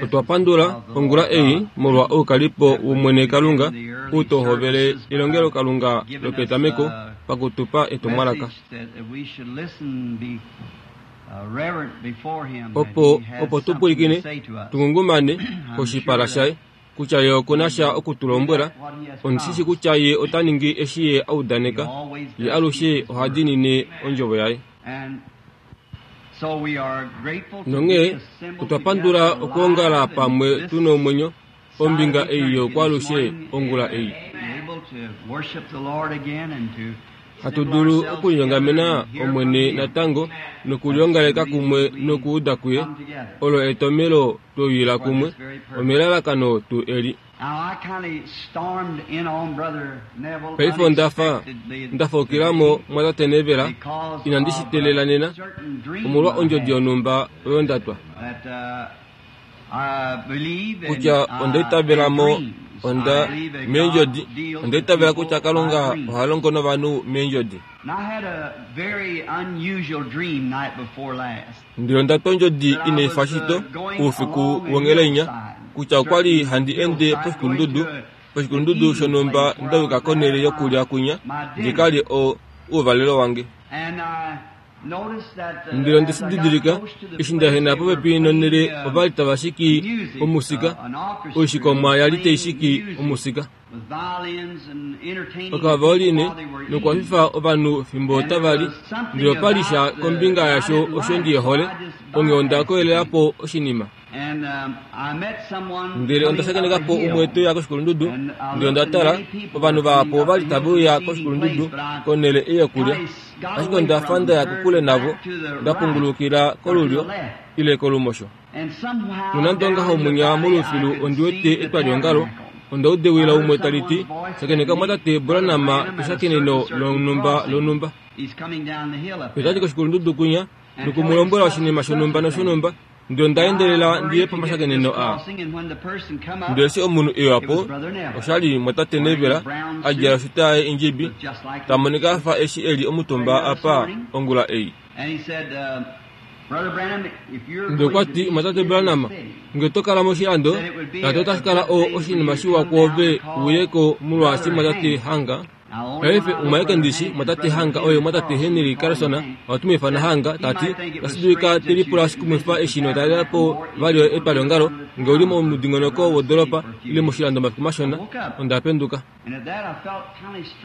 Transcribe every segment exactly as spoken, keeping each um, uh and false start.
Otwa pandula ongula ei molwa oukalipo wOmwene Kalunga ou to hovele elongelokalunga lopetameko pakutupa etumwalaka. Opo opo tu pwilikine tungungumane koshipala shaye kutya ye okuna sha okutulombwela. Ondi shi kutya ye ota ningi eshi ye a udaneka, ye alushe oha diinine ondjovo yaye. Nonghee otwa pandula okwoongala pamwe tu nomwenyo ombinga ei yokwaalushe ongula ei. Hatu dulu okulinyongamena Omwene natango nokuliongaleka kumwe nokuuda kuye. Olo etomhelo tweyuila kumwe omelalakano tuu eli. Paife onda fa nda faukila mo mwatate Neville, inandi shi teelela nena, omolwa ondjodi yonhumba oyo nda twa. Kutya onda itavela mo onda meendjodi, onda itavela kutya Kalunga oha longo novanhu meendjodi. Ndele onda twa ondjodi inai fa shito oufiku wonghelainya, kutya okwa li handi ende poshikulundudu, poshikulundudu shonhumba nda yuka konhele yokulya kwinya ndi ka lye o ouvalelo wange. Ndele onde shi didilika, eshi nda ehena popepi nonhele ova li tava shiki omusika, oishikomwa ya li tai shiki omusika. Okavaoline nokwafifa ovanhu fimbo tava li, ndele opa li sha kombinga yasho osho ndi hole, onghee onda koyelela po oshinima. Ndele onda shakeneka po umwe te uya koshikulundudu, ndele onda tala, ovanhu vahapu ova li tave uya koshikulundudu konhele ei yokulya, ashike onda fa nda ya kokule navo, nda pungulukila kolulyo ile kolumosho. Nonande ongaho mwinya molufilu ondi wete etwaliongalo, onda uda ewi laumwe tali ti, shakeneka mwatate Branham peshakeneno lonhumba lonhumba. Otati koshikulundudu kwinya nokumulombwela oshinima shonhumba noshonhumba, ndele onda endelela ndi ye pomashakeneno aa. Ndele eshi omunhu e uya po, osha li mwatate Neville a djala oshuta yaye indjibi, ta monika a fa eshi e li omutumba apa ongula ei. Ndele okwa ti, mwatate Branham, nge oto kala moshilando, tati otashi kala o oshinima shiwa kwoove u ye ko molwaashi mwatate Hanga. Paife umwe aeke ndishi, mwatate Hanga oye mwatate Henry Carlson, ohatu mu ifana Hanga, tati otashi dulika te lipula oshikumwifa eshi notalela po vali etwaliongalo, nge u li momudingonoko wodoolopa ile moshilando omafiku mashona. Onda penduka.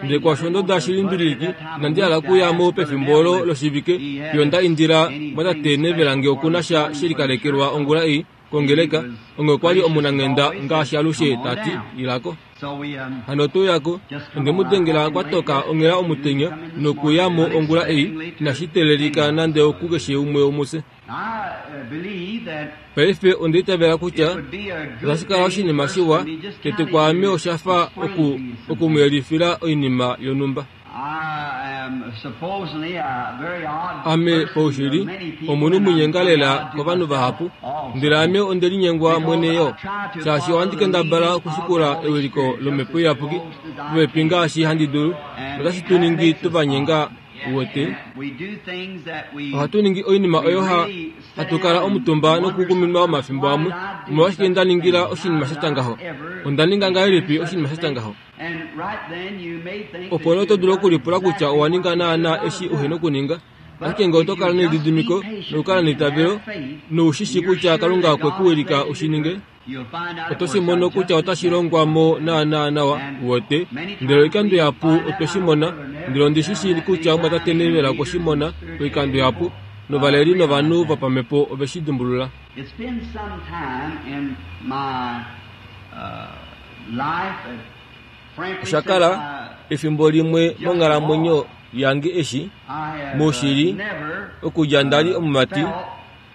Ndele kwaasho onda uda shilimbililiki, inandi hala okuya mo pefimbo olo loshivike, fiyo nda indila mwatate Neville nge oku na sha she likalekelwa ongula ei kongeleka, onghee okwa li omunanghenda ngaashi alushe, ta ti, ila ko. Hano otwe uya ko, onde mu dengela kwa toka onghela omutenya nokuya mo ongula ei, inashi teelelika nande okukeshe umwe womufye. Paife onda itavela kutya otashi kala oshinima shiwa tete kwaame osha fa oku oku mu yelifila oinima yonhumba. Ame paushili omunhu munyenga lela kovanhu vahapu, ndele ame onde linyengwa mwene yo, shaashi ohandi kendabala okushikula ewiliko lOmhepo Iyapuki popepi ngaashi handi dulu, notashi tu ningi tuvanyenga uwete. Ohatu ningi oinima oyo ha hatu kala omutumba nokukuminwa omafimbo amwe, omolwashike nda ningila oshinima sha tya ngaho? Onda ninga ngahelipi oshinima sha tya ngaho? Opo nee oto dulu okulipula kutya owa ninga naanaa eshi uhe nokuninga. Ashike nge oto kala nelididimiko nokukala neitavelo nou shi shii kutya Kalunga okwe ku wilika u shi ninge, oto shi mono kutya otashi longwa mo naanaa nawa, uwete. Ndele oikando ihapu otwe shi mona, ndele ondi shi shii kutya omumwatate Neville okwe shi mona oikando ihapu, novaleli novanhu vopamhepo ove shi dimbulula. Osha kala efimbo limwe monghalamwenyo yange eshi, moshili, okudja nda li omumati,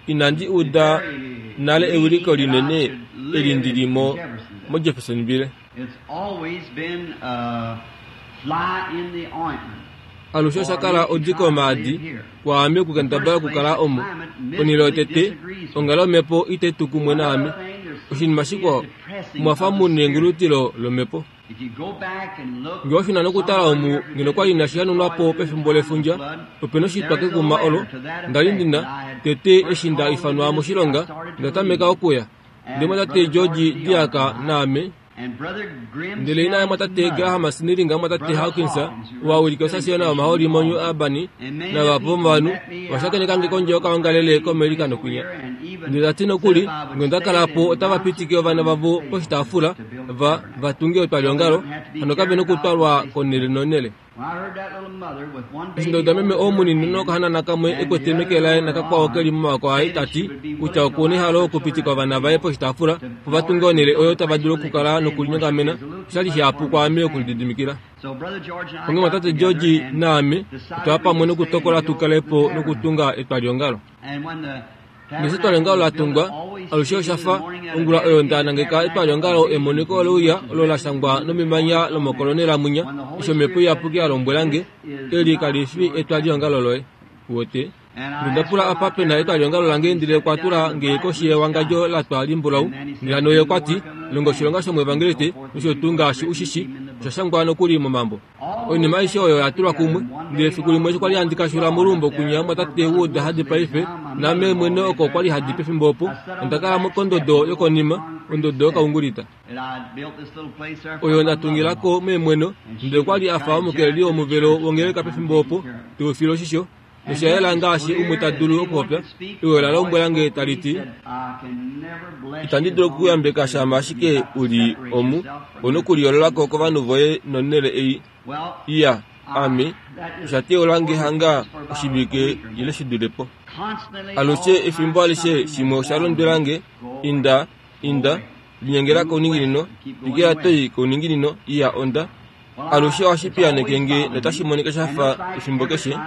inandi uda nale ewiliko linene eli ndi li mo moJeffersonville. Alushe osha kala odiko yomaadi kwaame okukendabala okukala omo. Onhele yotete, onghalo yomhepo itai tu kumwe naame. Oshinima shikwao, omwa fa mu nengulutilo lomhepo. Ngee oshina nokutala omu ngeno kwali inashi hanunwa po pefimbo lefundja, opena oshitwa kekuma olo nda li ndina tete eshi nda ifanwa moshilonga nda tameka okuya. Ndele mwatate George DeArk naame ndele ina yamwatate Graham Snelling mwatate Hawkins wawilika osasiona yomahooli moNew Albany navahapu vomovanhu ovashakenekange kondje yokaongalele koAmerica nokwinya. Ndele tati nokuli ngee onda kala po otava pitike ovana vavo poshitaafula va vatunge etwaliongalo hano kavena okutwalwa konele nonele. Eshi nda uda meme oo munini nokahanana kamwe ekwete meke laye nakakwao keli momaoko aye tati kutya okuna ehalo okupitika ovana vaye poshitaafula opo vatunge onhele oyo tava dulu okukala nokulinyongamena, oshali shihapu kwaame okulididimikila. Onghee mwatate George naame otwaya pamwe nokutokola tukale po nokutunga etwaliongalo. Ngeshi etwaliongalo latungwa, alushe oshafa ongula oyo nda nangeka etwaliongalo emoniko oleuya olo lashangwa nomemanya lomokolonela mwinya eshi Omhepo Iyapuki yalombwelange, eli kalifi etwaliongalo loye. Uwete? Ndele onda pula apa pena etwaliongalo lange ndele okwa tula nge koshi yewangadjo latwa limbulau. Ndele hano ye okwati, longa oshilonga shomuevangeliste nosho tuu ngaashi ushishi, osha shangwa nokuli momambo. Oinima aishe oyo oya tulwa kumwe. Ndele efiku limwe eshi kwali handi kashula moluumbo kwinya mwatate Wood hadi paife, naame mwene oko kwali hadi pefimbo opo, onda kala kondodo yokonima, ondodo yokaungulita. Oyo nda tungilako meemweno, ndele okwali afa omukeleli womuvelo wongeleka pefimbo opo, teufile oshisho, nosha yela ngaashi umwe ta dulu okupopya. Ewi ola lombwelange tali ti, itandi dulu okukuyambeka shama ashike u li omu, ouna okuliyoololako kovanhu voye nonhele ei. Iya, ame, osha teyaulange hanga oshivike ile shidule po. Alushe efimbo alishe shimwe osha londwelange, inda, inda, linyengela kouninginino, twikila toi kouninginino, iya onda. Alushe ohashi piyaaneke nge notashi monika shafa efimbo keshe.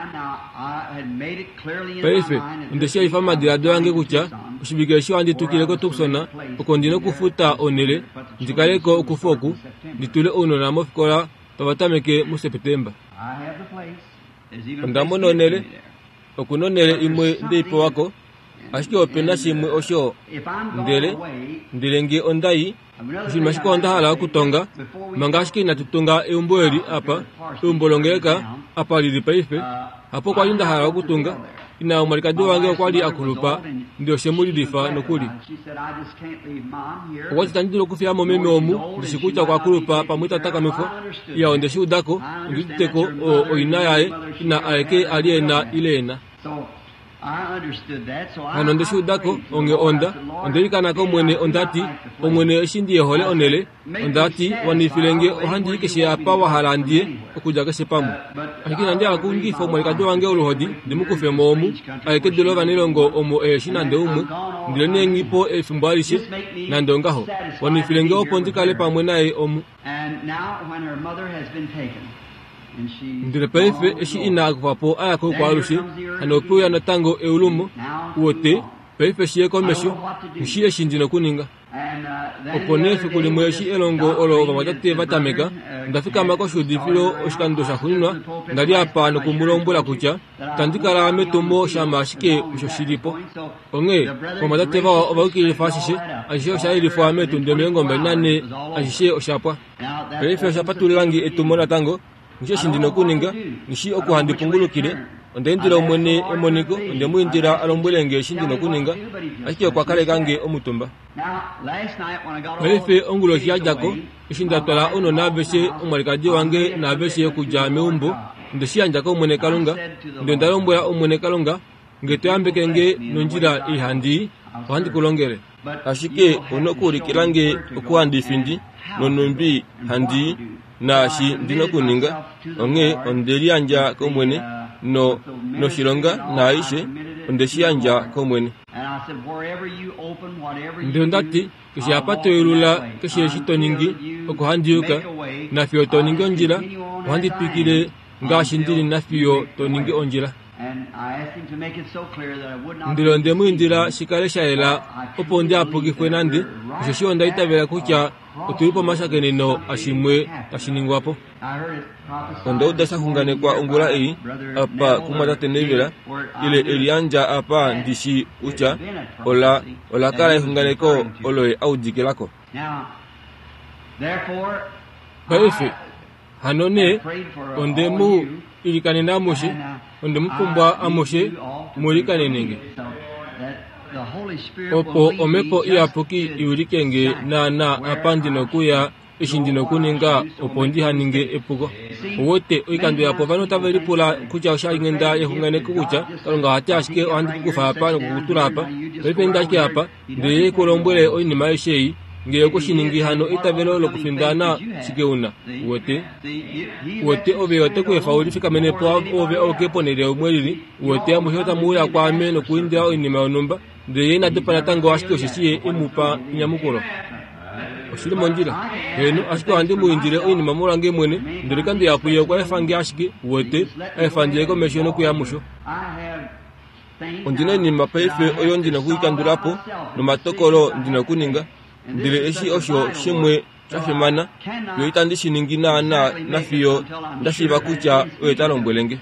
Paife, onde shi yelifa momadiladilo ange kutya oshivike eshi ohandi tukile koTucson oko ndina okufuta onhele ndi kaleko okufu oku, ndi tule ounona mofikola tava tameke muSepetemba. Onda mona onhele, okuna onhele imwe ndeipewako, ashike opena shimwe osho ndele, ndele ngee onda i, oshinima shikwao nda hala okutonga, manga ashike inatu tunga eumbo eli apa, eumbo longeleka, apa lili paife, hapo kwali nda hala okutunga. Ina yomwalikadi wange okwali akulupa ndele oshemulilifa nokuli. Okwati itandi dulu okufiya mo meme omu, ndishi kutya okwa kulupa pamwe ita takamifwa. Iya onde shi udako, ondi uditeko o oina yaye, ina aeke ali ena ile ena. Hano onde shi udako, onghee onda, onda ilikana kOmwene ondati, Omwene eshi ndi yehole onhele, ondati wanifile nge ohandi i keshe apa wa hala ndiye, okudja keshe pamwe. Ashike inandi hala okunyikifa omwalikadi wange oluhodi ndi mu kufe mo omu, aye kedu lovanailongo omo eheshi nande umwe, ndele nee nghi po efimbo alishe, nande ongaho, wanifile nge opo ndi kale pamwe naye omu. Ndele paife eshi ina akufwa po a ya koukwaalushe, hano ope uya natango eulumo, uwete, paife shi ye komesho, nghi eshi ndi nokuninga. Opo nee efiku limwe eshi elongo olo ovamwatate va tameka, onda fikama koshuudifilo oshikando shaxuuninwa nda li apa noku mu lombwela kutya itandi kala metumo shama ashike osho shi li po. Onghee ovamwatate vawa ova yukililifa ashishe, ashishe osha yelifwa meetundi omilongo mbali nanhee, ashishe osha pwa. Paife osha patululange etumo natango, nghi eshi ndi nokuninga, nghi oku handi pungulukile. Onda indila Omwene emoniko, onde mu indila a lombwele nge eshi ndi nokuninga, ashike okwa kaleka nge omutumba. Paife onguloshi ya dja ko, eshi nda twala ounona aveshe, omwalikadi wange naaveshe okudja meumbo, onde shi yandja kOmwene Kalunga, ndele onda lombwela Omwene Kalunga, nge to yambeke nge nondjila ei handi i, ohandi ku longele. Ashike ouna okuulikila nge oku handi findi, nonhumbi handi i, naashi ndi nokuninga. Onghee onde liyandja kOmwene, no, noshilonga naaishe, onde shi yandja kOmwene. Ndele onda ti, keshe apa to yelula, keshe eshi to ningi, oko handi yuka, nafiyo to ningi ondjila, ohandi twikile ngaashi ndili nafiyo to ningi ondjila. Ndele onde mu indila shi kale sha yela opo ndi hapukifwe nande, osheshi onda itavela kutya otuli pomashakeneno ashimwe tashi ningwa po. Onda uda sha xunganekwa ongula ei, apa kumwatate Neville, ile eliyandja apa ndi shi kutya ola, ola kala exunganeko olo ye audikilako. Paife hano nee onde mu ilikanena amushe, onde mu pumbwa amushe mu ilikanene opo omhepo iyapuki iwilike nge naana apa ndi nokuya eshi ndi nokuninga opo ndiha ninge epuko. Owete oikando yapo ovanhu otave lipula kutya oshalinghenda yexunganeko kutya Kalunga ohati ashike ohandi kukufa apa nokukutula apa, paife inda ashike apa, ndele ye ku lombwele oinima aishe ei. Ngee okweshiningi hano eitavelo lokufindana shike una? Uwete? Uwete ove ote ku efa ulifikamenepo ove auke ponhele umwe lili. Uwete amushe otamu uya kwaame nokuindila oinima yonhumba, ndele ye ina dopa natango ashike osheshi ye emupa enyamukulo. Oshili mondjila. Heeno, ashike ohandi mu indile oinima molwange mwene, ndele oikando ihapu ye okwa efa nge ashike, uwete, a efa ndi ye komesho nokuya musho. Ondina oinima paife oyo ndina okuikandula po, nomatokolo ndina okuninga, ndele eshi osho shimwe sha fimana, fiyo itandi shi ningi naana nafiyo nda shiiva kutya oye ta lombwele nge.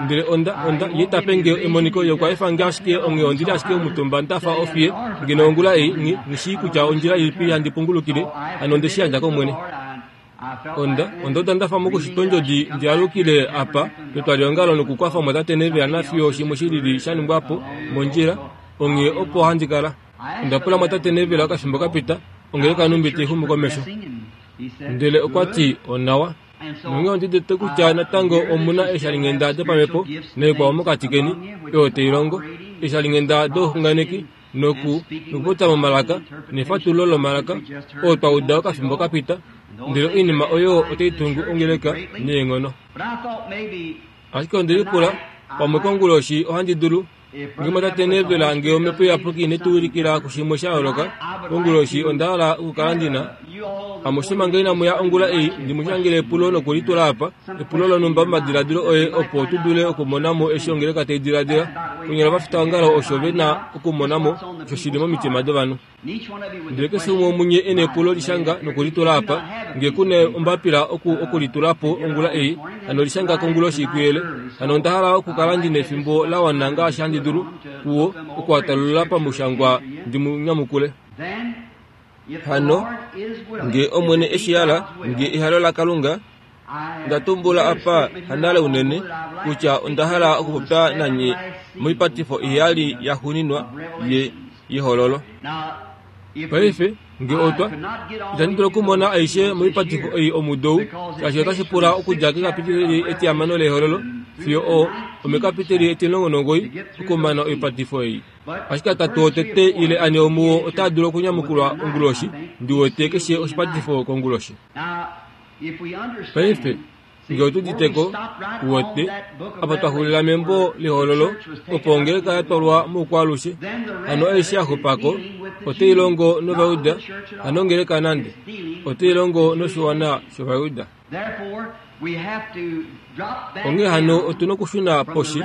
Ndele onda, onda, ye ta pe nge emoniko, ye okwa efa nge ashike, onghee ondili ashike omutumba nda fa ofiye, ngeno ongula ei, nghi, nghi shii kutya ondjila ilipi handi pungulukile, hano onde shi yandja kOmwene. Onda, onda uda nda fa mokushitwa ondjodi ndi alukile apa petwaliongalo nokukwafa omwatate Neville nafiyo shimwe shilili sha ningwa po mondjila, onghee opo handi kala. Onda pula omwatate Neville okafimbo kapita, ongeleka nhumbi tai xumu komesho. Ndele okwa ti onawa. Nonghee ondi udite kutya natango omuna eeshalinghenda dopamhepo naikwao mokati keni, oyo tai longo, eeshalinghenda douxunganeki noku nokupopya momalaka nefatululo lomalaka, oo twa uda okafimbo kapita, ndele oinima oyo otai tungu ongeleka neenghono. Ashike onde lipula, pamwe konguloshi ohandi dulu, ngee mwatate Neville ngee omhepo iyapuki ine tu wilikila kushimwe sha yooloka, konguloshi onda hala okukala ndina amushe manga inamu ya ongula ei ndi mu shangele epulo nokulitula apa, epulo lonhumba momadiladilo oye opo tu dule okumona mo eshi ongeleka tai diladila. Konyala ovafitaongalo osho ve na okumona mo osho shili momitima dovanhu. Ndele keshe umwe womunye e na epulo lishanga nokulitula apa, ngee ku na ombapila oku okulitula po ongula ei, hano lishanga konguloshi kuyele. Hano onda hala okukala ndi nefimbo la wana ngaashi handi dulu kuwo okuatalulula pamushangwa ndi mu nyamukule. Hano ngee Omwene eshi hala, ngee ehalo laKalunga, nda tumbula apa hanale unene kutya onda hala okupopya nanye moipatifo iheyali yaxuuninwa ye yehololo. Paife ngee otwa, itandi dulu okumona aishe moipatifo ei omudo ou, shaashi otashi pula okudja kekapiteli etihamano lehololo fiyo o omekapiteli etimulongo nomugoyi okumana oipatifo ei. Ashike atatu otete ile ane omuwo otaa dulu okunyamukulwa onguloshi, ndi wete keshe oshipatifo konguloshi. Paife ngee otu uditeko, uwete, apa twa xulila membo lehololo, opo ongeleka ya twalwa moukwaalushe, hano aishe ya xupako otai longo nOvajuda, hano ongeleka nande, otai longo noshiwana shOvajuda. Onghee hano otu nokushuna poshi,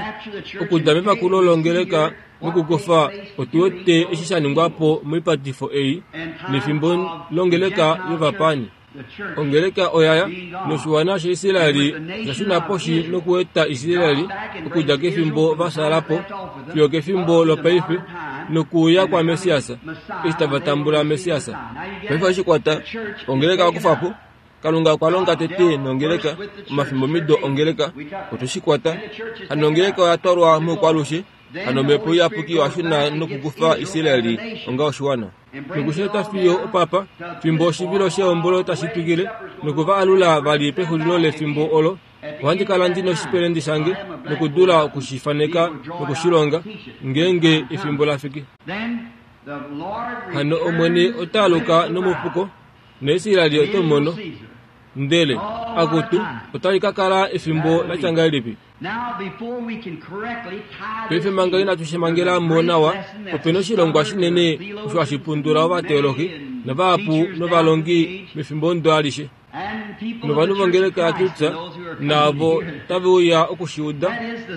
okudja mepakulo longeleka nokukufa otu wete eshi sha ningwa po moipatifo ei, nefimbo longeleka yovapaani. Ongeleka oyaya, noshiwana shaIsraeli osha shuna poshi nokueta Israeli okudja kefimbo va fyaala po fiyo kefimbo lopaife nokuuya kwaMessias, eshi tava tambula Messias. Paife ohashi kwata ongeleka okufa po. Kalunga okwa longa tete nongeleka, omafimbomido ongeleka, otwe shi kwata. Hano ongeleka oya twalwa moukwaalushe, hano omhepo iyapuki oya shuna nokukufa Israeli onga oshiwana. Nokusheeta fiyo opapa, fimbo oshivilo shehombolo tashi twikile, nokuva alula vali pexulilo lefimbo olo, ohandi kala ndi noshipelende shange nokudula okushifaneka nokushilonga, ngeenge efimbo la fiki. Hano Omwene ota aluka nomufuko, naIsraeli ote mu mono. Ndele, akutu, otali ka kala efimbo la tya ngahelipi? Paife manga inatu shi mangela mo nawa, ope na oshilongwa shinene osho hashi pundula ovateologi navahapu novalongi mefimbo ondo alishe. Novanhu vongeleka yaKristus naavo tave uya okushiuda,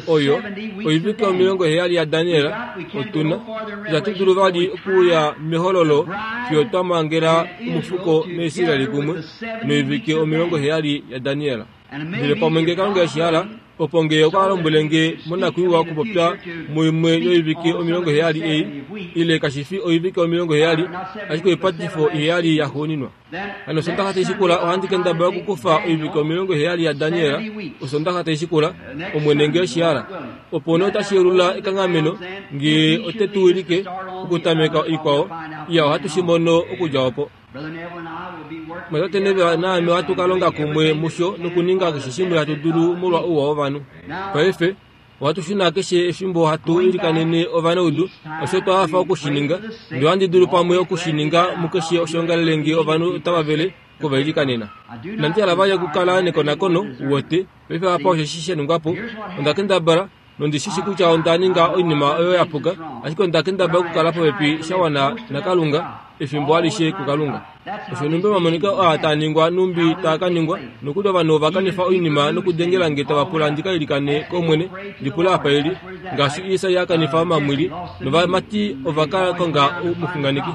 oyo oivike omilongo heyali yaDaniel, otuna itatu dulu vali okuuya mehololo fiyo twa mangela omufuko naIsraeli kumwe noivike omilongo heyali yaDaniel. Ndele pamwe ngee Kalunga eshi hala, Opo ngee okwa lombwele nge monakwiiwa okupopya muimwe yoivike omilongo heyali ei, ile kashi fi oivike omilongo heyali, ashike oipatifo iheyali yaxuuninwa. Hano Osondaxa taishikula ohandi kendabala okukufa oivike omilongo heyali yaDaniel, Osondaxa taishikula, Omwene ngee oshihala. Opo nee otashi yeulula ekanghameno, ngee ote tu wilike okutameka ikwao, iya ohatu shi mono okudja opo. Mwatate Neville naame ohatu ka longa kumwe musho nokuninga keshe shimwe hatu dulu molwa ouwa wovanhu. Paife, ohatu shuna keshe efimbo hatu ilikanene ovanaudu, osho twa hafa okushininga, ndele ohandi dulu pamwe okushininga mukeshe oshiongalele ngee ovanhu otava vele okuvailikanena. Inandi hala vali okukala nekonakono, uwete, paife apa osheshi sha ningwa po, onda kendabala, nondi shi shi kutya onda ninga oinima oyo ya puka, ashike onda kendabala okukala popepi sha wana naKalunga, efimbo alishe kuKalunga. Osho numbi omamoniko aa taa ningwa numbi taa ka ningwa, nokuli ovanhu ova kanifa oinima nokudengela nge tava pula ndi ka ilikane kOmwene, ndi pula apa eli, ngaashi Isai a kanifa omamwili, novamati ova ka konga omuxunganeki.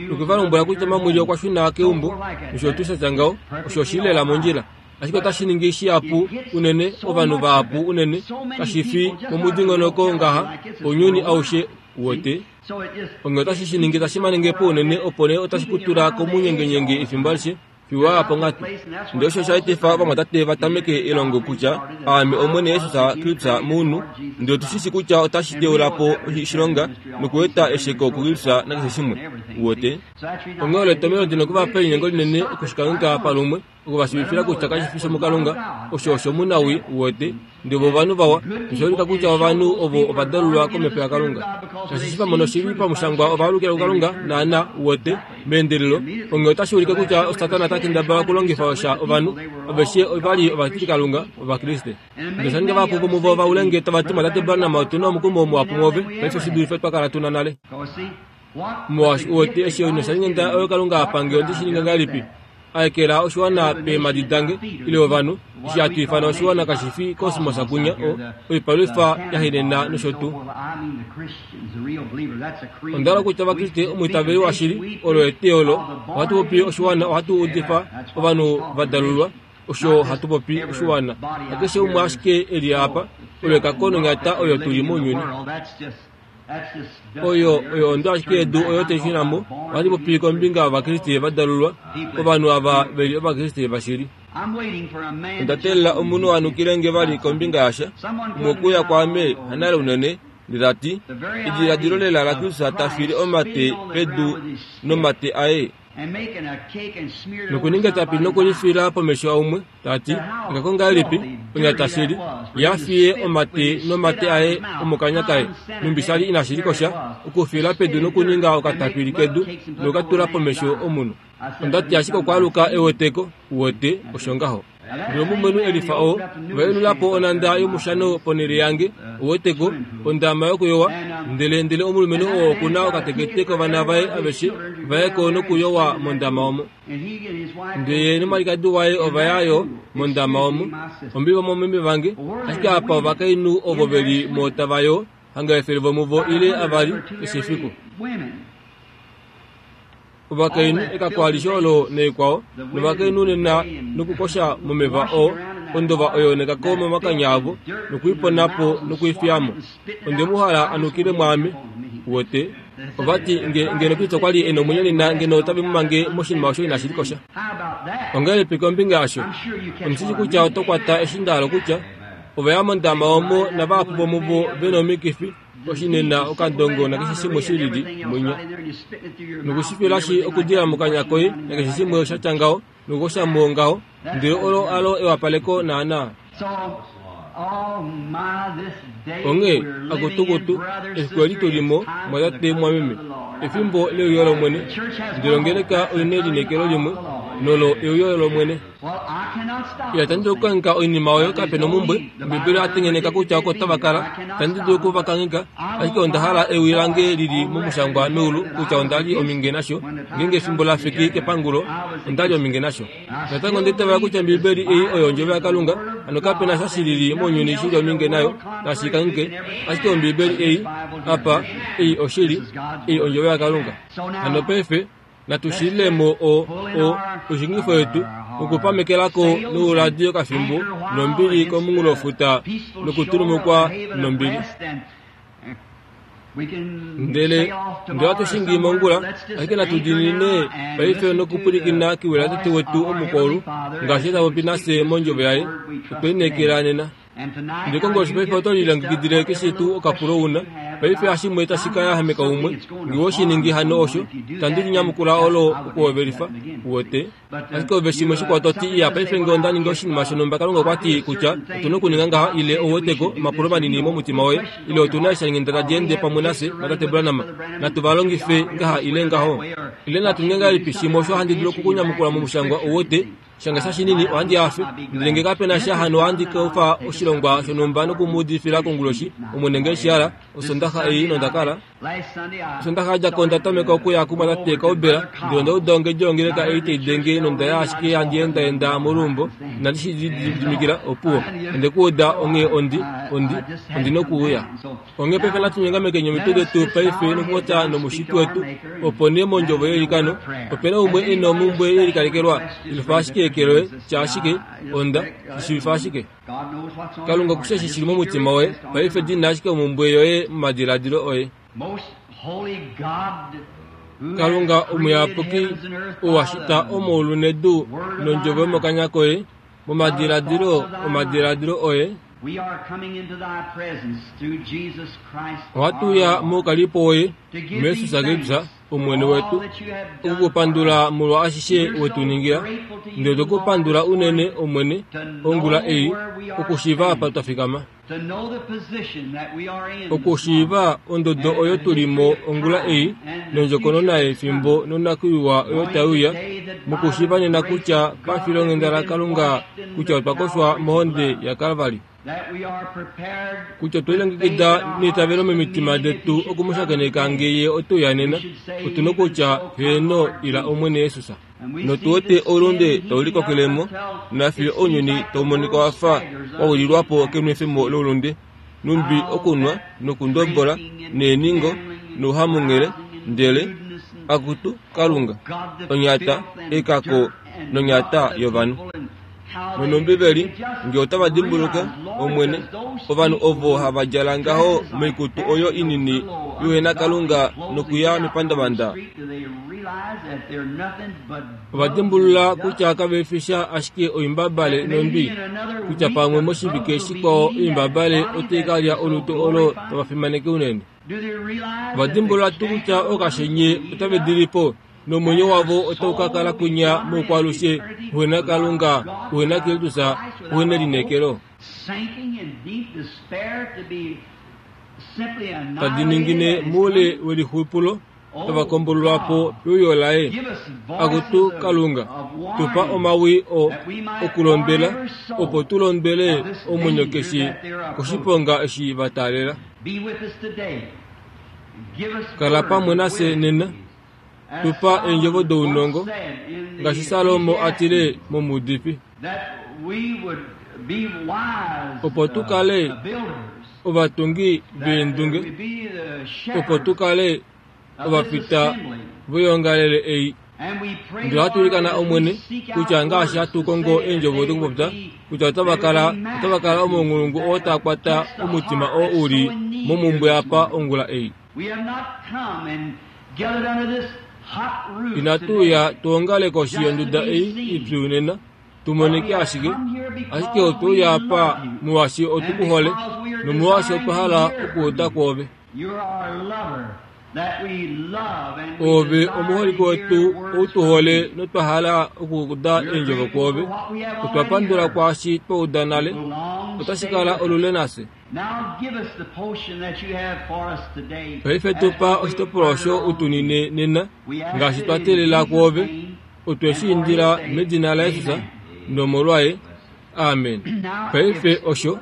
Nokwe va lombwela kutya mamwili okwa shuna keumbo, nosho tuu sha tya ngaho, osho oshi li lela mondjila. Ashike otashi ningi shihapu unene, ovanhu vahapu unene, kashi fi momudingonoko ngaha, ounyuni aushe wote. Onghee otashi shi ningi tashi manenge po unene opo nee otashi ku tula komunyengenyenge efimbo alishe, fiyo wa ya ponghatu. Ndele osho osha etifa ovamwatate va tameke elongo kutya aame Omwene Jesus Kristus mounhu, ndele otu shi shi kutya otashi teula po oshilonga nokueta esheko kuKristus nakeshe shimwe. Uwete? Onghee olo etomhelo ndi na okuvapa elinyengo linene okushikangheka palumwe, okuvashiivifila kutya kashi fi shomukalunga, osho oshomunawii, uwete, ndele vo ovanhu vawa, nosha ulika kutya ovanhu ovo ova dalulwa komhepo yaKalunga. Shaashi eshi va mona oshili pamushangwa ova alukila kuKalunga, naana, uwete, meendelelo, onghee otashi ulike kutya Satana ota kendabala okulongifa osha ovanhu, aveshe ova li ovatilikalunga, Ovakriste. Ndele osha ninga vahapu vomuvo va ule nge tava ti, Tate Branham, otu na omukumo muhapu mwoove paife shi dulife twa kala tu na nale. Molwaashi uwete eshi nosha linyenga oyo Kalunga a pange ondi shi ninga ngahelipi? Aekela oshiwana peemhadi dange, ile ovanhu, eshi hatu ifana oshiwana kashi fi kosmosa kunya, o, oipalwifa yahenena nosho tuu. Onda hala kutya Ovakriste omwiitaveli washili, olo eteyo olo, ohatu popi oshiwana, ohatu udifa ovanhu va dalulwa, osho hatu popi oshiwana. Hakeshe umwe ashike e li apa, olo ekako nonyata oyo tu li mounyuni. Oyo oyo ondo ashike yedu oyo tai shuna mo. Ohandi popi kombinga yOvakriste va dalulwa, ovanhu ava ve li Ovakriste vashili. Onda teelela omunhu a nukile nge vali kombinga yasha, umwe okuya kwaame hanale unene, ndele ta ti, Ediladilo lela laKristus ta file omate pedu nomate aye, nokuninga etapi nokulifila pomesho aumwe, ta ti, Ekako ngahelipi, onyata shili, ye a fiye omate nomate aye omokanya kaye, numbi sha li inashi likosha, okufila pedu nokuninga okatapili kedu nokukatula pomesho omunhu. Onda ti ashike okwaaluka eweteko, uwete, osho ngaho. Ndele omulumenhu e lifa oo, ova yelula po onhanda yomushano ponhele yange, uweteko, ondama yokuyowa, ndele ndele omulumenhu oo oku na okatekete kovana vaye aveshe va ye ko nokuyowa mondama omo. Ndele ye nomwalikadi waye ova ya yo mondama omo, ombi vomomeme vange, ashike apa ovakainhu ovo ve li mo tava yoo, hanga efele vomuvo ile avali keshe efiku. Ovakainhu ekako alishe olo naikwao, novakainhu nena nokukosha momeva oo, ondova oyo nekako momakanya avo, nokuipona po nokuifiya mo. Onde mu hala a nukile mwaame, uwete. Ova ti, nge, ngeno Kristo okwa li e nomwenyo nena, ngeno otave mu mange moshinima osho inashi likosha. Ongahelipi kombinga yasho? Ondi shi shii kutya oto kwata eshi nda hala okutya. Ova ya mondama omo navahapu vomuvo ve nomikifi, oshinena, okandongo nakeshe shimwe shi lili mwinya. Nokushifilashi okudila mokanya koye nakeshe shimwe sha tya ngaho, nokukosha mo ngaho, ndele olo alo ewapaleko naanaa. Onghee, akutukutu, efiku eli tu li mo, mwatate mumwameme, efimbo leuyo lOmwene. Ndele ongeleka oi nelineekelo limwe, nolo euyo lOmwene. Ila tandi dulu okukangheka oinima oyo kape nomumbwe, Ombibeli oya tengeneka kutya oko tava kala. Itandi dulu oku va kangheka, ashike onda hala ewi lange li li momushangwa meulu kutya onda li ominge nasho. Ngeenge efimbo la fiki kepangulo, onda li ominge nasho. Natango onda itavela kutya Ombibeli ei oyo Ondjovo yaKalunga, hano kape na sha shi lili mounyuni shi li ominge nayo, nashi kangheke. Ashike Ombibeli ei, apa, ei oshili, ei Ondjovo yaKalunga. Hano paife, Natu shililemo o o oishingifo yetu nokupamekelako nouladi okafimbo nombili komunghulofuta nokutulumukwa nombili. Ndele ndele ohatu shingi mongula, ashike natu diinine paife nokupwilikina kewi laTate wetu omukwaulu ngaashi ta popi nafye mondjovo yaye. Otwe lineekela nena. Ndele konguloshi paife oto lilongekidile keshe tuu okapulo una. Paife hashimwe tashi ka yahameka umwe, ngee oshiningi hano osho, itandi linyamukula olo okuhovelifa, uwete. Ashike ove shimwe shikwao to ti, iya, paife ngee onda ninga oshinima shonhumba Kalunga okwa ti kutya otu na okuninga ngaha, ile ouweteko, omapulo manini momutima woye, ile otu na eeshalinghenda tadi ende pamwe nafye, natate Branham, natu va longife ngaha ile ngaho. Ile natu ninge ngahelipi shimwe osho handi dulu okukunyamukula momushangwa, uwete. Shange sha shinini ohandi hafe, ndele ngee kapena sha hano ohandi ka kufa oshilongwa shonhumba nokumuudifila konguloshi, Omwene ngee eshi hala, Osondaxa ei nonda kala. Osondaxa yadja ko onda tameka okuya kumwatate Cauble, ndele onda uda ongedi yongeleka ei tai denge nonda ya ashike handi endaenda moluumbo, inandi shi lididimikila, opuwo, onde ku uda onghee ondi, ondi, ondi nokuuya. Onghee paife natu nyongamekeni omitwe detu paife nokupopya nomushiti wetu, opo nee mondjovo yeilikano. Opena umwe e na omhumbwe yelikalekelwa, yelufa ashike eke loye, tya ashike, onda, shi shiivifa ashike. Kalunga oku shii eshi shili momutima woye, paife dina ashike omhumbwe yoye momadiladilo oye. Kalunga omuyapuki, ou a shita omaulu nedu nondjovo yomokanya koye, momadiladilo omadiladilo oye, ohatu uya moukalipo woye muJesus Kristus Omwene wetu, okukupandula molwa ashishe wetu ningila. Ndele otwe ku pandula unene, Omwene, ongula ei, okushiiva apa twa fikama, okushiiva ondodo oyo tuli mo ongula ei, nondjokonona yefimbo nonakwiiwa oyo tai uya, mokushiiva nena kutya pafilonghenda laKalunga kutya otwa koshwa mohonde yaKalvari, kutya otwe lilongekida neitavelo momitima detu okumushakeneka ngee ye ote uya nena, otu nokutya, heeno, ila Omwene Jesus. Notu wete oulunde tau likokelemo, nafiyo ounyuni tau monika wafa wa wililwapo kenwefemo loulunde, numbi okunwa nokundobola neeningo nouhamunghele, ndele, akutu Kalunga, onyata, ekako nonyata yovanhu. Nonombibeli, ngee otava dimbuluka, Omwene, ovanhu ovo hava djala ngaho moikutu oyo inini youhenakalunga nokuya mepandavanda, ova dimbulula kutya kave fi sha ashike oimbabale nondwi, kutya pamwe moshivike shikwao oimbabale otai ka lya olutu olo tava fimaneke unene. Ova dimbulula tuu kutya ookashenye otave di li po, nomwenyo wavo otau ka kala kwinya moukwaalushe uhena Kalunga, uhena Kristus, uhena elineekelo. Tadi ningine moule welixupulo, tava kombololwa po peuyo laye. Akutu Kalunga, tu pa omawi o okulondwela, opo tu londwele omwenyo keshe koshiponga eshi va taalela. Kala pamwe nafye nena, tu pa eendjovo dounongo, ngaashi Salomo a tile momuudifi, opo tu kale ovatungi veendunge, opo tu kale ovafita voyoongalele ei. Ndele ohatu ilikana Omwene, kutya ngaashi hatu kongo eendjovo dokupopya, kutya otava kala, otava kala omaunghulungu oo taa kwata omutima oo u li momhumbwe apa ongula ei. Inatu uya tu ongale koshi yonduda ei ipyu nena, tu monike ashike, ashike otwe uya apa molwaashi otu ku hole, nomolwaashi otwa hala okuuda kwoove. Oove omuholike wetu ou tu hole notwa hala okuuda eendjovo kwoove. Otwa pandula kwaashi twa uda nale. Otashi kala olule nafye. Paife tu pa oshitopolwa osho u tu nine nena, ngaashi twa teelela kwoove. Otwe shi indila medina laJesus nomolwaye. Amen. Paife osho.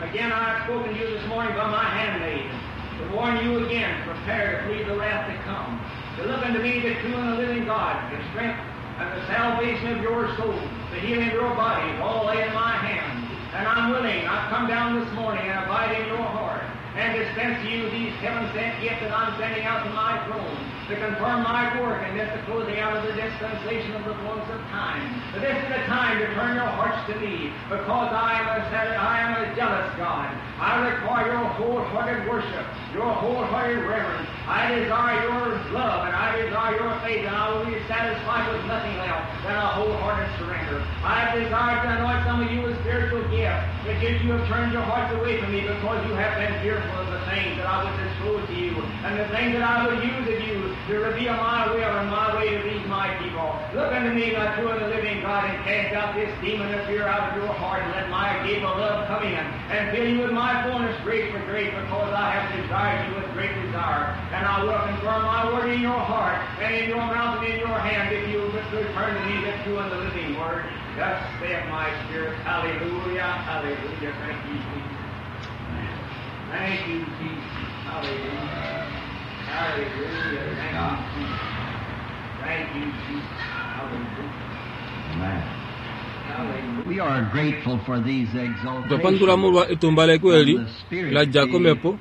Again, I have spoken to you this morning by my handmaid, to warn you again, prepare to flee the wrath to come, to look unto me, the true and the living God, the strength and the salvation of your soul, the healing of your bodies, all lay in my hand. And I'm willing, I've come down this morning and abide in your heart, and dispense to you these heaven-sent gifts that I'm sending out from my throne, to confirm my work and this the closing out of the dispensation of the fullness of time. But this is the time to turn your hearts to me, because I am a, I am a jealous God. I require your wholehearted worship, your wholehearted reverence. I desire your love, and I desire your faith, and I will be satisfied with nothing else than a wholehearted surrender. I desire to anoint some of you with spiritual gifts, but yet you have turned your hearts away from me because you have been fearful of the things that I would disclose to you, and the things that I would use of you to reveal my will and my way to these my people. Look unto me, my true and the living God, and cast out this demon of fear out of your heart, and let my gift of love come in, and fill you with my fullness grace for grace, because I have desired you with great desire. And I will confirm my word in your heart, and in your mouth, and in your hand, if you will return to me the true and the living word. Thus saith my spirit. Hallelujah, hallelujah. Thank you, Jesus. Thank you, Jesus. Hallelujah. Hallelujah. Thank you, Jesus. Thank you, Jesus. Hallelujah. Amen. Hallelujah. We are grateful for these Twapandula exaltations. molwa etumbaleko eli la dja komhepo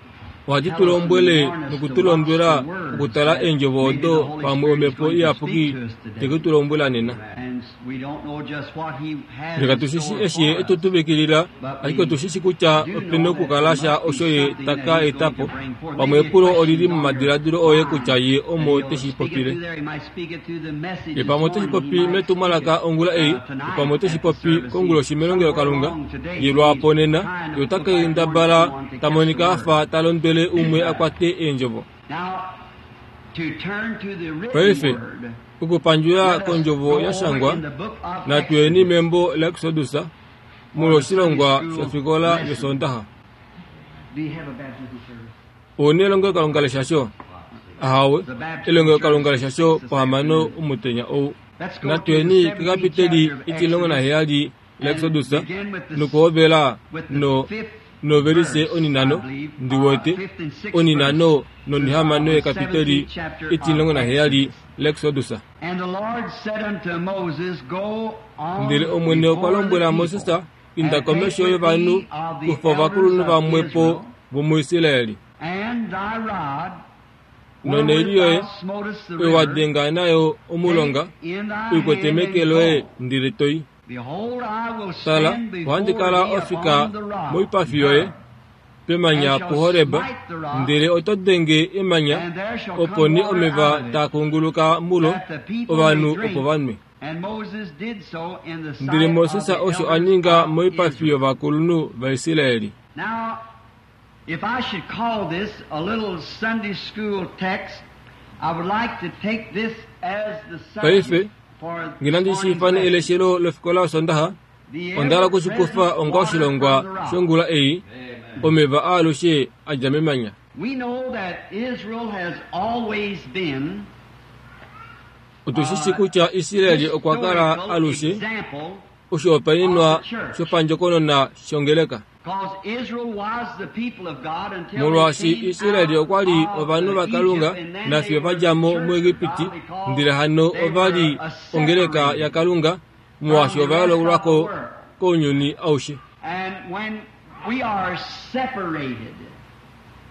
ohadi tu lombwele nokutulombwela okutala eendjovo odo pamwe omhepo iyapuki teke tu lombwela nena. And we don't know just what he has Ndele in katu shi shi store eshi ye for etu us. tuvikilila, ashike otu shi shi kutya opena okukala sha osho ye taka eta po. Pamwe epulo olili momadiladilo oye kutya ye omo teshi popile. Ye pamwe oteshi popi metumwalaka ongula ei, ye pamwe oteshi popi konguloshi melongelokalunga, ye lwaapo nena, ye ota kendabala ta monika afa ta londwele umwe a kwate eendjovo. Now, to turn to the written Paife, word, okupandjula kondjovo ya shangwa, natuyeni membo laExodus molwoshilongwa shofikola yosondaha. Do you have a baptism service? Ouna elongelokalunga leshasho? Ahawe, elongelokalunga leshasho pohamano omutenya ou. Let's go to the Natuyeni seventeenth kekapiteli chapter of itilongo Exodus naheyali laExodus and begin with the nokuhovela with the no fifth novelise verse, oninano I believe, uh, ndiwete fifth and sixth oninano verse nonihamano of the yekapiteli seventeenth chapter of itilongo naheyali Exodus. laExodus. And the Lord said unto Moses, Go on Ndele Omwene okwa before the lombwela people, Moses, inda and take komesho with yovanhu thee of the kufa ovakulunhu elders of vamwepo Israel, vomuIsraeli and thy rod, Noneili wherewith yoye thou smotest the oyo wa river, denga nayo omulonga take in thy hand uikwete and meke loye go. ndele toyi. Behold, I will Tala, stand before ohandi kala thee ofika upon the rock, moipafi yoye pemanya and shall puHoreb, smite the rock, ndele oto denge emanya, and there shall opo come ni water omeva out of it, taa kunguluka mulo, that the people may ovanhu drink. opo vanwe. And Moses did so in the Ndele sight Moses of the osho a elders ninga of moipafi Israel. yovakulunhu vaIsraeli. Now, if I should call this a little Sunday school text, I would like to take this as the Paife, subject for Ngina this ndi morning's shiifane lesson. eleshelo lofikola yosondaha, The onda hala okushikufa ever-present onga water oshilongwa from the rock. shongula ei, omeva aalushe a dja memanya. We know that Israel has always been Otu shi shi kutya Israeli okwa kala historical alushe example oshihopaenenwa shopandjokonona shongeleka. because Israel was the people of God until they Molwaashi came Israeli out okwa li of ovanhu the vaKalunga Egypt, and then nafiyo they were va dja mo the church of muEgipiti, God because ndele hano they ova li were a ongeleka separated yaKalunga molwaashi from the ova rest of the yoololwako world. kounyuni aushe. And when we are separated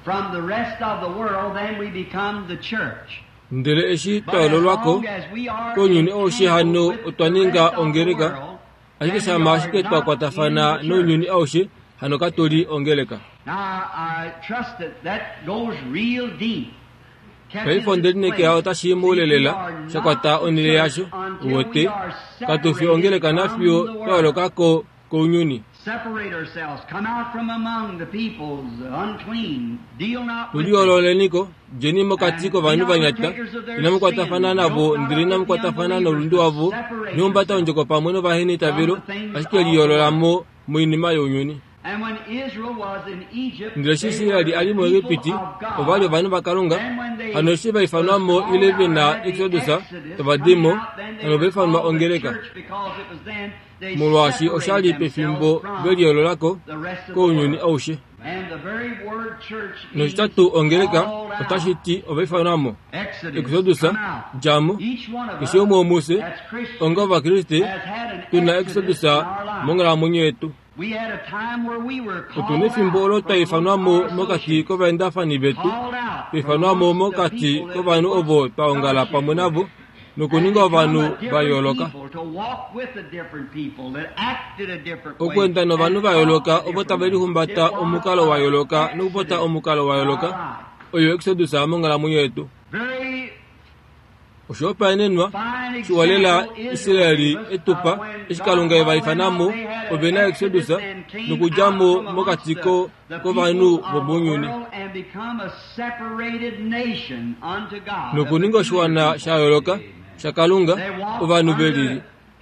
from the rest of the world, then we become the church. Ndele eshi But twa as yoololwako long as we are kounyuni aushe entangled hano with otwa the ninga rest of the ongeleka, world, Ashike shama ashike twa kwatafana nounyuni aushe, hano katuli ongeleka. Now, I trust that that goes real deep. Paife ondelinekela otashi mulelela shakwata onhele yasho uwete katufi ongeleka nafiyo twayoolokako kounyuni. Separate ourselves, come out from among the peoples, the unclean, deal not with them. Tuliyoololeniko djeni mokati kovanhu vanyata, inamu kwatafana navo ndele inamu kwatafana nolundu wavo, nihumbata ondjoko pamwe novahenitavelo, ashike liyoololamo moinima younyuni. And when Israel was in Egypt, Ndele eshi they Israeli were ali the muEgipiti, people of God. ova li ovanhu vaKalunga. Then when they Hano eshi va ifanwamo was ile called ve na out at the Exodus, Exodus, tava dimo, coming out, then they hano va were ifanwa called the ongeleka. church because it was then they Molwaashi osha li separated pefimbo themselves from ve liyoololako the rest of the kounyuni world. aushe. And the very word church means Noshitatu ongeleka called out. otashi ti ova ifanwamo. Exodus, Exodus, come out. djamo, Each one of keshe us umwe womufye, as Christians onga ovakriste, has had an tuna exodus Exodus in our life. monghalamwenyo yetu. We had a time where we were Otuna called efimbo olo out twa from ifanwamo our mokati associates, kovaendafani vetu, called out twa ifanwamo from amongst the mokati people that kovanhu we ovo twa ongala fellowship pamwe with. navo, nokuninga And become ovanhu a va different yooloka. people, to walk with a different people that acted a different way Okwenda novanhu and va yooloka talked a ovo different tave way. lihumbata It was omukalo wa yooloka an nokupota exodus omukalo wa in our yooloka. life. Oyo Exodus monghalamwenyo yetu. Very Oshihopaenenwa fine shiwalela example Israel Israeli gave us etupa of when eshi God Kalunga eva called them ifanamo out, they had an ove na exodus Exodus and came nokudjamo out from amongst mokati the, ko the kovanhu people of the vomounyuni world and become a separated nation unto God, a nokuninga peculiar oshiwana people. sha yooloka shaKalunga They walked ovanhu under velili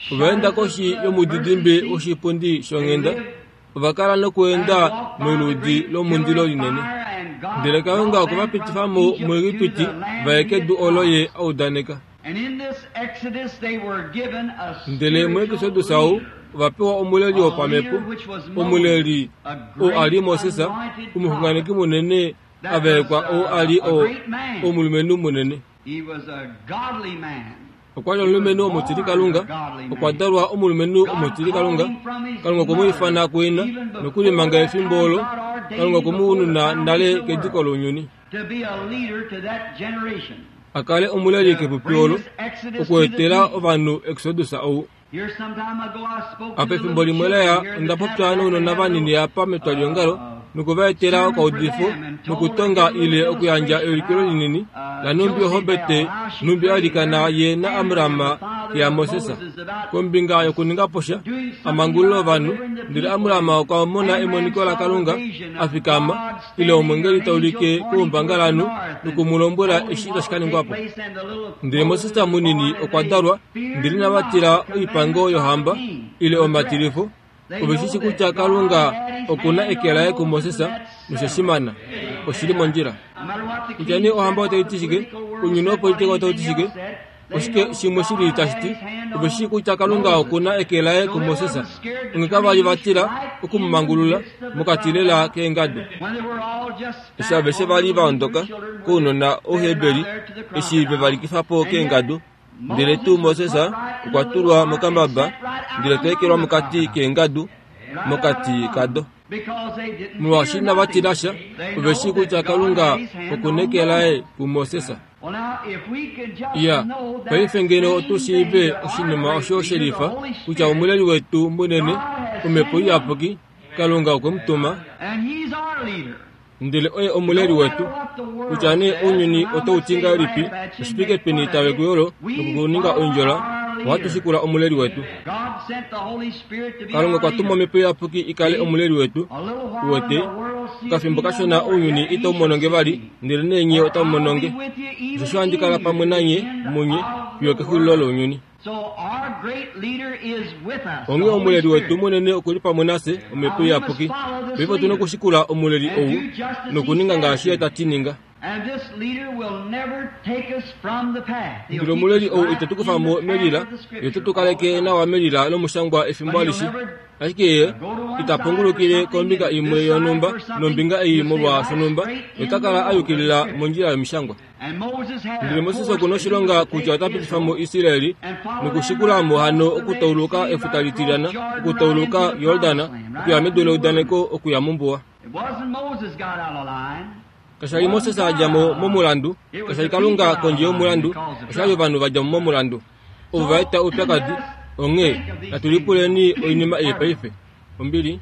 the ovaenda shadows of koshi the mercy yomudidimbe seat. woshipundi They shonghenda lived ova kala and nokuenda walked by the moludi great pillar lomundilo of linene. fire, and God Ndele Kalunga brought okwe va them from pitifa mo Egypt to muEgipiti the land va ye he had kedu olo ye promised. a udaneka. And in this Exodus they were given a Ndele spiritual muExodus ou leader, ova pewa omuleli a wopamhepo, leader which was Moses, omuleli a oo a li great Moses, anointed omuxunganeki prophet munene a that was vaekwa oo a li uh, a o great man. omulumenhu munene. He was a godly man. Okwa li He was omulumenhu born a omutilikalunga, godly okwa man. dalwa omulumenhu God called omutilikalunga. him from his Kalunga okwe mu mother. ifana kuina Even before nokulimanga that efimbo time, olo, God ordained Kalunga him okwe mu before the ununa nale foundation of the kediko world lounyuni. to be a leader to that generation, A kale omuleli to kepupi bring olo, this exodus to the okuetela people. ovanhu Exodus ou. Here some time ago I spoke to Apa the efimbo little limwe children leya here in onda the popya tabernacle nounona had a vanini little apa metwalihongalo uh, nokuva etela sermon for okaudifo them and told a nokutonga little ile okuyandja illustration eulikilo how linini uh, la numbi Jochebed, ohobete how she numbi prayed alikana her ye na Amram, Amrama the father ya of Moses Moses, about kombinga yokuninga posha doing something amangulilo about ovanhu delivering the ndele people. Amrama okwa mona Amram emoniko saw the laKalunga vision a of fikama God ile standing there, omwengeli an ta angel ulike pointing towards the koumbangalanhu north, and nokumulombwela told him eshi what tashi ka would take ningwa po. place, and the little Ndele Moses Moses was munini born, and okwa they dalwa feared ndele inava not tila the oipango commandments of the yohamba king ile to dress. omatilifo They ove know shi shi that kutya God Kalunga had his okuna hand eke on laye Moses kuMoses in that noshashimana settlement. oshili mondjila. No matter what the Kutya king nee said, ohamba what otai the ti shike, political world ounyuni said, what wopolitika otau ti anything shike, else said, they oshike know shimwe shili God tashi had ti his hand ove shi on kutya Kalunga Moses. okuna eke laye So they kuMoses. wasn't scared to Onge turn kava li him va loose tila right in the okumumangulula midst of the mokati lela crowd keengadu. when they were all just Eshi fat aveshe all va li little va Hebrew ondoka children were kounona fed out Ouheberi there to the eshi ve va crocodile. likifa po And yet keengadu ndele tuu Moses was Moses put right in okwa the little tulwa ark and mokambaba set right out ndele ta ekelwa among the mokati crocodiles. keengadu Right out mokati among them. kado. Because they didn't Molwaashi fear inava nothing. tila sha They ove know shii kutya that God Kalunga had his hand okuna on eke laye Moses. kuMoses. Well, now, if we could just Iya, know that paife ngeno otu same shiive thing that our oshinima great osho leader, the shelifa Holy kutya Spirit, omuleli wetu munene God has omhepo sent him, iyapuki Kalunga okwe mu tuma and he's our leader. ndele oye omuleli No wetu matter what the world kutya nee says ounyuni and how otau much ti they ngahelipi laugh at you and oshipike make peni fun of tave you, kuyolo we nokukuninga follow oindjola our ohatu leader. shikula omuleli wetu. God sent the Holy Spirit to be Kalunga our okwa tuma leader. omhepo iyapuki i kale See, omuleli wetu a little while and uwete the world seeth okafimbo me no kashona more, ounyuni yet ye itau shall mononge see vali me. ndele neenye For otamu I'll be mononge. with you, even Osheshi ohandi kala in you, pamwe to the nanye end munye of fiyo the kexulilo world. lounyuni. So our great leader is with us, the Onghee Holy omuleli wetu Spirit. munene okuli pamwe nafye omhepo Now we must iyapuki. follow this Paife otuna leader okushikula omuleli and ou do just as he nokuninga says ngaashi ye do. ta ti ninga. And this leader will never take us from the path. He'll Ndele keep omuleli us ou right ite tu in kufa the mo path melila of the ye te Scripture tu all the kaleke time. nawa melila lomushangwa efimbo But he'll alishe. never Ashike ye go to one ita side for pungulukile something kombinga and imwe this side yonhumba for something. nombinga ei He'll stay molwa right shonhumba straight ye in ta the kala a road of the yukilila Scripture. mondjila yomishangwa. And Moses had Ndele a Moses course okuna that he was oshilonga to kutya take ota pitifa mo Israel Israeli and follow them right nokushikulamo hano across the Red okutauluka Sea, efuta right litilyana across Jordan, right okutauluka into the Yordana promised land, right okuya out medu in the leudaneko wilderness. okuya mombuwa. It wasn't Moses got out of line. Kasha li It Moses wasn't a God dja out mo of line. momulandu, It was kasha li the Kalunga people out kondje of line yomulandu, that caused the osha li trouble. ovanhu va dja mo momulandu ovo va So eta oupyakadi. let us Onghee natu lipuleni oinima ei paife. Ombili.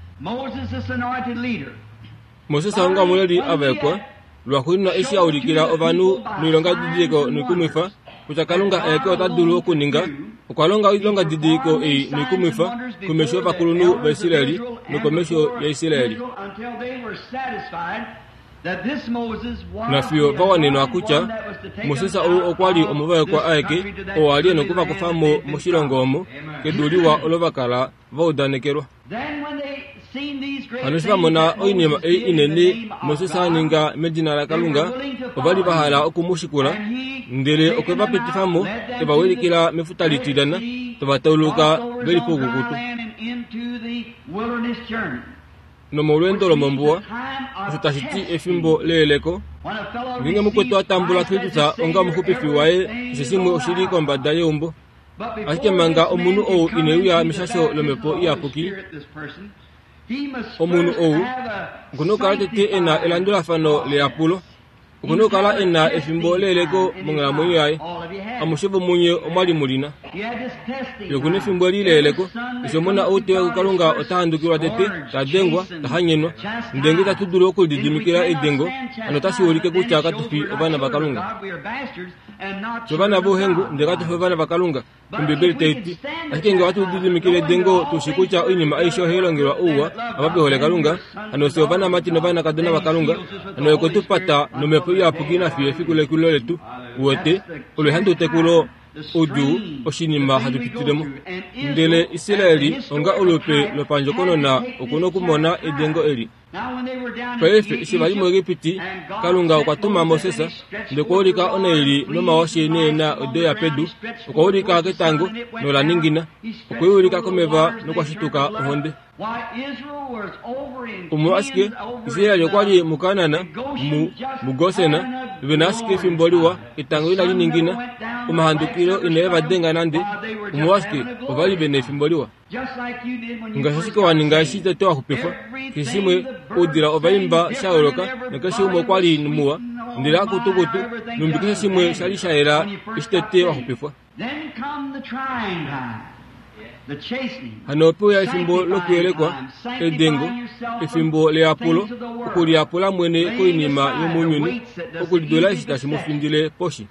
Moses onga omuleli a vaekwa lwaxuuninwa eshi a ulikila ovanhu noilongadidiliko noikumwifa kutya Kalunga aeke ota dulu okuninga, okwa longa oilongadidiliko ei noikumwifa komesho yovakulunhu vaIsraeli nokomesho yaIsraeli. Nafiyo va wanenwa kutya Moses ou okwa li omuvaekwa aeke oo a li e nokuvakufa mo moshilongo omo kedu liwa olo va kala va udanekelwa. Hano eshi va mona oinima ei inene Moses a ninga medina laKalunga, ova li va hala oku mu shikula, ndele okwe va pitifa mo, e va wilikila mefuta litilyana, tava tauluka ve li poukukutu. Nomolweendo lomombuwa, osho tashi ti efimbo leyeleko, ngeenge mukwetu a tambula Kristus onga omuxupifi waye, keshe shimwe oshi li kombada yeumbo. Ashike manga omunhu ou ine uya meshasho lomhepo iyapuki, omunhu ou okuna okukala tete e na elandulafano leyapulo, okuna okukala e na efimbo leyeleko monghalamwenyo yaye. Amushe vomunye omwa li mu lina. Ye okuna efimbo eli leyeleko, eshi omona ou te uya kuKalunga ota handukilwa tete, ta dengwa, ta hanyenwa. Ndele ngee itatu dulu okulididimikila edengo, hano otashi ulike kutya katu fi ovana vaKalunga. Fye ovana vouhengu, ndele katu fi ovana vaKalunga, Ombibeli tai ti. Ashike ngee ohatu lididimikile edengo tu shi kutya oinima aishe ohai longelwa ouwa ava ve hole Kalunga, hano fye ovanamati novanakadona vaKalunga, hano ye okwe tu pata nomhepo iyapuki nafiyo efiku lekulilo letu. Uwete, olo ehandutekulo, oudjuu, oshinima hatu pitilemo. Ndele Israeli onga olupe lopandjokonona okuna okumona edengo eli. Paife eshi va li muEgipiti, Kalunga okwa tuma Moses, ndele okwa ulika onaili nomawashe neena odo ya pedu, okwa ulika ketango nola ningina, okwe i ulika komeva nokwa shituka ohonde. Omolwashike Israel okwa li muKanaan, mu muGosen, ve na ashike efimbo liwa, etango inali ningina, omahandukilo inae va denga nande. Omolwashike ova li ve na efimbo liwa. Ngaashi ashike wa ninga eshi tete wa xupifwa, keshe shimwe oudila ova imba sha yooloka nakeshe umwe okwa li muwa, ndele akutukutu, numbi keshe shimwe sha li sha yela eshi tete wa xupifwa. Hano ope uya efimbo lokuyelekwa, edengo, efimbo leyapulo, okuliyapula mwene koinima yomounyuni, okulidula eshi tashi mu findile poshi.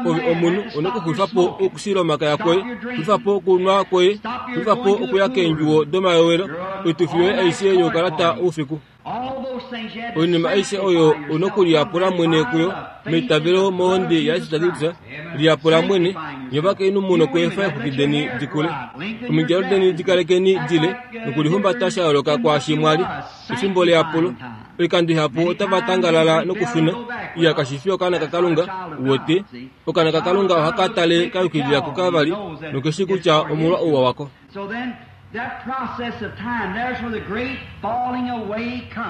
Ove omunhu una okuxulifa po okushila omakaya kwoye, xulifa po okunwa kwoye, xulifa po okuya keendjuwo domayowelo, oitufi yoye aishe youkalata oufiku. Oinima aishe oyo una okuliyapula mwene kuyo, meitavelo mohonde yaJesus Kristus, liyapula mwene. Nye ovakainhu mu nokweefa eexwiki deni di kule, omidjalo deni di kalekeni dile, nokulihumbata sha yooloka kwaashi mwa li. Efimbo leyapulo, oikando ihapu otava tangalala nokushuna. Iya kashi fi okaana kaKalunga, uwete. Okaana kaKalunga ohaka tale ka yukilila kukavali, nokeshi kutya omolwa ouwa wako.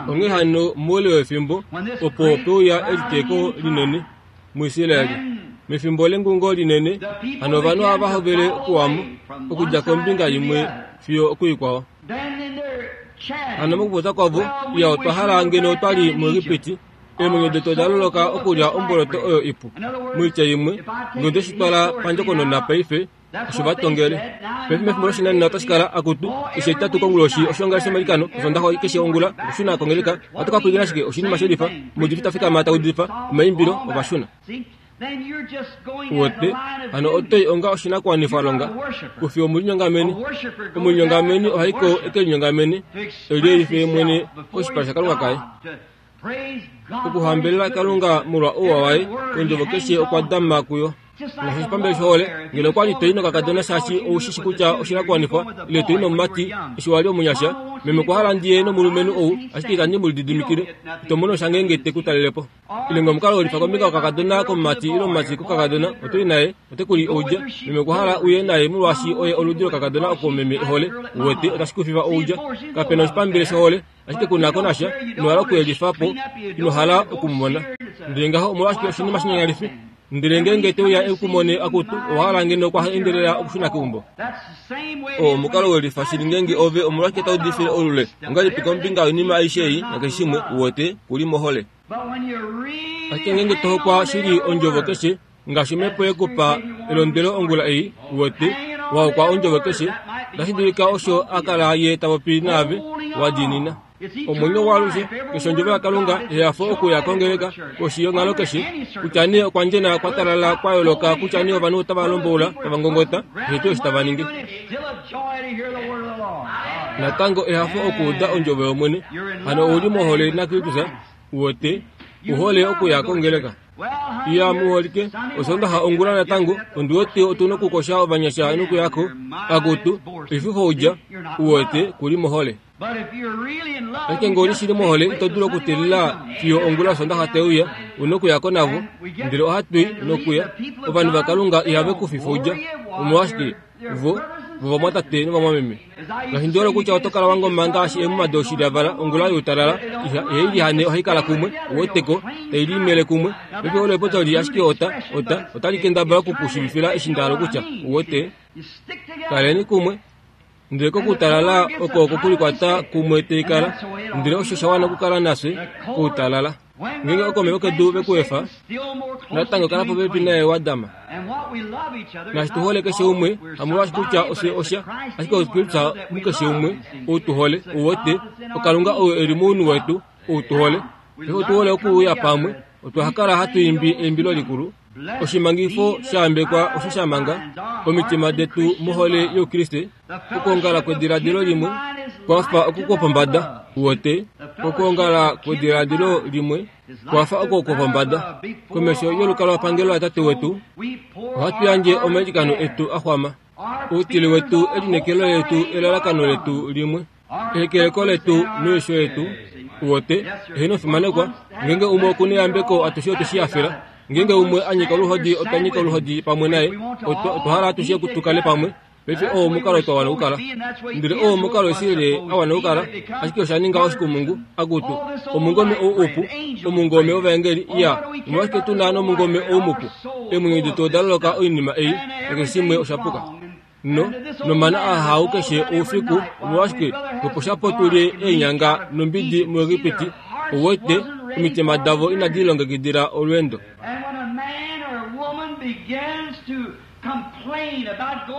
Onghee hano moule wefimbo opo pe uya eliteeko linene muIsraeli, mefimbo lengungo linene, hano ovanhu ohava hovele okuwamo okudja kombinga imwe fiyo okuikwao. Hano mokupopya kwavo, iya otwa hala ngeno twa li muEgipiti, eemwenyo detu oda loloka okulya omboloto oyo ipu. Moitya imwe, ngeno oteshi twala pandjokonona paife, osho va tongele. Paife mefimbo loshinanena otashi kala akutu, eshi etitatu konguloshi oshiongalele shomailikano, Osondaxa keshe ongula, okushuna kongeleka, ohatu ka pwilikina ashike oshinima shelifa, omuudifi ta fikama ta udifa, omaimbilo, ovashuna. Uwete, hano oto i onga oshinakuwanifwalonga, kufi omulinyongameni. Omulinyongameni ohai ko e ke linyongamene, e liyelife mwene koshipala shaKalunga kaye. Okuhambelela Kalunga molwa ouwa waye, ondjovo keshe okwa dama kuyo. Ngaashi oshipambele shohole, ngeno okwa li to i nokakadona shaashi ou shi shi kutya oshinakuwanifwa, ile to i nomumati eshi wa li omunyasha, meme okwa hala ndi ye nomulumenhu ou, ashike itandi mu lididimikile, ito mono sha ngeenge te ku talele po. Ile ngee omukalo welifa kombinga wokakadona komumati ile omumati kokakadona, oto i naye, ote ku li oudja, meme okwa hala uye naye molwaashi oye oludi lokakadona oko meme e hole, uwete, otashi ku fifa oudja. Kape na oshipambele shohole, ashike ku na ko nasha, ino hala okuyelifa po, ino hala oku mu mona. Ndele ngaho omolwashike oshinima shinyanyalifi? Ndele ngeenge te uya e ku mone akutu, owa hala ngeno okwa endelela okushuna keumbo. Oo omukalo welifa shili ngeenge ove omolwashike tau udifile olule, ongahelipi kombinga yoinima aishe ei nakeshe shimwe, uwete, ku li mohole. Ashike ngeenge to hokwa shili ondjovo keshe, ngaashi omhepo ye ku pa elondwelo ongula ei, uwete, Wahokwa ondjovo keshe, otashi dulika osho a kala ye ta popi naave, wa diinina. Omwenyo waalushe, keshe ondjovo yaKalunga, ehafo okuya kongeleka, koshi yonghalo keshe, kutya nee okwa ndjena kwa talala kwa yooloka, kutya nee ovanhu otava lomboula, tava ngongota, keshe tuu eshi tava ningi. Natango ehafo okuuda ondjovo yOmwene. Hano ouli mohole naKristus, uwete, uhole okuya kongeleka. Iya muholike, Osondaxa ongula natango, ondi wete otuna okukosha ovanyasha nokuyako, akutu, oififoudja, uwete, kuli mohole. Ashike ngee ouli shili mohole, ito dulu okuteelela fiyo ongula yOsondaxa teuya, una okuyako navo, ndele ohatui nokuya. Ovanhu vaKalunga ihave ku fifoudja, omolwashike, vo, vovamwatate novamwameme. Ngaashi ndi hole kutya oto kala wangoma ngaashi eemuma doshilyavala ongula youtalala, ihai lihane ohai kala kumwe, uweteko, tai limele kumwe. Paife olo epopyo li ashike ota, ota, otali kendabala oku ku shiivifila eshi nda hala okutya, uwete. Kaleni kumwe. Ndele kokutalala oko okokulikwata kumwe taikala, ndele osho sha wana okukala nafye koutalala. Ngeenge okomeva kedu vekuefa, natango kala popepi naye wadama. Naashi tuhole keshe umwe, hamolwaashi kutya ofye osha, ashike oKristus mukeshe umwe ou tuhole, uwete, oKalunga ou eli mounhu wetu, ou tuhole. Paife otuhole okuuya pamwe, otwa kala hatu imbi eimbilo likulu. Oshimangifo shayambekwa osho sha manga omitima detu mohole youKriste. Okwoongala kwediladilo limwe kwafa oko kwopombada, uwete. Okwoongala kwediladilo limwe kwafa oko kwopombada. Komesho yolukalwapangelo laTate wetu, ohatu yandje omailikano etu a xwama. Outile wetu, elineekelo letu, elalakano letu limwe, ehekeleko letu noisho yetu, uwete, eheno fimanekwa. Ngeenge umwe okuna eyambeko, atushe otwe shi hafela. Ngeenge umwe a nyika oluhodi, otwa nyika oluhodi pamwe naye. Otwa hala atushe tukale pamwe. Paife oo omukalo twa wana okukala. Ndele oo omukalo Israel a wana okukala, ashike osha ninga oshikumungu, akutu, omungome ou upu, omungome wovaengeli, iya, omolwashike tuna nomungome ou mupu? Eemwenyo detu oda loloka oinima ei, nakeshe shimwe osha puka. No, nomana ahau keshe oufiku, omolwashike, opo tulye eenyanga nombidi muEgipiti, uwete, omitima davo inadi lilongekidila olweendo.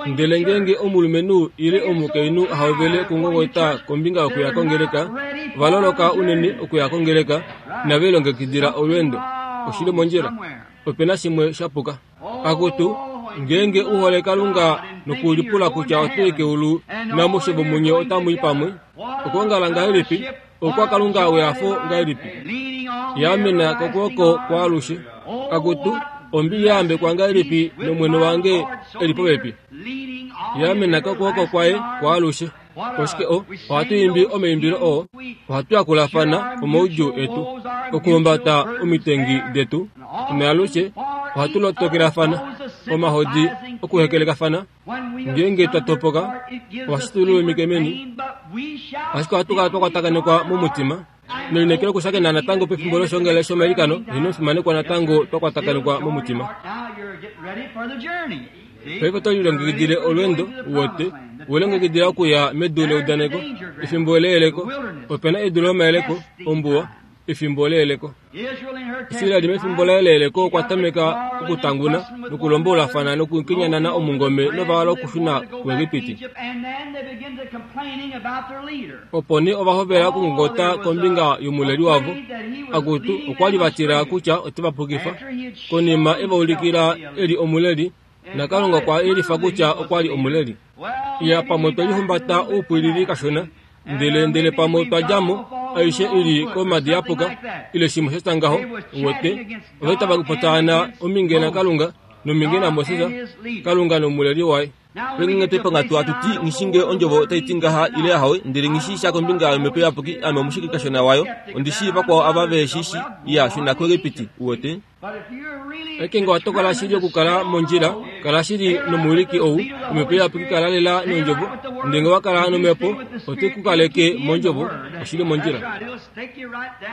Ndele ngeenge omulumenhu ile omukainhu ahovele okungongota kombinga yokuya kongeleka, ova loloka unene okuya kongeleka, inave lilongekidila olweendo. Oshili mondjila. Opena shimwe shapuka. Akutu, ngeenge u hole Kalunga nokulipula kutya oto i keulu namushe vomunye otamu i pamwe, okwoongala ngahelipi, okwa Kalunga wehafo ngahelipi, yaamena kokwooko kwaalushe. Akutu, ombili yayambekwa ngahelipi nomwene wange eli popepi, yaamena kokwooko kwaye kwaalushe. Oshike o, ohatu imbi omaimbilo oo, ohatu yakulafana omaudjuu etu, okuhumbata omitengi detu, naalushe ohatu lotokelafana omahodi okuhekelekafana. Ngeenge twa topoka, ohashi tu lulumike meni, ashike ohatu kala twa kwatakanekwa momutima. Nelineekelo okushakena natango pefimbo loshongele shomailikano, ino fimanekwa natango twa kwatakanekwa momutima. Paife oto lilongekidile olweendo, uwete, welongekidila okuya medu leudaneko, efimbo leyeleko. Opena edu lomayeleko, ombuwa, efimbo leyeleko. Israel mefimbo laye leyeleko okwa tameka okutanguna nokulomboulafana nokukenyanana omungome nova hala okushuna kuEgipiti. Opo nee ova hovela okungongota kombinga yomuleli wavo. Akutu, okwa li va tila kutya ote va pukifa. Konima e va ulikila e li omuleli, naKalunga okwa yelifa kutya okwa li omuleli. Iya, pamwe twe lihumbata oupwilili kashona, ndele ndele pamwe otwa dja mo, aishe ili komadi yapuka, ile shimwe sha ngaho, uwete, ova tava potaana ominge naKalunga nominge naMoses, Kalunga nomuleli waye. Penge twepangatwa atuti ngishinge ondjovo otai ti ngaha ile ahawe, ndele ngishi sha kombinga yomhepo iyapuki, ame omushiki kashona wayo, ondi shii vakwao ava ve shi shi, iya shuna kuEgipiti, uwete. Ashike ngee owa tokola shili okukala mondjila, kala shili nomuwiliki ou, omhepo iyapuki kala lela nondjovo, ndele ngee owa kala nomhepo, ote ku kaleke mondjovo, oshili mondjila.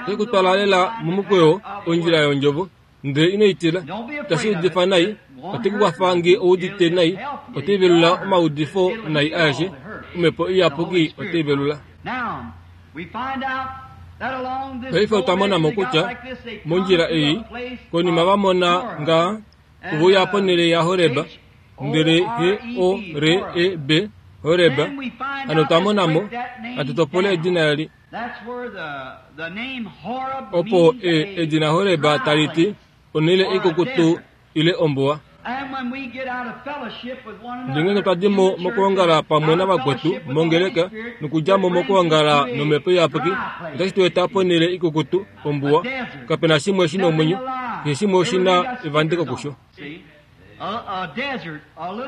Ote ku twala lela momukweyo, ondjila yondjovo, ndele ino i tila, itashi udifa nai, ote ku kwafa ngee oudite nai, ote velula omaudifo nai aeshe, omhepo iyapuki ote velula. Paife otwa mona mo kutya mondjila ei, konima va mona nga ove uya ponhele yaHoreb, Ndele H O R E B, Horeb. Hano otwa mona mo, hatu topole edina eli. Opo e, edina Horeb tali ti onhele ikukutu ile ombuwa. Ndele ngeenge twa di mo mokwoongala pamwe navakwetu mongeleka nokudja mo mokwoongala nomhepo iyapuki, otashi tu eta ponhele ikukutu, ombuwa. Kapena shimwe shina omwenyo, keshe shimwe oshina evandeko kusho.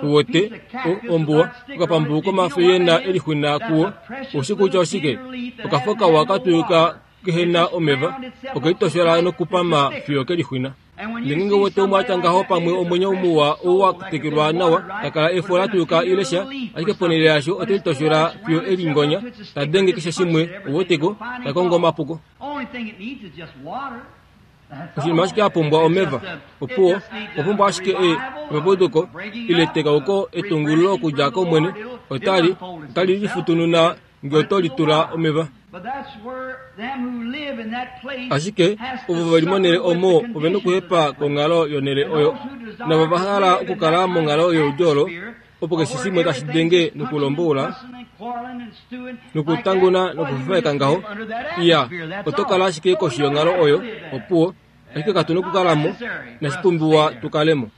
Uwete, o, ombuwa, okapambu komafo yena elixwina kuwo, oushi kutya oshike? Okafo kawa katuyuka kehena omeva, okelitoshola nokupama fiyo kelixwina. Ndele ngeenge uwete umwe atya ngaho pamwe omwenyo muwa ou wa tekelwa nawa, takala efo latuyuka ile sha, ashike ponhele yasho otelitoshola fiyo elingonya, tadenge keshe shimwe, uweteko, takongo omapuko. Oshinima ashike apumbwa omeva. Opuwo, okwa ashike e epapuduko ile tekauko etungululo okudja komwene, otali, otali lifutununa ngee oto litula omeva. Ashike ovo veli monhele omo ovena okuhepa konghalo yonhele oyo, navo va hala okukala monghalo yeudyo olo, opo keshe shimwe tashi denge nokulomboula nokutanguna nokufufaeka ngaho, iya, oto kala ashike koshi yonghalo oyo, opuwo, ashike katu nokukalamo, inashipumbiwa tukalemo.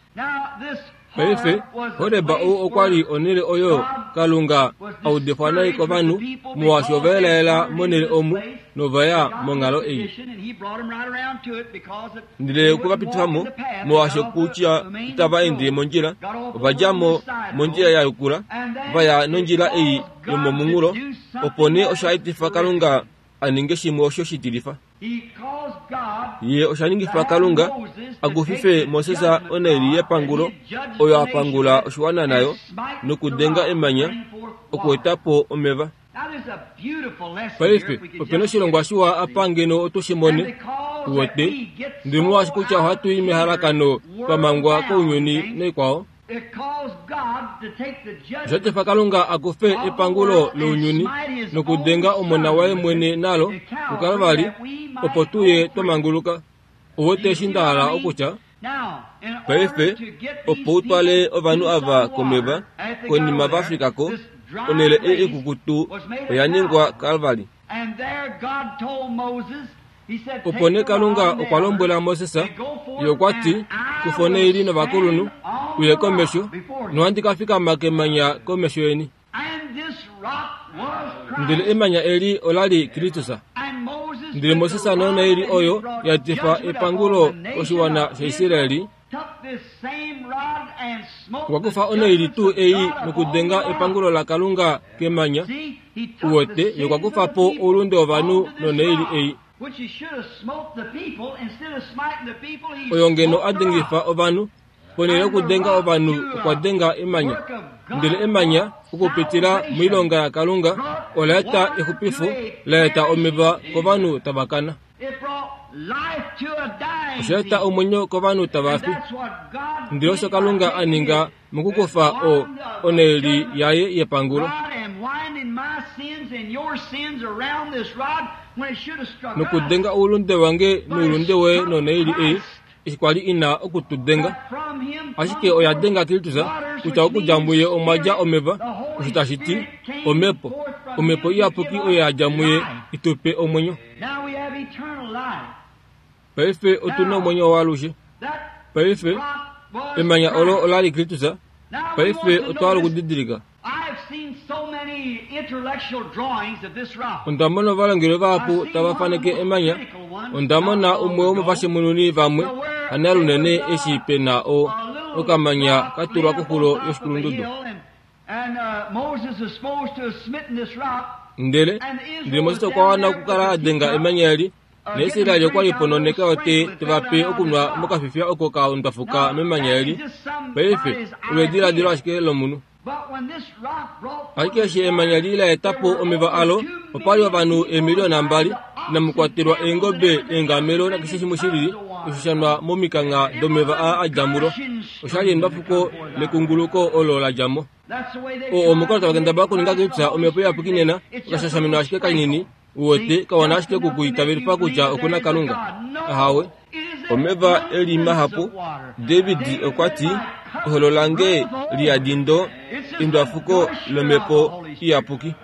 Paife, Horeb ou okwa li onhele oyo Kalunga audifwa nai kovanhu, molwaashi ova elaela monhele omu novaya monghalo ei. Ndele okwe va pitifa mo, molwaashi kutya itava ende mondjila, ova dja mo mondjila ya yukula, va ya nondjila ei yomomunghulo. Opo nee osha etifa Kalunga a ninge shimwe osho shitilifa. Ye osha ningifa Kalunga a kufife Moses onhaili yepangulo oyo a pangula oshiwana nayo, nokudenga emanya okueta po omeva. Paife, opena oshilongwa shiwa apa ngeno otu shi mone, uwete, ndele molwaashi kutya ohatu i mehalakano twa mangwa kounyuni naikwao. Osha etifa Kalunga a kufe epangulo lounyuni nokudenga omona waye mwene nalo kuKalvari, opo tuye twa manguluka. Uwete eshi nda hala okutya? Paife, opo u twale ovanhu ava komeva, konima va fika ko, onhele ei ikukutu oya ningwa Kalvari. Opo nee Kalunga okwa lombwela Moses, ye okwa ti, kufa onhaili novakulunhu, uye komesho, nohandi ka fikama kemanya komesho yeni. Ndele emanya eli ola li Kristus. Ndele Moses nonhaili oyo ya etifa epangulo koshiwana shaIsraeli, okwa kufa onhaili tuu ei nokudenga epangulo laKalunga kemanya. Uwete, ye okwa kufa po oulunde wovanhu nonhaili ei. Oyo ngeno a dengifa ovanhu, ponhele yokudenga ovanhu okwa denga emanya. Ndele emanya, okupitila moilonga yaKalunga, ola eta exupifo, la eta omeva kovanhu tava kana. Osha eta omwenyo kovanhu tava fi. Ndele osho Kalunga a ninga mokukufa o onhaili yaye yepangulo. Nokudenga oulunde wange noulunde woye nonhaili ei, eshi kwa li ina okutudenga. Ashike oya denga Kristus, kutya okudja muye omwa dja omeva, osho tashi ti omhepo. Omhepo iyapuki oyo ya dja muye itupe omwenyo. Paife otuna omwenyo waalushe. Paife emanya olo ola li Kristus. Paife otwa hala okudidilika. Onda mona ovalongelwe vahapu tava faneke emanya. Onda mona umwe womovashimununi vamwe hanalunene eshi pena o okamanya ka tulwa koxulo yoshikulundudu. Ndele ndele Moses okwa wana okukala a denga emanya eli, naIsraeli okwa li pononeka ote teva pe okunwa mokafifia oko ka ondwafuka memanya eli. Paife olo ediladilo ashike lomunhu. Ashike eshi emanya li la eta po omeva alo, opa li ovanhu eemiliona mbali, inamu kwatelwa eengobe, eengamelo nakeshe shimwe shilili, osho sha nwa momikangha domeva aa a dja mulo. Osha li endwafuko lekunguluko olo la dja mo. O omukalo tava kendabala okuninga kutya omhepo iyapuki nena, okashashamino ashike kanini, uwete, kawana ashike okukuitavelifa kutya okuna Kalunga. Ahawe. Omeva eli mahapu. David okwa ti, Eholo lange liyadindo endwafuko lomhepo iyapuki.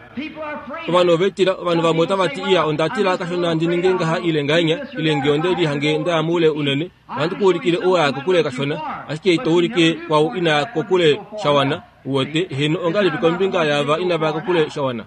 Ovanhu ovetila, ovanhu vamwe otava ti iya onda tila kashona ndi ninge ngaha ile ngahenya ile nge onde lihange ndaya moule unene. Ohandi ku ulikile ouya kokule kashona, ashike ito ulike kwau inaya kokule shawana. Uwete heno ongalipi kombinga yaava inavaya kokule shawana.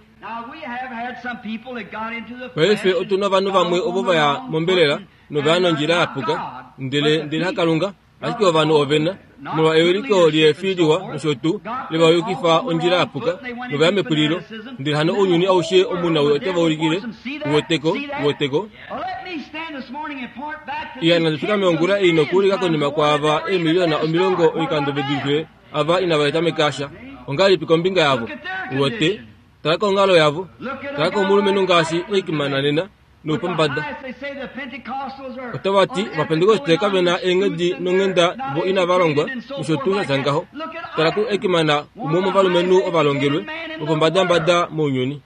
Paife otuna ovanhu vamwe ovo vaya mombelela novaya nondjila yapuka, ndele ndele hakalunga, ashike ovanhu ovena molwa ewiliko liefi liwa nosho tuu levayukifa ondjila yapuka novaya mepulilo, ndele hano ounyuni aushe omunawii ote va ulikile. Uweteko, uweteko. Iya nandi fikame ongula ei nokuulika konima kwaava eemiliona omilongo oikando vedulife ava inava tameka sha. Ongalipi kombinga yavo? Uwete, tala konghalo yavo, tala komulumenhu ngaashi Eichmann nena noupombada. Otava ti Ovapentekoste kave na eenghedi nonghenda vo inava longwa nosho tuu sha tya ngaho. Tala ku Eichmann, umwe womovalumenhu ovalongelwe vopombadambada mounyuni.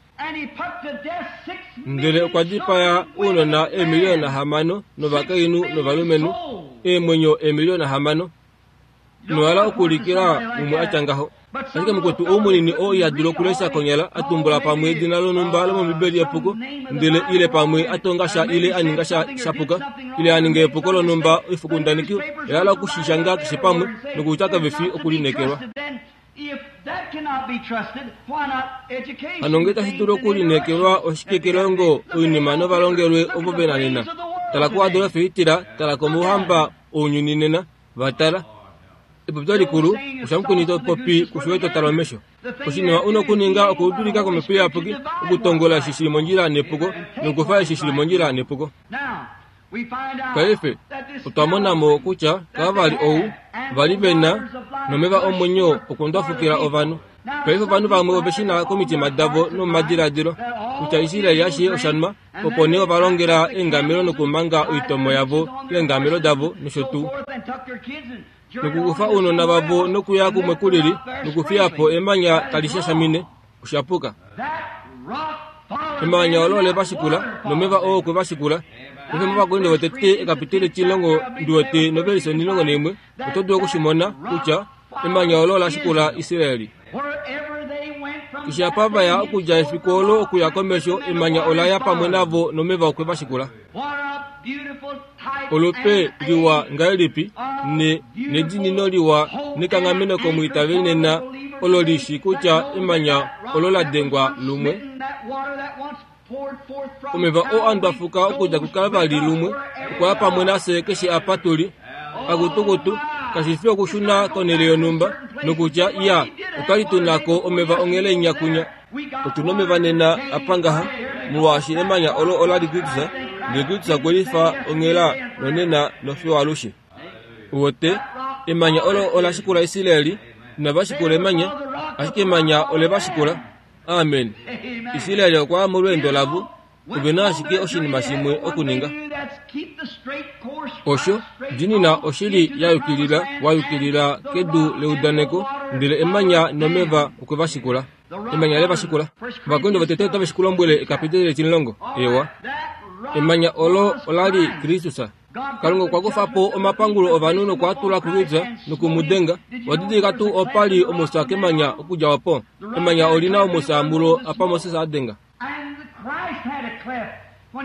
Ndele okwa dipaya ounona eemiliona hamano novakainhu novalumenhu, eemwenyo eemiliona hamano. Ino okuulikila umwe atya ngaho. Ashike mukwetu ou munini oo iha dulu okulesha konyala a tumbula pamwe edina lonhumba lomOmbibeli epuko, ndele ile pamwe a tonga sha ile a ninga sha shapuka, ile a ninga epuko lonhumba, oifokundaneki oya hala okushishanga keshe pamwe nokutya kave fi okulineekelwa. Hano ngee tashi dulu okulineekelwa oshike kelongo oinima novalongelwe ovo vena nena? Tala kuAdolf Hitler, tala komauhamba ounyuni nena, va tala. Epopyo likulu, oshamukweni to popi kusho to tala omesho. Oshinima una okuninga okudulika komhepo iyapuki, okutongola eshi shili mondjila nepuko, nokufa eshi shili mondjila nepuko. Paife otwa mona mo kutya kavali ou vali vena nomeva omwenyo okundwafukila ovanhu. Paife ovanhu vamwe ove shina komitima davo nomomadiladilo kutya Israel ashishe oshanwa, opo nee ova longela eengamelo nokumanga oitomo yavo keengamelo davo nosho tuu, nokukufa ounona vavo nokuya kumwe kulili nokufiya po emanya tali shashamine. Oshapuka. Emanya olo ole va shikula nomeva oo okwe va shikula. Paife mOvakorinto votete ekapiteli etimulongo ndiwete novelise onhilongo naimwe, oto dulu okushimona kutya emanya olo ola shikula Israeli. Keshe apa vaya okudja efiku olo okuya komesho, emanya ola ya pamwe navo nomeva okwe va shikula. Olupe liwa ngahelipi ne nedinino liwa nekanghameno komwiitaveli nena olo lishi kutya emanya olo la dengwa lumwe. Omeva oo a ndwafuka okudja kuKalvari lumwe okwa ya pamwe nafye keshe apa tuli. Akutukutu kashi fi okushuna konhele yonhumba nokutya iya otwali tuna ko omeva onghele inyakunya. Otuna omeva nena apa ngaha molwaashi emanya olo ola li Kristus, ndele Kristus okwe lifa onghela nonena nofiyo alushe. Uwete, emanya olo ola shikula Israeli, inava shikula emanya, ashike emanya ole va shikula. Amen. Israeli okwa ya molweendo lavo, ove na ashike oshinima shimwe okuninga. Osho dinina oshili ya yukilila, wa yukilila kedu leudaneko, ndele emanya nomeva okwe va shikula. Emanya le va shikula. Ovakorinto votete otave shi ku lombwele ekapiteli etimulongo. Ewa. Emanya olo ola li Kristus. Kalunga okwa kufa po omapangulo ovanhu nokwa tula kuKristus nokumudenga. Owa didilika tuu opa li omusa kemanya okudja opo? Emanya oli na omusa mulo apa Moses a denga.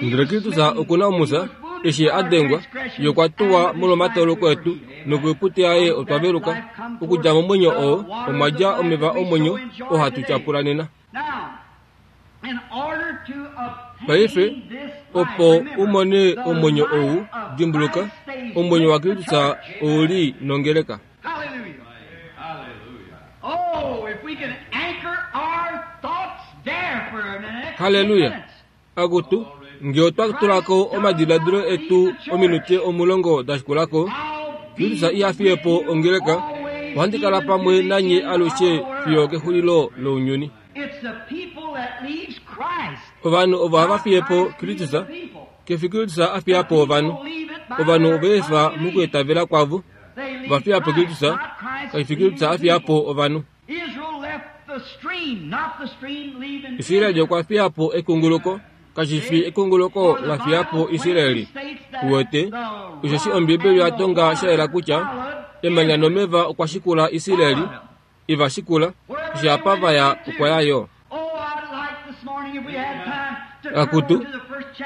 Ndele Kristus oku na omusa, eshi a dengwa, ye okwa tuwa molwomatauluko etu, nokoipute yaye otwa veluka. Okudja momwenyo oo omwa dja omeva omwenyo oo hatu tyapula nena. Paife, opo u mone omwenyo ou, dimbuluka, omwenyo waKristus ou li nongeleka. Halleluya! Akutu, nge otwa tulako omadiladilo etu ominute omulongo da shikulako, Kristus iha fiye po ongeleka, ohandi kala pamwe nanye alushe fiyo kexulilo lounyuni. Ovanhu ovo hava fiye po Kristus, kefi Kristus a fiya po ovanhu. Ovanhu ove efa mokwiitavela kwavo, va fiya po Kristus, kashi fi Kristus a fiya po ovanhu. Israeli okwa fiya po ekunguluko, kashi fi ekunguluko la fiya po Israeli. Uwete, osheshi Ombibeli oya tonga sha yela kutya Emanya nomeva okwa shikula Israeli, iva shikula, eshi apa vaya okwa ya yo. Akutu,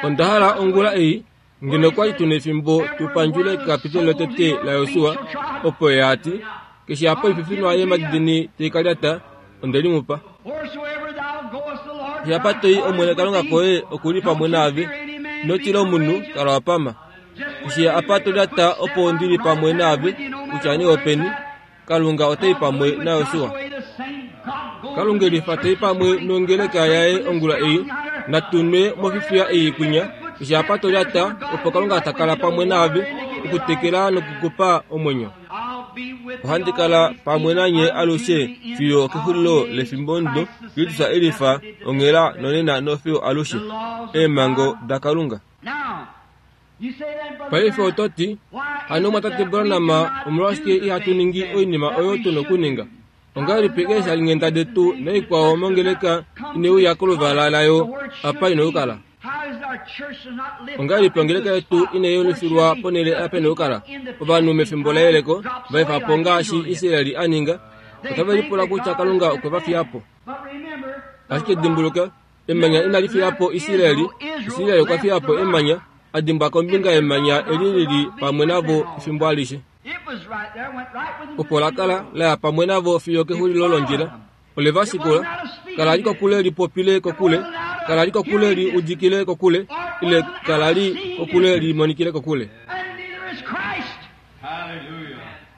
onda hala ongula ei, ngeno kwali tuna efimbo tupandjule kekapitolo lotete laJosua, opo ye ati, keshe apa oififinwa yemadidini taikalyata, onde limupa. Keshe apa toi Omwene Kalunga koye okuli pamwe naave, ino tila omunhu, kala wa pama. Keshe apa tolyata opo ndili pamwe naave, kutya nee openi, Kalunga otai pamwe naJosua. Kalunga elifa tai pamwe nongeleka yaye ongula ei, natunwe mofifiya ei kwinya, keshe apa tolyata opo Kalunga takala pamwe naave, okutekela nokukupa omwenyo. Ohandi kala pamwe nanye alushe fiyo okexulilo lefimbo ndo Kristus elifa onghela nonena nofiyo alushe. Eemhango daKalunga. Paife oto ti, hano mwatate Branham, omolwashike ihatu ningi oinima oyo tuna okuninga? Ongahelipi eeshalinghenda detu naikwao mongeleka ineuya koluvala layo apa ina okukala? Ongahelipi ongeleka yetu inayelufilwa ponhele apa ina okukala? Ovanhu mefimbo leyeleko vaefa po ngaashi Israeli a ninga, otave lipula kutya Kalunga okwe va fiya po. Ashike dimbuluka, emanya inali fiya po Israeli, Israeli okwa fiya po emanya, a dimbwa kombinga yemanya eli lili pamwe navo efimbo alishe. Opo la kala la ya pamwe navo fiyo kexulilo londjila. Ole va shikula, kala li kokule lipopile kokule, kala li kokule li udikile kokule, ile kala li kokule limonikile kokule.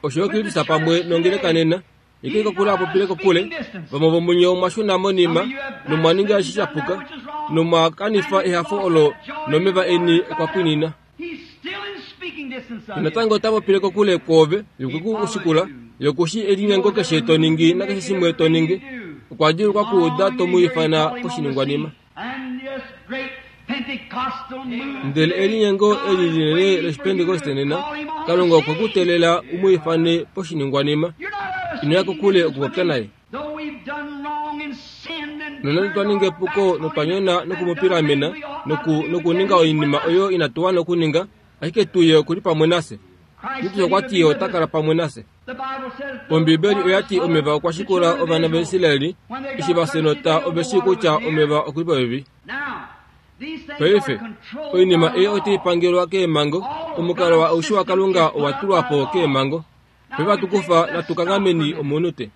Osho Kristus pamwe nongeleka nena, eke kokule apopile kokule, vamwe vomunye omwa shuna monima, nomwa ninga eshi sha puka, nomwa kanifa ehafo olo nomeva eni okwa pwinina. Natango ota popile kokule kwoove, yokwe ku shikula, yokushi elinyengo keshe to ningi nakeshe shimwe to ningi. Okwa djuulukwa kuuda to mu ifana poshiningwanima. Ndele elinyengo eli linene lOshipentekoste nena, Kalunga okwe ku teelela u mu ifane poshiningwanima. Ino ya kokule okupopya naye. Nonande twa ninga epuko notwa nyona nokumupilamena nokuninga oinima oyo inatu wana okuninga, ashike tuye okuli pamwe nafye. Kristus okwa ti ye ota kala pamwe nafye. Ombibeli oya ti omeva okwa shikula ovana vaIsraeli, eshi va fya ove shii kutya omeva okuli popepi. Paife, oinima ei otai pangelwa keemhango, omukalo aushe waKalunga owa tulwa po keemhango. Paife hatu natukanghameni omunute.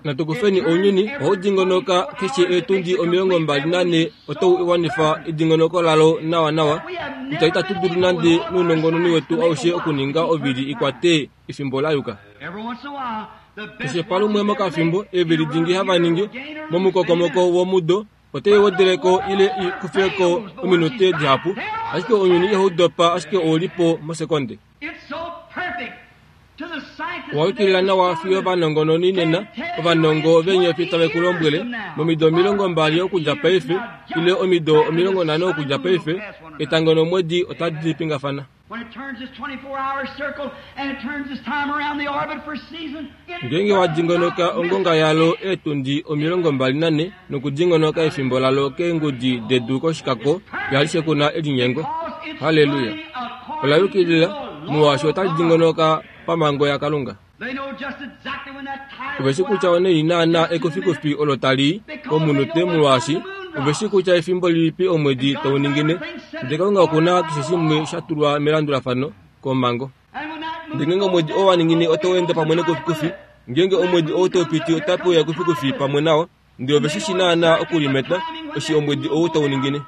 Natukufeni ounyuni, ohau dingonoka keshe eetundi omilongo mbali nane otau iwanifa edingonoko lalo nawa nawa, kutya itatu dulu nande nounongononi wetu aushe okuninga ovili ikwate efimbo la yuka. Keshe palumwe mokafimbo eevili dingi hava ningi momukokomoko womudo otai wedeleko ile i kufeko ominute dihapu, ashike ounyuni ihau dopa ashike oulipo mosekonde. Owa yukilila nawa fiyo ovanongononi nena, ovanongo veenyofi tave ku lombwele, momido omilongo mbali okudja paife, ile omido omilongo nhano okudja paife, etango nomwedi otadi pingafana. Ngeenge wa dingonoka ongonga yalo eetundi omilongo mbali nane nokudingonoka efimbo lalo keengudi dedu koshikako yalishe kuna elinyengo. Halleluya! Ola yukilila, molwaashi otali dingonoka pamhango yaKalunga. Ove shi kutya onaini naana ekufikufi olo tali komunute molwaashi ove shi kutya efimbo lilipi omwedi tau ningine, ndele Kalunga okuna keshe shimwe sha tulwa melandulafano komhango. Ndele ngeenge omwedi oo wa ningine otau ende pamwe nekufikufi, ngeenge omwedi ou tau piti otape uya ekufikufi pamwe nao, ndele ove shi shi naana okulimeta eshi omwedi ou tau ningine.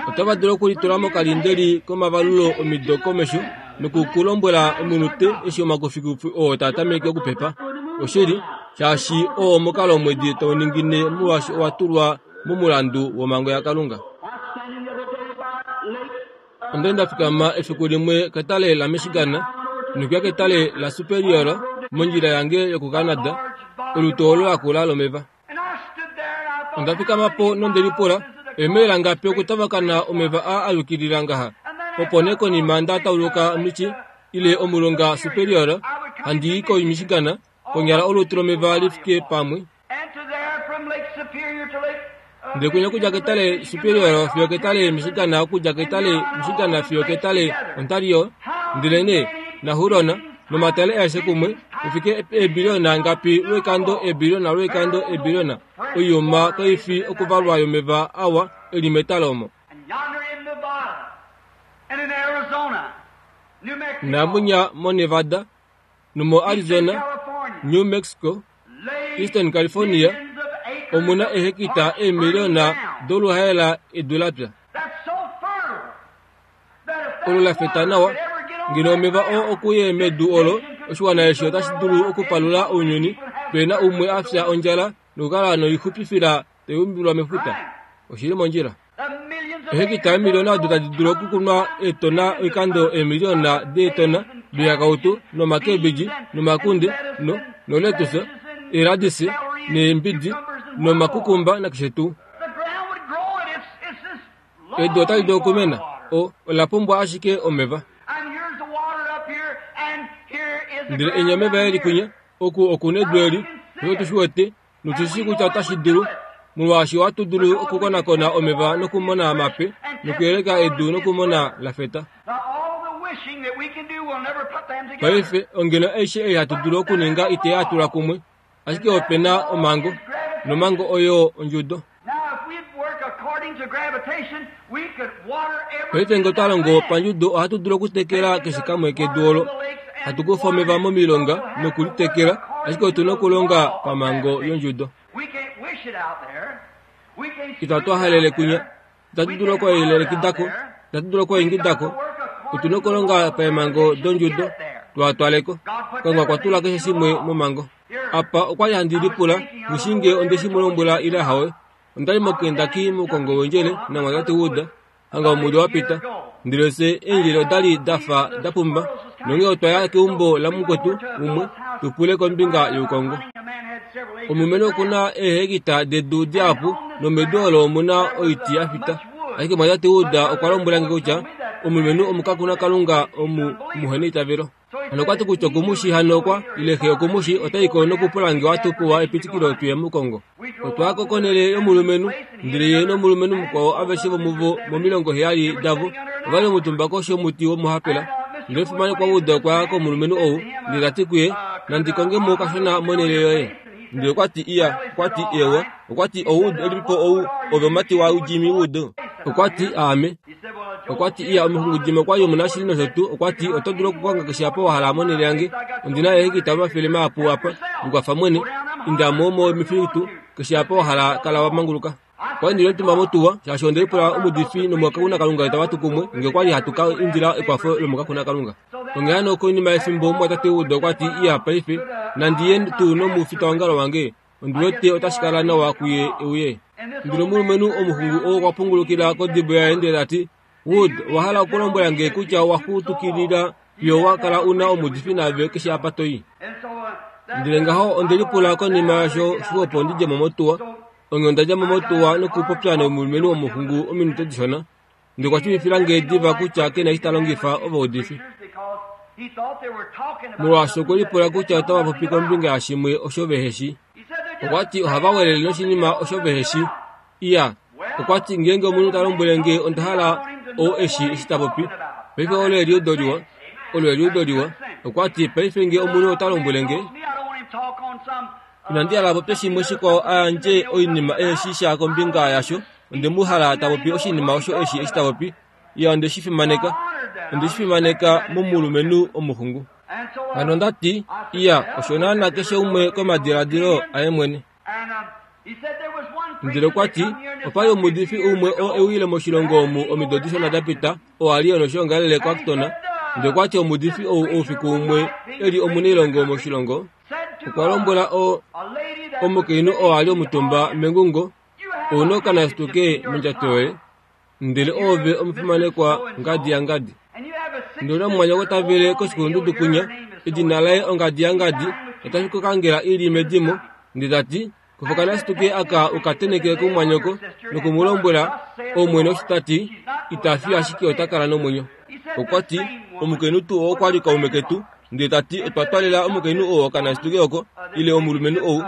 Otava dulu okulitula mokalindeli komavalulo omido komesho nokukulombwela ominute eshi omakufikufi oo taa tameke okupepa. Oshili, shaashi oo omukalo omwedi tau ningine molwaashi owa tulwa momulandu womhango yaKalunga. Onda li nda fikama efiku limwe ketale laMichigan nokuya ketale laSuperior mondjila yange yokuCanada, olutu olo lakula lomeva. Onda fikama po nonde lipula, eemaila ngapi okutavakana omeva aa a yukilila ngaha? Opo nee konima nda tauluka Michi ile omulonga Superior, handi i koMichigan, konyala olutu lomeva li fike pamwe. Ndele kwinya okudja ketale Superior fiyo ketale Michigan, okudja ketale Michigan fiyo ketale Ontario, ndele nee naHuron nomatale aeshe kumwe ifike eebiliona ngapi lwoikando eebiliona lwoikando eebiliona oiyuma kaifi okuvalwa yomeva awa eli metale omo. Namunya moNevada nomo Arizona, New Mexico, Eastern California omuna ehekita eemiliona doluhaela edu lapya olo lafeta nawa. Ngeno omeva oo okuye medu olo, oshiwana eshi otashi dulu okupalula ounyuni pena umwe afya ondjala nokukala noixupifila taiumbilwa mefuta. Oshili mondjila. Ehekita eemiliona odo tadi dulu okukunwa eetona oikando eemiliona deetona doihakautu nomakebidji nomakunde no noletuse eeladisi neembidi nomakukumba nakeshe tuu. Edu otali dulu okumena, o ola pumbwa ashike omeva. Ndele enya omeva eli kwinya, oku okuna edu eli, osho tushi wete, notushi kutya otashi dulu, molwaashi ohatu dulu okukonakona omeva nokumona mape, nokuyeleka edu nokumona lafeta. Paife ongeno aishe ei hatu dulu okuninga ite a tula kumwe, ashike ope na omhango, nomhango oyo ondjudo. Paife ngee otwa longo pandjudo ohatu dulu okutekela keshe kamwe kedu olo, hatu kufa omeva momilonga nokulitekela, ashike otuna okulonga pamhango yondjudo. Itatu halele kwinya, itatu dulu okuelekidako, itatu dulu okuingidako, otuna okulonga paemhango dondjudo twatwaleko. Kalunga okwa tula keshe shimwe momhango. Apa okwali handi lipula ngishinge ondeshi mulombwela ile hawe. Ondali moKentucky moukongo wendjele namwatate Wood hanga omudo wapita, ndele fye eendjele odali dafa dapumba nonghee otwa ya keumbo lamukwetu umwe tupule kombinga youkongo. Omulumenhu okuna eehekita dedu dihapu nomedu olo omuna oiti yafita, ashike mwatate Wood okwa lombwela nge kutya omulumenhu omukakuna kalunga omu omuheneitavelo. Hano okwati kutya okumushi hano okwa ile xe okumushi otaiko nokupula nge ohatu pewa epitikilo tuye moukongo. Otwaya ko konhele yomulumenhu, ndele ye nomulumenhu mukwao aveshe vomuvo momilongo heyali davo ovali omutumba koshi yomuti womuhapela. Ndele omufimanekwa Wood okwa ya komulumenhu ou ndele tati kuye, nandi konge mo kashona monhele yoye. Ndele okwati iya, okwati ewa, okwati ou elipipo ou ove omumati waJimmy Wood. Okwati aame. Okwati iya, omuxungu Jimmy okwali omunashili nosho tuu. Okwati oto dulu okukonga keshe apa wa hala monhele yange, ondina eehekita omafele mahapu apa, likwafa mwene, inda mo momifitu keshe apa wa hala, kala wa manguluka. Okwali ndili omutumba motuwa, shaashi onde lipula omuudifi nomukakuna kalunga itava tu kumwe, nge okwali hatu ka indila ekwafo lomukakuna kalunga. Onghee hano konima yefimbo omumwatate Wood okwati iya paife, nandi ye tuu nomufitaongalo wange, ondi wete otashi kala nawa kuye euye. Ndele omulumenhu omuxungu oo okwa pungulukila kodibo yaye ndele tati, Wood, owa hala okulombwela nge kutya owa xutukilila fiyo wa kala una omuudifi naave keshe apa toi. Ndele ngaho onde lipula konima yasho xwepo ndidje mo motuwa. Onghee onda dja mo motuwa nokupopya nomulumenhu womuxungu ominute dishona. Ndele okwa shiivifila nge diva kutya kena eshi ta longifa ovaudifi. Molwaashi okwe lipula kutya otava popi kombinga yashimwe osho veheshi. Okwati ohava welele noshinima osho veheshi. Iya, okwati ngeenge omunhu ta lombwele nge onda hala oo eshi eshi ta popi, paife olo eliudo liwa, olo eliudo liwa. Okwati paife nge omunhu ota lombwele nge, inandi hala popye shimwe shikwao a yandje oinima eheshi sha kombinga yasho, onde mu hala ta popi oshinima osho eshi eshi ta popi. Iya, onde shi fimaneka, onde shi fimaneka momulumenhu omuxungu. Hano ondati iya, osho naana keshe umwe komadiladilo aye mwene. Ndele okwati opali omuudifi umwe oo ewile moshilongo omu omido dishona dapita, oo ali noshoongalele koActon. Ndele okwati omuudifi ou oufiku umwe eli omunailongo moshilongo, okwa lombwela o omukainhu oo ali omutumba mengungo, ouna okanasituke mondjato yoye, ndele oove omufimanekwa ngadi yangadi. Ndele omumwanyoko tavele koshikulundudu kwinya, edina laye ongadi yangadi, otashi kukangela ili medimo. Ndele tati, kufa okanasituke aka ukateneke kumumwanyoko nokumulombwela, Omwene osho tati, ita fi ashike ota kala nomwenyo. Okwati omukainhu tuu oo okwali kaume ketu, ndele tati otwa twalela omukainhu oo okanasituke oko, ile omulumenhu ou,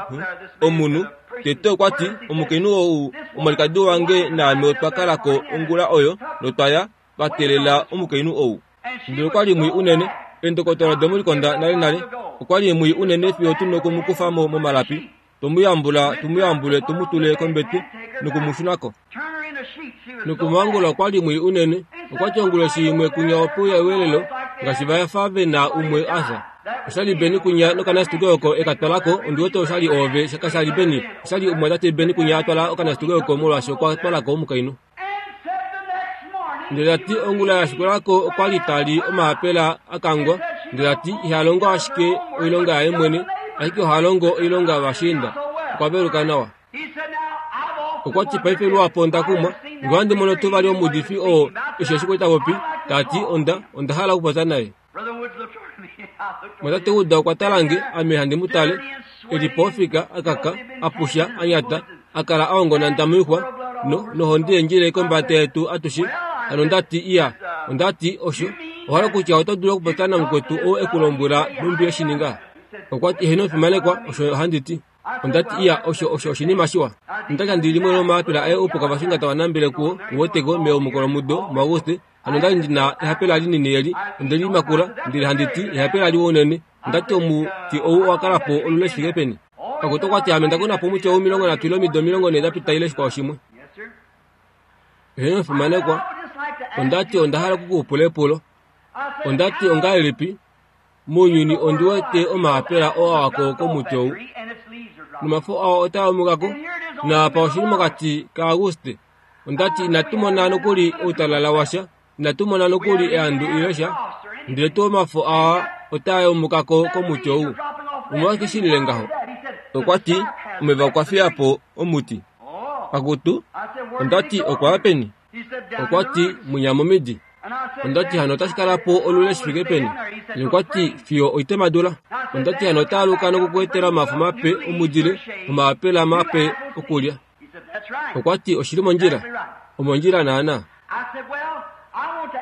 omunhu. Tete okwati omukainhu ou omwalikadi wange naame otwa kalako ongula oyo notwa ya twa teelela omukainhu ou. Ndele okwali mwii unene, Endokotola domulikonda nale nale okwali mwii unene fiyo tuna okumukufa mo momalapi, tomuyambula tumuyambule tumutule kombete nokumushunako. Nokumangula okwali mwii unene. Okwati onguloshi imwe kunya opuya ewelelo ngaashi vayafa vena umwe afya. Oshali Beni kunya nokanasituke oko ekatwalako ondiwete oshali oove kashali Beni oshali omumwatate Beni kunya atwala okanasituke oko molwaashi okwa twalako omukainhu. Ndele tati ongula yashikulako okwali tali omaapela akangwa. Ndele tati ihalongo ashike oilonga yaye mwene ashike ohalongo oilonga yovashiinda. Okwa veluka nawa. Okwati paife luhapu onda kumwa ngee ohandi mono tuu vali omuudifi oo eshi eshi ta popi tati onda onda hala okupopya naye. Mwatate Wood okwa tala nge ame handi mu tale eli po ofika akaka apusha anyata akala aongonanda moixwa no nohonde yendjile kombada yetu atushe. Hano ondati iya ondati osho ohala kutya oto dulu okupopya namukwetu oo ekulombwela nhumbi eshininga. Okwati eheno omufimanekwa osho handi ti. Ondati iya osho osho oshinima shiwa. Ondati handi limwe lomaapela aye opo kavashinga tava nambele kuwo uweteko meumukolomudo muAuguste. Hano ondali ndina ehapela linini eli ondeli makula ndele handi ti ehapela liwa unene. Ondati omuti ou owakala po olule shifike peni. Kakutu okwati ame ndakuna po omuti ou omilongo nhatu ile omido omilongo nhee dapita ile shikwao shimwe. Eheno omufimanekwa ondati onda hala okukupula epulo. Ondati ongahelipi mounyuni ondi wete omaapela oo awako komuti ou nomafo ao otaa omukako naapa oshili mokati kaAuguste. Ondati inatu mona nokuli outalala washa, inatu mona nokuli eandu ile sha, ndele tuu omafo aa otaa omukako komuti ou. Omolwashike shilile ngaho? Okwati omeva okwa fiya po omuti. Akutu ondati okwaya peni? Okwati munya momidi. Ondati hano otashi kala po olule shifike peni? Okwati fiyo oitemadula. Ondati hano otaaluka nokukuetela omafo mape omudile omaapela mape okulya. Okwati oshili mondjila. Omondjila naana.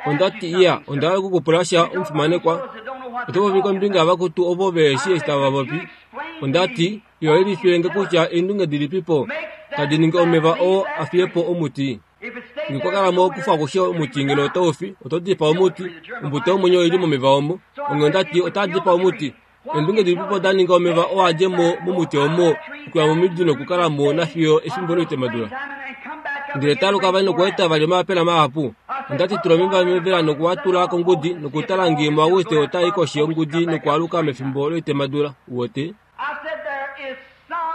Ondati iya onda hala okukupula sha omufimanekwa. Oto popi kombinga yavakutu ovo veheshi eshi tava popi. Ondati iyo elifilenge kutya eendunge dilipipo tadi ningi omeva oo afiye po omuti. Ngee kwa kala mo okufa akushe omuti ngeno otaufi oto dipaa omuti. Ombuto yomwenyo oili momeva omo. Onghee ondati otaa dipaa omuti. Eendunge dilipipo da ninga omeva oo adje mo momuti omo okuya momidi nokukala mo nafiyo efimbo loitemadula. Ndele taaluka vali nokueta vali omaapela mahapu. Ondati tula omeva mevela nokuatula kongudi nokutala ngee muAuguste otai koshi yongudi nokwaaluka mefimbo loitemadula. Uwete?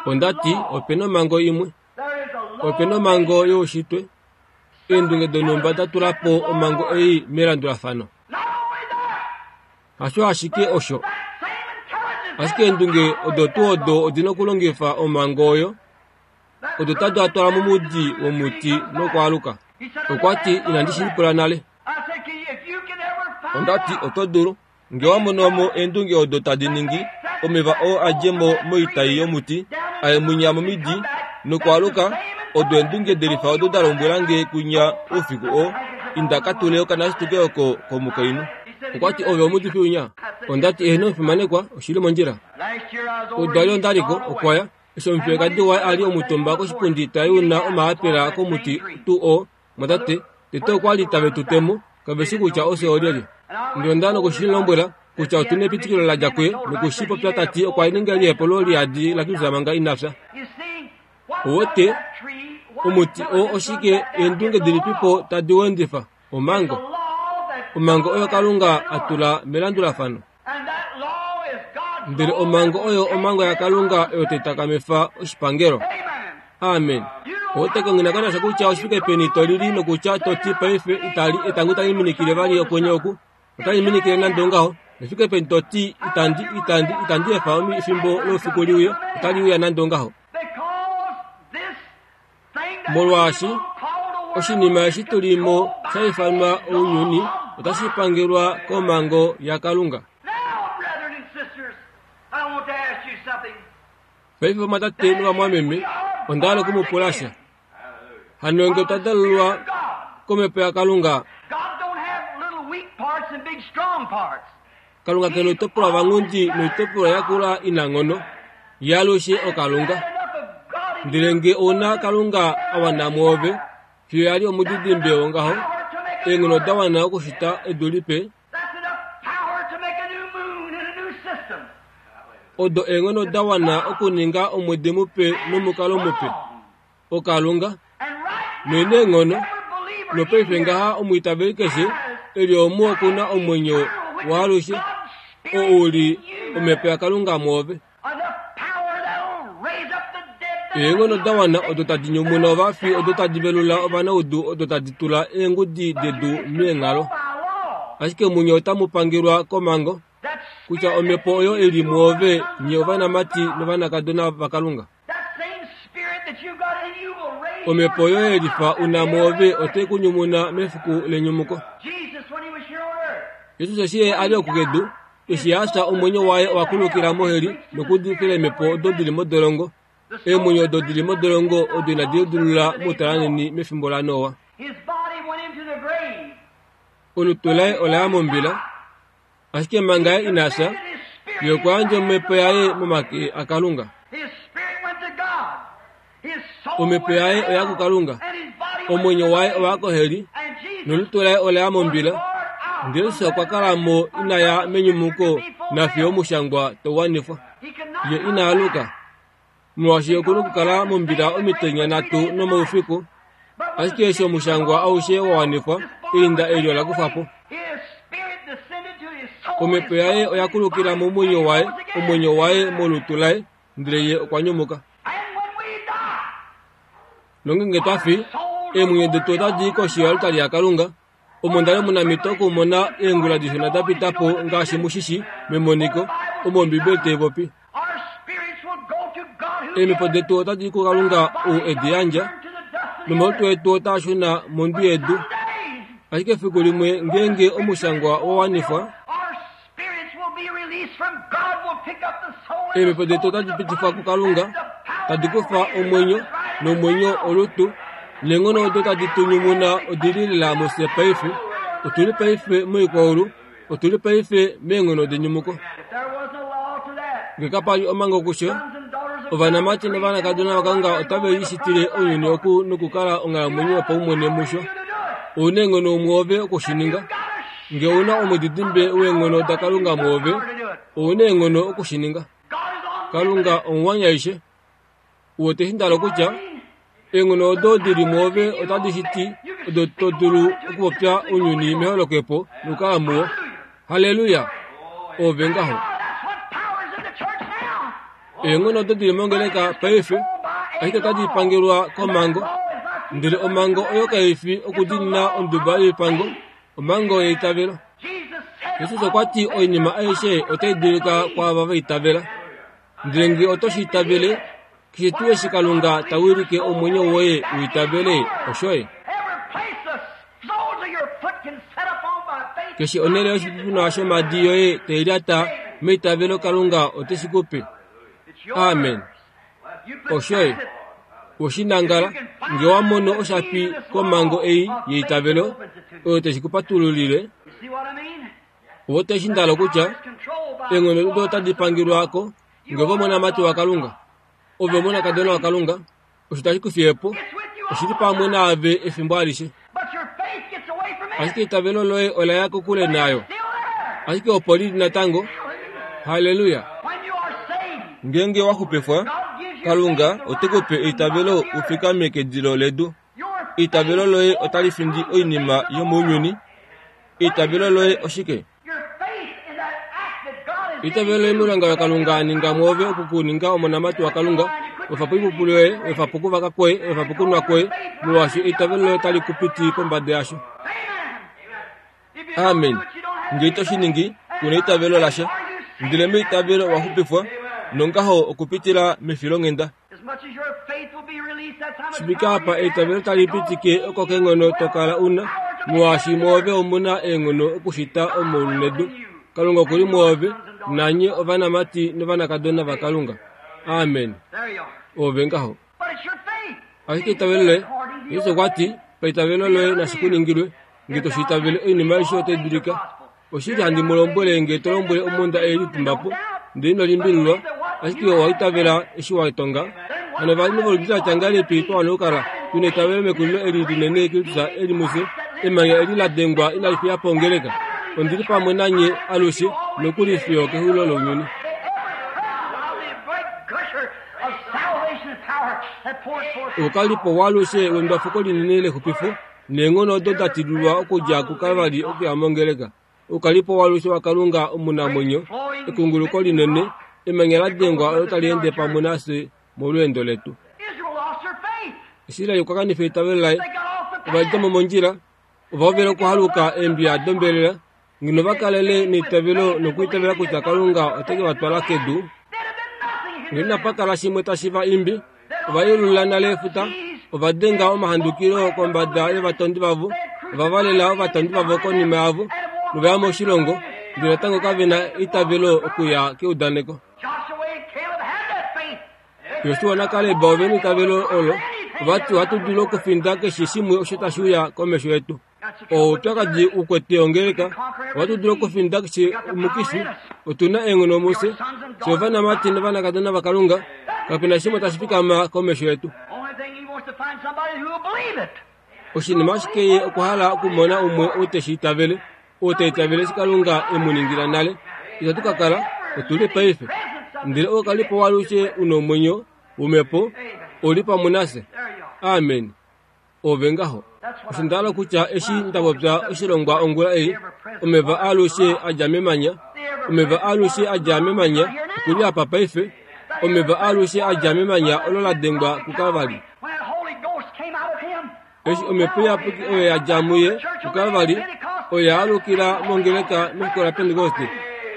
Ondati opena omhango imwe. Opena omhango youshitwe. Eendunge donhumba da tula po omhango ei melandulafano. Hasho ashike osho. Ashike eendunge odo tuu odo odina okulongifa omhango oyo. Odo tadi atwala momudi womuti nokwaaluka. Okwati inandi shipula nale. Ondati oto dulu ngee wamono mo eendunge odo tadi ningi omeva oo adje mo moitai yomuti aye munya momidi nokwaaluka odo eendunge delifa odo da lombwela nge kunya oufiku oo inda katule okanasituke oko komukainhu. Okwati ove omuudifi winya. Ondati eheno omufimanekwa oshili mondjila. Odwali ondaliko okwaya eshi omufiyekadi waye ali omutumba koshipundi tayuna omaapela komuti tuu oo. Mwatate tete okwali tave tu temo kaveshi kutya ofye olyelye. Ndele onda nokushilombwela kutya otuna epitikilo ladja kuye nokushipopya tati okwa ninga elihepo liyadi laKristus manga ina fya. Uwete omuti oo oshike eendunge dilipipo tadi wendifa? Omhango. Omhango oyo Kalunga atula melandulafano. Ndele omhango oyo omhango yaKalunga oyo tai takamifa oshipangelo. Amen. Owete ngina kutya oshifike peni to lili nokutya to ti paife itali etango itali minikile vali okwenye oku. Otali minikile nande ongaho. Nefike peni to ti itandi itandi itandi efa efimbo loufiku liuye otali uya nande ongaho. Molwaashi oshinima eshi tulimo sha ifanwa ounyuni otashi pangelwa komhango yaKalunga. Paife vamwatate novamwameme onda hala okumupula sha. Hano ngee otwa dalulwa komhepo yaKalunga. Kalunga kena oitopolwa vanghundi noitopolwa yakula inanghono. Ye alushe oKalunga. Ndele ngee ouna Kalunga awana mwoove fiyo yali omudidimbe wongaho eenghono da wana okushita edu lipe. Odo eenghono da wana okuninga omwedi mupe nomukalo mupe. Okalunga noina eenghono nopaife ngaha omwiitaveli keshe eli omu okuna omwenyo waalushe oo uli omhepo yaKalunga mwoove. Eenghono da wana odo tadi nyumuna ovafi, odo tadi velula ovanaudu, odo tadi tula eengudi dedu meenghalo. Ashike munye otamu pangelwa komhango kutya omhepo oyo ili mwoove nye ovanamati novanakadona vaKalunga. Omhepo oyo yelifa una mwoove otai ku nyumuna mefiku lenyumuko. Jesus eshi ye a li oku kedu, eshi a fya omwenyo waye owa kulukila moheli nokuudifila eemhepo odo dili modolongo. Eemwenyo odo dili modolongo odo inadi lidilulula moutalanheni mefimbo laNoa. Olutu laye ola ya mombila, ashike manga ye ina fya, ye okwa yandja omhepo yaye momake aKalunga. Omhepo yaye oya kuKalunga, omwenyo waye owa koheli, nolutu laye ola ya mombila. Ndele Jesus okwa kala mo inaya menyumuko nafiyo omushangwa tau wanifwa. Ye ina aluka, molwaashi okuna okukala mombila omitenya nhatu nomaufiku. Ashike eshi omushangwa aushe wa wanifwa, einda eli ola kufwa po. Omhepo yaye oya kulukila momwenyo waye, omwenyo waye molutu laye, ndele ye okwa nyumuka. Nongenge twa fi, eemwenyo detu otadi i koshi yoaltari yaKalunga, omo nda li omunamhito okumona eengula dishona da pita po ngaashi mushishi memoniko, omo Ombibeli tai popi. Eemhepo detu otadi i kuKalunga ou edi yandja, nomalutu etu otaa shuna mondwi yedu. Ashike efiku limwe ngeenge omushangwa wa wanifwa, eemhepo detu otadi pitifwa kuKalunga, tadi kufa omwenyo, nomwenyo olutu, neenghono odo tadi tu nyumuna odi li lela mufye paife. Otuli paife moikwaulu, otuli paife meenghono denyumuko. Nge kapa li omhango kusho, ovanamati novanakadona vaKalunga otave lishitile ounyuni oku nokukala onghalamwenyo yopaumwene musho. Ouna eenghono mwoove okushininga. Nge ouna omudidimbe weenghono daKalunga mwoove, ouna eenghono okushininga. Kalunga omuwanyaishe. Uwete eshi nda hala kutya, eenghono odo dili mwoove otadi shiti odo to dulu okupopya ounyuni meholokepo nokukala muwo. Halleluya! Ove ngaho. Eenghono odo dili mongeleka paife, ashike otadi pangelwa komhango. Ndele omhango oyo kai fi okudiinina onduba yoipango, omhango yeitavelo. Jesus okwa ti oinima aishe otai dulika kwaava va itavela. Ndele nge oto shi itavele, keshe tuu eshi Kalunga ta wilike omwenyo woye u itavele, oshoye. Keshe onhele yoshipipunwa shomhadi yoye tai lyata meitavelo Kalunga ote shi ku pe. Amen. Oshoye. Oshinangala, nge wa mono oshapi komhango ei yeitavelo, oyo teshi ku patululile. Owote eshi nda hala kutya, eenghono odo otadi pangelwa ko, nge ove omonamati waKalunga, ove omonakadona waKalunga, osho tashi ku fiye po, oshili pamwe naave efimbo alishe. Ashike eitavelo loye ola ya kokule nayo. Ashike opo lili natango. Halleluya! Ngeenge wa xupifwa, Kalunga ote ku pe eitavelo u fikame kedilo ledu. Eitavelo loye otali findi oinima yomounyuni. Eitavelo loye oshike? Eitavelo loye moilonga yaKalunga a ninga mwoove oku ku ninga omonamati waKalunga, wefa po oipupulu yoye, wefa po okuvaka kwoye, wefa po okunwa kwoye, molwaashi eitavelo loye otali ku piti pombada yasho. Amen. Nge ito shi ningi, ku na eitavelo lasha. Ndele meitavelo owa xupifwa, nongaho okupitila mefilonghenda. Shifika apa eitavelo tali pitike oko keenghono to kala una, molwaashi mwoove omuna eenghono okushita omaulu nedu. Kalunga okuli mwoove, nanye ovanamati novanakadona vaKalunga. Amen. Ove ngaho. Ashike eitavelo loye, Jesus okwa ti, paitavelo loye nashi ku ningilwe, nge to shi itavele oinima aishe otai dulika. Oshili handi mu lombwele nge to lombwele omhunda ei litumba po, ndele ino limbililwa, ashike owa itavela eshi wa tonga. Hano ovanhu voludi la tya ngahelipi twa wana okukala tuna eitavelo mekulilo eli linene Kristus eli mufye, emanya eli la dengwa inali fiya po ongeleka. Ondi li pamwe nanye alushe, nokuli fiyo kexulilo lounyuni. Oukalipo waalushe wendwafuko linene lexupifo neenghono odo da tilulwa okudja kuKalvari okuya mongeleka. Oukalipo waalushe waKalunga omunamwenyo, ekunguluko linene, emanya la dengwa olo tali ende pamwe nafye molweendo letu. Israel okwa kanifa eitavelo laye. Ova dja mo mondjila, ova hovela okuhaluka eembiya dombelela. Ngeno va kalele neitavelo nokwiitavela kutya Kalunga ote ke va twala kedu, ngeno inapa kala shimwe tashi va imbi. Ova yelula nale efuta, ova denga omahandukilo kombada yovatondi vavo, ova valela ovatondi vavo konima yavo, novaya moshilongo, ndele natango kave na eitavelo okuya keudaneko. Josua naKaleb ove na eitavelo olo, ovati ohatu dulu okufinda keshe shimwe osho tashi uya komesho yetu. Oupyakadi ukwete ongeleka, ohatu dulu okufinda keshe omukifi, otu na eenghono mufye, fye ovanamati novanakadona vaKalunga, kape na shimwe tashi fikama komesho yetu. Oshinima ashike ye okwa hala okumona umwe ou teshi itavele, ou ta itavele eshi Kalunga e mu ningila nale. Itatu ka kala, otu li paife. Ndele oukalipo waalushe u nomwenyo womhepo ou li pamwe nafye. Amen. Ove ngaho. Osho nda hala kutya eshi nda popya oshilongwa ongula ei, omeva aalushe a dja memanya, omeva aalushe a dja memanya okuli apa paife, omeva aalushe a dja memanya olo la dengwa kuKalvari. Eshi omhepo iyapuki oyo ya dja muye kuKalvari, oyo ya alukila mongeleka mefiku laPentekoste.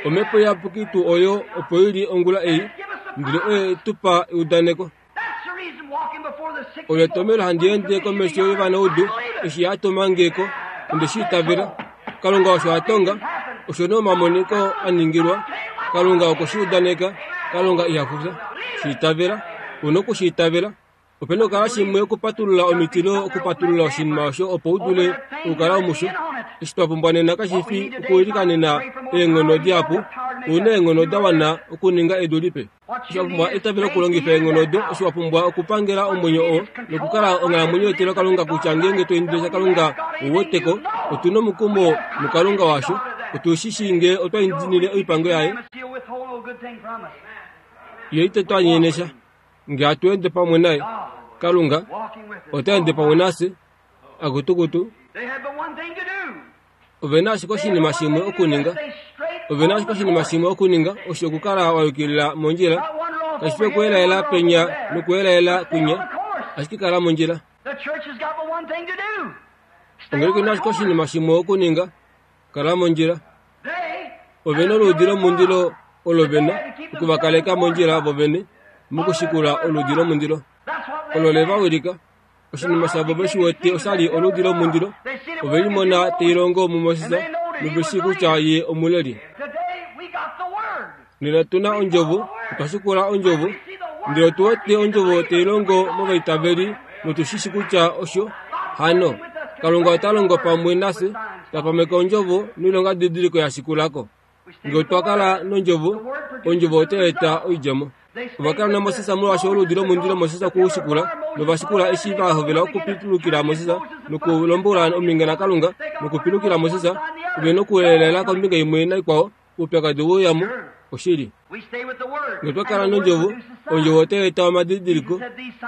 Omhepo iyapuki tuu oyo opo ili ongula ei, ndele oye tu pa eudaneko. Olo etomhelo handi ende komesho yovanaudu eshi ya tuma nge ko, onde shi itavela. Kalunga osho a tonga, osho nee omamoniko a ningilwa. Kalunga okwe shi udaneka, Kalunga iha fufya. Shi itavela, u na okushi itavela. Ope na okukala shimwe okupatulula omitilo okupatulula oshinima osho opo u dule okukala omusho. Eshi twa pumbwa nena kashi fi okuilikanena eenghono dihapu, u na eenghono da wana okuninga edu lipe. Eshi wa pumbwa eitavelo okulongifa eenghono odo, eshi wa pumbwa okupangela omwenyo oo nokukala onghalamwenyo yetilo Kalunga kutya ngeenge to indile sha Kalunga u weteko, otu na omukumo muKalunga washo, otu shi shii ngee otwa indinile oipango yaye. Ye ite tu anyene sha. Ngee hatu ende pamwe naye, Kalunga ota ende pamwe nafye, akutukutu. Ove na ashike oshinima shimwe okuninga. Ove na ashike oshinima shimwe okuninga, osho okukala wa yukilila mondjila. Kashi fi okuelaela penya nokuelaela kwinya, ashike kala mondjila. Ongeleka ina ashike oshinima shimwe okuninga, kala mondjila. Ove na oluudi lomundilo olo ve na okuvakaleka mondjila vovene mokushikula oluudi lomundilo. Olo le va wilika. Oshinima shavo veshi wete oshali oluudi lomundilo. Ove limona tai longo muMoses nove shii kutya ye omuleli. Nena otu na ondjovo, otwa shikula ondjovo, ndele otu wete ondjovo tai longo movaitaveli notu shi shii kutya osho. Hano, Kalunga ota longo pamwe nafye, ta pameke ondjovo noilongadidiliko ya shikulako. Ngee otwa kala nondjovo, ondjovo otai eta oidjemo. Ova kala naMoses molwaashi oluudi lomundilo Moses okwe u shikula, nova shikula eshi va hovela okupilukila Moses nokulombola ominge naKalunga nokupilukila Moses, ove nokuelaela kombinga imwe naikwao, oupyakadi we uyamo. Oshili. Ngee otwa kala nondjovo, ondjovo otai eta omadidiliko.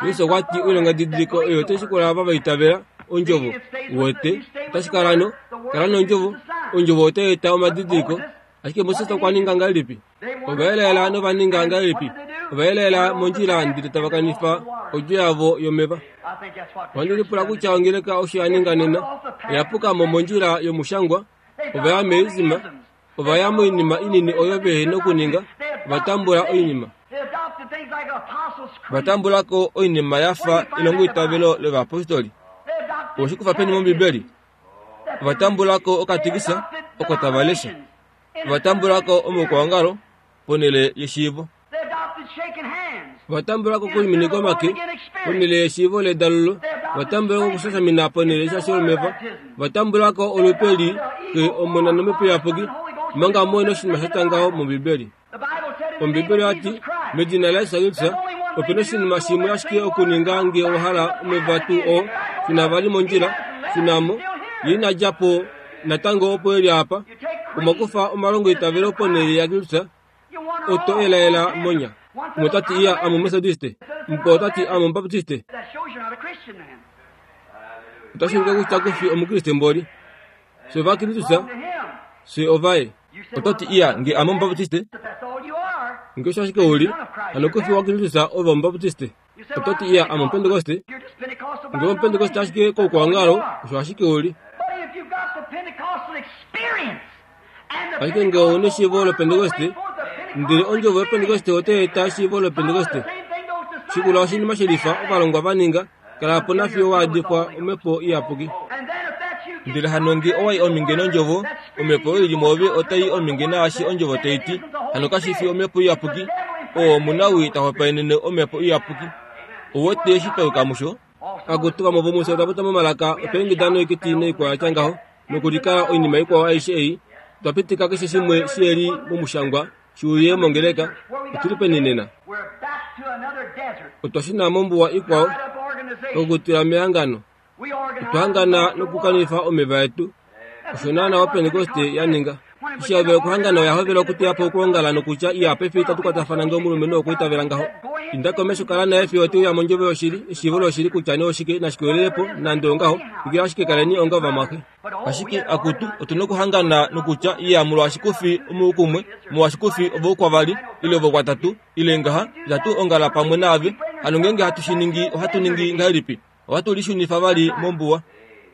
Jesus okwa ti oilongadidiliko oyo otai shikula ava va itavela ondjovo. Uwete, otashi kala no, kala nondjovo, ondjovo otai eta omadidiliko. Ashike Moses okwa ninga ngahelipi? Ova elaela nova ninga ngahelipi? Ova elaela mondjila ndele tava kanifa odjo yavo yomeva. Ohandi lipula kutya ongeleka osho ya ninga nena, oya puka mo mondjila yomushangwa, ova ya meizima, ova ya moinima inini oyo vehe nokuninga, ova tambula oinima. Va tambulako oinima ya fa elongoitavelo lovayapostoli. Owe shi kufa peni mOmbibeli? Ova tambulako okatikisa oko tava lesha. Ova tambulako omaukwaongalo ponhele yeshiivo. Ova tambulako okulimineka omake ponhele yeshiivo ledalululo. Ova tambulako okushashamina ponhele yeshasho lomeva. Ova tambulako olupe li Xe, Omona nOmhepo Iyapuki, omanga muhe noshinima sha tya ngaho mOmbibeli. Ombibeli oya ti, medina laJesus Kristus, ope na oshinima shimwe ashike okuninga ngee owa hala omeva tuu oo, shuna vali mondjila, shuna mo. Ye ina dja po natango opo e li apa. Omwa kufa omalongoitavelo ponhele yaKristus. Oto elaela monya. Umwe ota ti iya ame Omumethodiste, mukwao ota ti ame Omubaptiste. That shows you're not a Christian then. Otashi ulike kutya ku fi Omukriste mboli. Fye Ovakristus, Belong to him. fye ovaye. Oto ti iya nge ame Omubaptiste, If that's all you are. nge osho ashike uli, hano ku fi waKristus ove Omubaptiste. You say, Oto well, ti I'm iya ame Omupentekoste, You're just Pentecostal by nge Omupentekoste ashike koukwangalo, osho ashike uli. But if you've got the Pentecostal experience and the Ashike nge ouna eshiivo lopentekoste, bring forth the ndele ondjovo Pentecostal yopentekoste otai eta eshiivo lopentekoste. the same thing those disciples Shikula oshinima shelifa ovalongwa va ninga, kala po nafiyo waadifwa omhepo iyapuki. And then if that's you, get Ndele hano nge owai ominge nondjovo, that spirit omhepo oyo ili mwoove otai ominge naashi ondjovo tai ti, hano kashi fi omhepo iyapuki, oo omunawii ta hopaenene omhepo iyapuki. Ouwete eshi twa yuka musho? Akutu vamwe vomufye otwa popya momalaka, otwa ingida noikiti noikwao ya tya ngaho, nokulikala oinima ikwao aishe ei, otwa pitika keshe shimwe shiheli momushangwa, shi uye mongeleka. Otuli peni nena? We're back to another desert. Otwa shuna mombuwa ikwao, Dried up organization. okutula mehangano. We organize Otwa hangana nokukanifa omeva etu. Osho naana opentekoste ya ninga. Eshi ya hovela okuhangana oya hovela okuteya po okwoongala nokutya iya paife itatu kwatafana nge omulumenhu okwiitavela ngaho. Inda komesho kala naye fiyo te uya mondjovo yoshili, eshiivo loshili kutya nee oshike nashi kwelele po, nande ongaho, twikila ashike kaleni onga ovamwaxe. Ashike akutu otuna okuhangana nokutya iya molwaashi kufi omoukumwe, molwaashi kufi ovoukwavali, ile ovokwatatu, ile ngaha, itatu ongala pamwe naave. Hano ngeenge hatu shi ningi, ohatu ningi ngahelipi? Ohatu lishunifa vali mombuwa.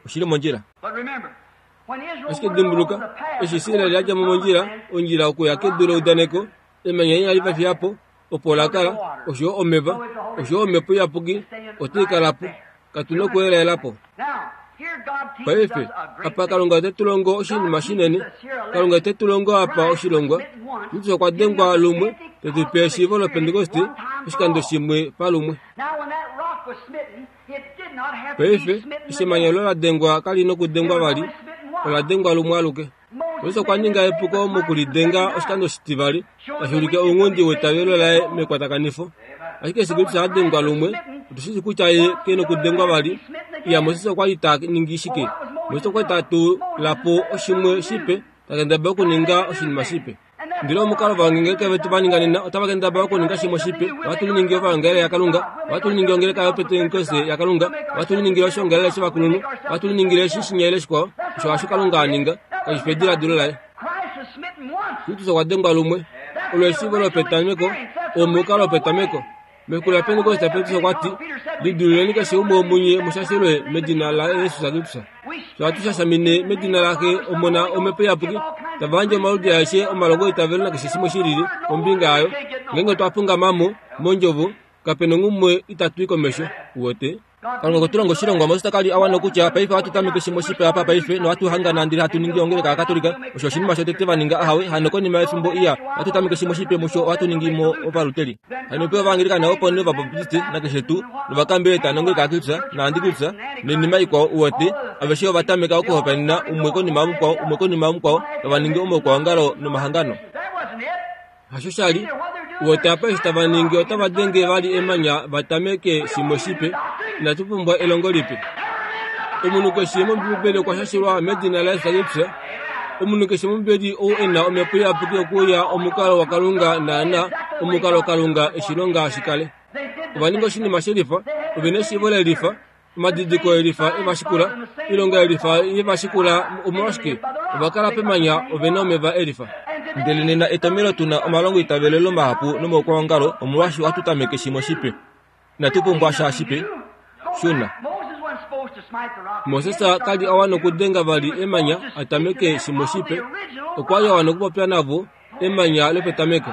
Oshili mondjila. But remember, when Israel Ashike went along dimbuluka, the path, eshi Israel yadja mo mondjila, ondjila okuya kedu leudaneko, emanya inali va fiya po, opo la kala, oshoyo omeva, oshoyo omhepo iyapuki, otai kala po. Katu na okuelaela po. Now, here God teaches Paife, us a great apa thing. Kalunga ote tu longo oshinima shinene. Kalunga ote tu longo apa oshilongwa. Kristus okwa dengwa lumwe, te tu pe eshiivo lopentekoste, oshikando shimwe palumwe. Now, when that rock was smitten, it did not have to be Paife, smitten eshi emanya again. olo la dengwa kali nokudengwa vali, ola dengwa lumwe aluke. Moses okwa ninga epuko mokulidenga oshikando shitivali, tashi ulike ounghundi weitavelo laye mekwatakanifo. Ashike eshi Kristus a dengwa lumwe, otu shi shii kutya ye ke nokudengwa vali. Iya Moses okwa li ta ningi shike? Moses okwa li ta tula po oshimwe shipe, ta kendabala okuninga oshinima shipe. Ndele omukalo ovangeleka vetu va ninga nena, otava kendabala okuninga shimwe shipe. Ohatu liningi ovangele yaKalunga, ohatu liningi ongeleka yopentekoste yaKalunga, ohatu liningile oshiongalele shovakulunhu, ohatu liningile eshi shinya ile shikwao. Osho hasho Kalunga a ninga, kashi fi ediladilo laye. Christ was smitten once. Kristus okwa dengwa lumwe. Olo eshiivo lopetameko, omukalo wopetameko. Mefiku laPentekoste Petrus okwa ti, lidululeni keshe umwe womunye mushashelwe medina laJesus Kristus. Fye ohatu shashamine medina laxe Omona Omhepo Iyapuki, tava yandje omaludi aeshe omalongo eitavelo nakeshe shimwe shilili kombinga yayo. Ngeenge otwa fungama mo mondjovo, kapena onghumwe itatu i komesho. Uwete? Kalunga okwe tu longa oshilongwa. Moses kali a wana okutya paife ohatu tameke shimwe shipe apa paife nohatu hangana ndele hatu ningi ongeleka yaKatolika. Osho oshinima shotete va ninga ahawe, hano konima yefimbo iya ohatu tameke shimwe shipe musho ohatu ningi mo ovaluteli. Hano ope Ovaanglikana opo nee Ovabaptiste nakeshe tuu, novakambeleta nongeleka yaKristus naAntikristus noinima ikwao. Uwete, aveshe ova tameka okuhopaenena umwe konima yamukwao, umwe konima yamukwao, tava ningi omaukwaongalo nomahangano. That wasn't it. Hasho sha li. Uwete apa eshi tava ningi otava denge vali emanya va tameke shimwe shipe. Inatu pumbwa elongo lipe. Omunhu keshe mOmbibeli okwa shashelwa medina laJesus Kristus. Omunhu keshe mOmbibeli ou e na omhepo iyapuki okuuya omukalo waKalunga naana omukalo Kalunga eshi longa shi kale. They did the Ova ninga oshinima shelifa, ove na eshiivo lelifa, omadidiko elifa e va shikula, oilonga elifa ye va shikula. Omolwashike? Ova kala pemanya, ove na omeva elifa. Ndele nena etomelo tuna omalongo itavelelo mahapu nomaukwaongalo, omolwaashi ohatu tameke shimwe shipe. Inatu pumbwa sha shipe. Shuna. Moses wasn't supposed to smite the rock. Moses kali a wana okudenga vali emanya a tameke shimwe shipe. Okwa li a wana okupopya navo emanya lopetameko.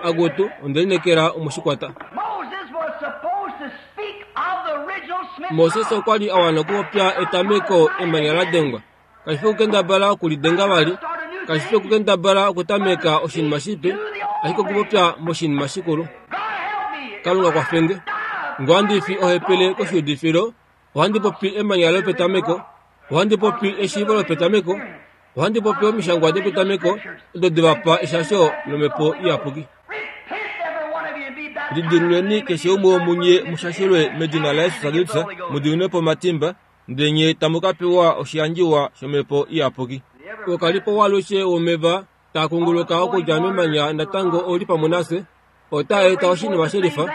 Akutu, onde lineekela omushikwata. Moses was supposed to speak of the original smitten Moses rock. okwa li a wana okupopya etameko emanya la dengwa. Kashi fi okukendabala okulidenga vali, kashi fi okukendabala okutameka oshinima shipe, ashike okupopya moshinima shikulu. God help me. Kalunga kwafenge. Ngo handi fi ohepele koshiudifilo, ohandi popi emanya lopetameko, ohandi popi eshiivo lopetameko, ohandi popi omishangwa dopetameko odo de va pa eshasho lomhepo iyapuki. Repent, every one of you, and be baptized. Lidiluleni keshe umwe womunye mushashelwe medina laJesus Kristus, mu diminwe po omatimba, ndele nye tamu ka pewa oshiyandjiwa shomhepo iyapuki. Okalipo waalushe womeva Taa kunguluka okudja memanya natango oli pamwe nafye. Otaa eta oshinima shelifa,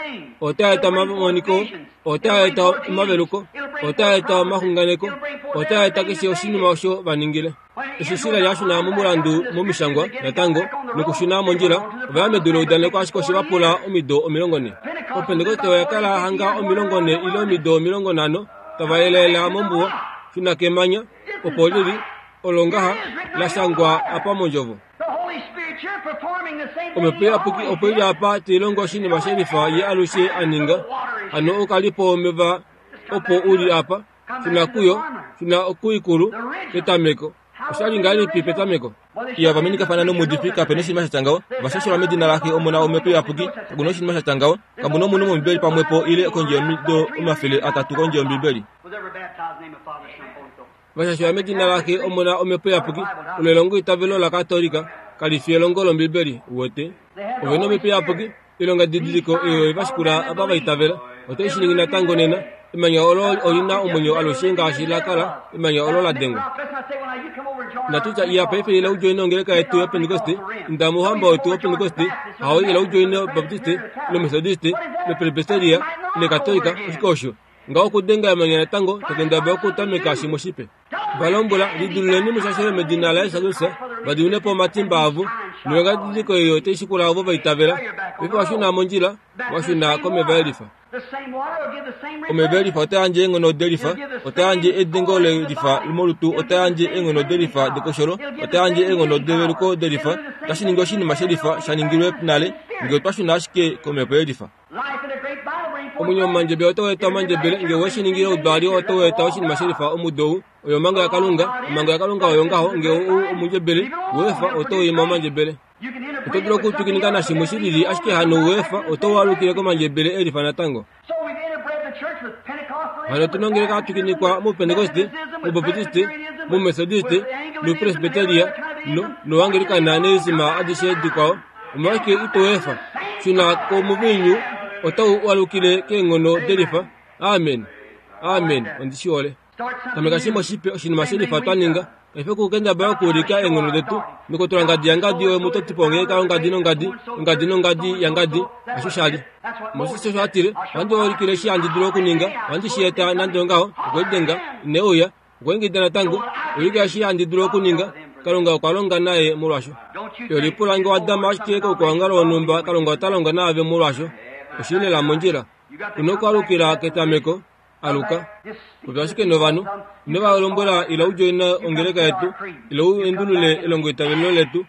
otaa eta omamoniko, otaa eta omaveluko, otaa eta omaxunganeko, otaa eta keshe oshinima osho va ningile. Eshi Israel a shuna momulandu momishangwa natango nokushuna mondjila, ova ya medu leudaneko ashike oshe va pula omido omilongo nhe. Opentekoste oya kala hanga omilongo nhe ile omido omilongo nhano tava yelaela mombuwa, shuna kemanya, opo lili olo ngaha la shangwa apa mondjovo. Omhepo iyapuki opo ili apa tailongo oshinima shelifa ye alushe a ninga. Hano okalipo omeva opo uli apa, shuna kuyo, shuna kuikulu petameko. Oshali ngahelipi petameko? Iya vamenikafana nomuudifi kapena oshinima sha tya ngaho. Ovashashelwa medina laxe Omona Omhepo Iyapuki kakuna oshinima sha tya ngaho. Kamuna omunhu mOmbibeli pamwepo ile kondje yomido omafele atatu kondje yOmbibeli. Vashashelwa medina laxe Omona Omhepo Iyapuki olo elongo itavelo laKatolika kali fi elongo lOmbibeli. Uwete ovena Omhepo Iyapuki ilonga didiliko eyo evashikula ava vaitavela. Otai shi ningi natango nena. Emanya olo olina omwenyo alushe ngaashi la kala emanya olo la dengwa. Natutya iya paife ila ujoine ongeleka yetu yopentekoste, inda mouhamba wetu wopentekoste, hao ila ujoine obaptiste, lomethodiste, lopresbiteria, ile katolika, oshike osho? Ngaho okudenga emanya natango tokendabala okutameka shimwe shipe. Valombwela lidululeni mushashele medina laYesu Kristus, vadimine po omatimba avo, noilonga didiliko eyo otai shikula ovo vaitavela. Paife washuna mondjila, washuna komeva elifa. Omeva elifa ota yandje eenghono delifa, ota yandje edengo lelifa molutu, ota yandje eenghono delifa dekosholo, ota yandje eenghono develuko delifa. Otashi ningi oshinima shelifa sha ningilwe nale, ngee otwa shuna ashike komhepo yelifa. Omwenyo womandjebele otau eta omandjebele, ngee owe shi ningile oudwaali otau eta oshinima shelifa omudo ou. Oyo omhango yaKalunga, omhango yaKalunga oyo ngaho, ngee ou omundjebele weefa otau ima omandjebele. Oto dulu okutwikinika nashimwe shilili ashike hano weefa otau alukile komandjebele elifa natango. Hano otuna ongeleka yatwikinikwa mupentekoste, mubaptiste, mumethodiste, nopresbiteria, noangelikana neezima adishe dikwao. Omolwashike ito weefa? Shuna komuviinyu otau alukile keenghono delifa. Amen. Amen. Ondi shi hole. Tameka shimwe shipe oshinima shelifa twa ninga. Kaife okukendabala okuulika eenghono detu nokutula ngadi yangadi oyo mutotipo ongeleka yongadi nongadi, ongadi nongadi yangadi, hasho shali. Moses osho atile, ohandi ulikile eshi handi dulu okuninga, ohandi shi eta nande ongaho, okwelidenga, ine uya, okweengida natango, ulika eshi handi dulu okuninga. Kalunga okwa longa naye molwasho. Lipula nge wadama ashike koukwaongalo wonhumba, Kalunga ota longa naave molwasho. Oshili lela mondjila. Una okwaalukila ketameko, aluka. Popya ashike novanhu, ino va lombwela ila udjoine ongeleka yetu, ila u endulule elongoitavelo letu.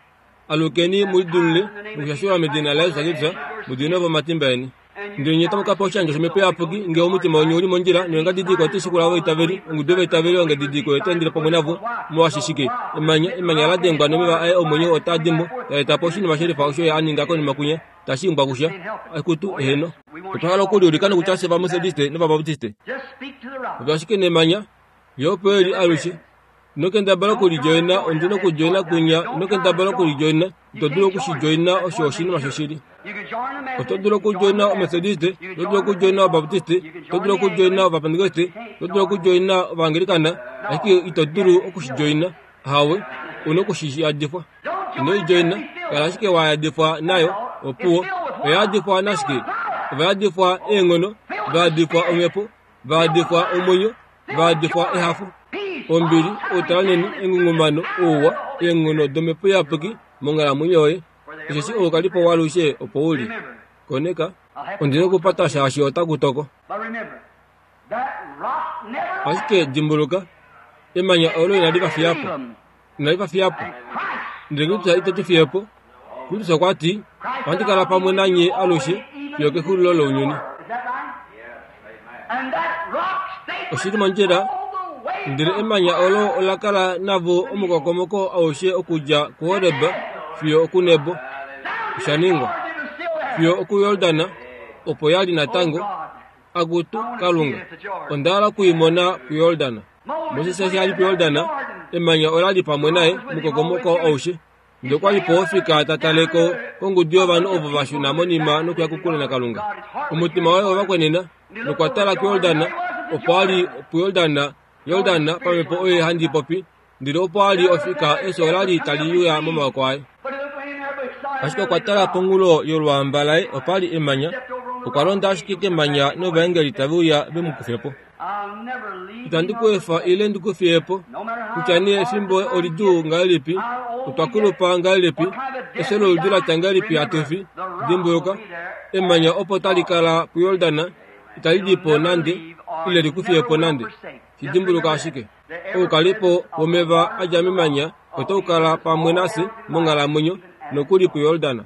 Alukeni mulidulule nokushashelwa medina laYesu Kristus, mudiminwe po omatimba eni. Ndele nye otamu ka pewa oshandjo shOmhepo Iyapuki, ngee omutima weni uli mondjila noengadidiliko otai shikula ovaitaveli, ongudu yovaitaveli ongadidiliko oyo otai endele pamwe navo. Molwaashi shike? Emanya, emanya la dengwa nomeva aye omwenyo otaa di mo, taa eta po oshinima shelifa osho ye a ninga konima kwinya, tashi imbwa kusha. Akutu, eheno. Otwa hala okuliulika nokutya fye Ovamethodiste nOvabaptiste. Popya ashike nemanya, ye opo eli alushe. Ino kendabala okulidjoina, ondi na okudjoina kwinya, ino kendabala okulidjoina, ito dulu okushidjoina, osho oshinima shoshili. Oto dulu okudjoina Omethodiste, oto dulu okudjoina Obaptiste, oto dulu okudjoina Ovapentekoste, oto dulu okudjoina Ovaanglikana, ashike ito dulu okushidjoina. Hawe, una okushiyadifwa. Ino idjoina, kala ashike wa yadifwa nayo, opuwo. Oya yadifwa nashike? Ova yadifwa eenghono, va yadifwa omhepo, va yadifwa omwenyo, va yadifwa ehafo, ombili, outalanheni, engungumano, ouwa, eenghono domhepo iyapuki monghalamwenyo yoye. Osheshi oukalipo waalushe opo uli. Koneka, ondi na okupata shaashi otaku toko. Ashike dimbuluka, emanya olo inali va fiya po. Inali va fiya po. Ndele Kristus ite tu fiye po. Kristus okwa ti, ohandi kala pamwe nanye alushe fiyo kexulilo lounyuni. Oshili mondjila, ndele emanya olo ola kala navo omukokomoko aushe okudja kuHoreb fiyo okuNebo. Osha ningwa fiyo okuJordan, opo ya li natango. Akutu Kalunga, onda hala okuimona puJordan. Moses eshi a li puJordan, emanya ola li pamwe naye omukokomoko aushe. Ndele okwa li po ofika ta tale ko kongudu yovanhu ovo va shuna monima nokuya kokule naKalunga. Omutima waye owa kwenena, nokwa tala kuJordan, opo a li puJordan, Jordan pamhepo oye handi popi, ndele opo a li ofika efyo ola li tali uya momaoko aye. Ashike okwa tala ponghulo yolwaamba laye opa li emanya, okwa londa ashike kemanya novaengeli tave uya ve mu kufe po. Itandi ku efa ile ndi ku fiye po, kutya nee efimbo olidjuu ngahelipi, otwa kulupa ngahelipi, efyo loludi latya ngahelipi hatu fi, dimbuluka, emanya opo tali kala puJordan, itali di po nande, ile li ku fiye po nande. Shi dimbuluka ashike. Oukalipo womeva a dja memanya otau kala pamwe nafye monghalamwenyo nokuli puJordan.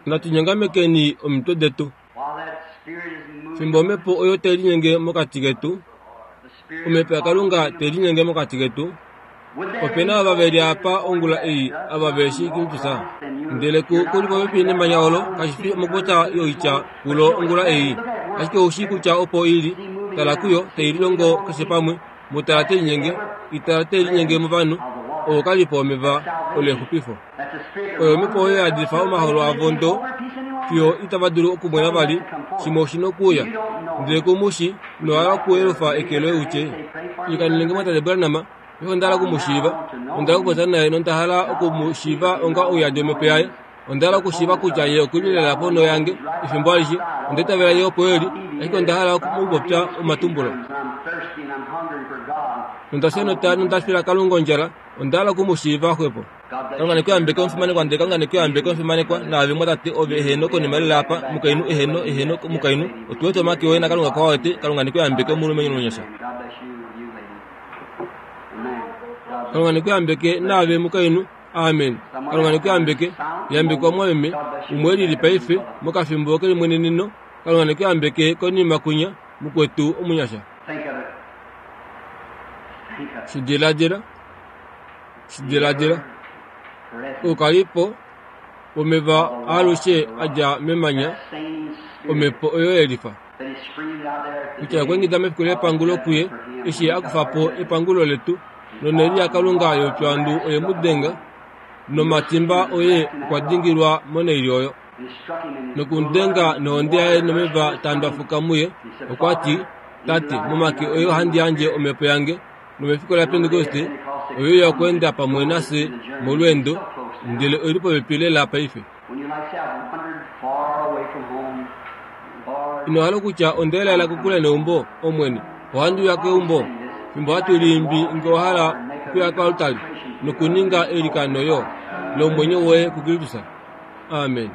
Natu nyongamekeni omitwe detu. Fimbo omhepo oyo tai linyenge mokati ketu, omhepo yaKalunga tai linyenge mokati ketu, ope na ava ve li apa ongula ei ava ve shii Kristus. Ndele ku li popepi nemanya olo, kashi fi mokupopya yoitya kulo ongula ei, ashike ou shii kutya opo i li, tala kuyo tai lilongo keshe pamwe, mu tala te linyenge, itala te linyenge movanhu, oo kali po omeva olexupifo. Oyo omhepo oyo yadifa omaholo avo ndo fiyo itava dulu okumwena vali, shimwe oshi nokuuya. Ndele kumushi nohala okuyelufa eke loye utye, ilikanene mwatate Branham, paife onda hala okumushiiva, onda hala okupopya naye nonda hala okumushiiva onga ouyadi womhepo yaye. Onda hala okushiiva kutya ye okuli lela ponho yange efimbo alishe, onda itavela ye opo eli, ashike onda hala okupopya omatumbulo. Nonda fya nota nonda fila Kalunga ondjala, onda hala okumushiiva xwepo. Kalunga nekuyambeke omufimanekwa, ndele Kalunga nekuyambeke omufimanekwa, naave mwatate ove eheno konima lela apa, mukainhu eheno eheno mukainhu, otu wete omake oye naKalunga kwa wete, Kalunga nekuyambeke omulumenhu omunyasha. Kalunga nekuyambeke naave mukainhu, amen. Kalunga nekuyambeke, yambekwa mwameme, umwe elili paife mokafimbo kelimweneneno, Kalunga nekuyambeke konima kunya, mukwetu omunyasha. Shidiladila, shidiladila, oukalipo womeva alushe a dja memanya, omhepo oyo yelifa. Kutya okwa mefiku lepangulo kuye, eshi a kufa po epangulo letu, nonhele yaKalunga youpyuhandu oye mu denga, nomatimba oye okwa dingilwa monhaili oyo. Nokumudenga nohonde yaye nomeva taa ndwafuka muye, okwa ti, Tate, momake oye ohandi yandje omhepo yange, nomefiku laPentekoste oye uya okweenda pamwe nafye molweendo, ndele oi li popepi lela paife. Ino hala okutya onda elaela kokule neumbo, Omwene, ohandi uya keumbo, fimbo hatu liimbi nge owa hala okuya koaltari nokuninga eilikano yo lomwenyo woye kuKristus. Amen.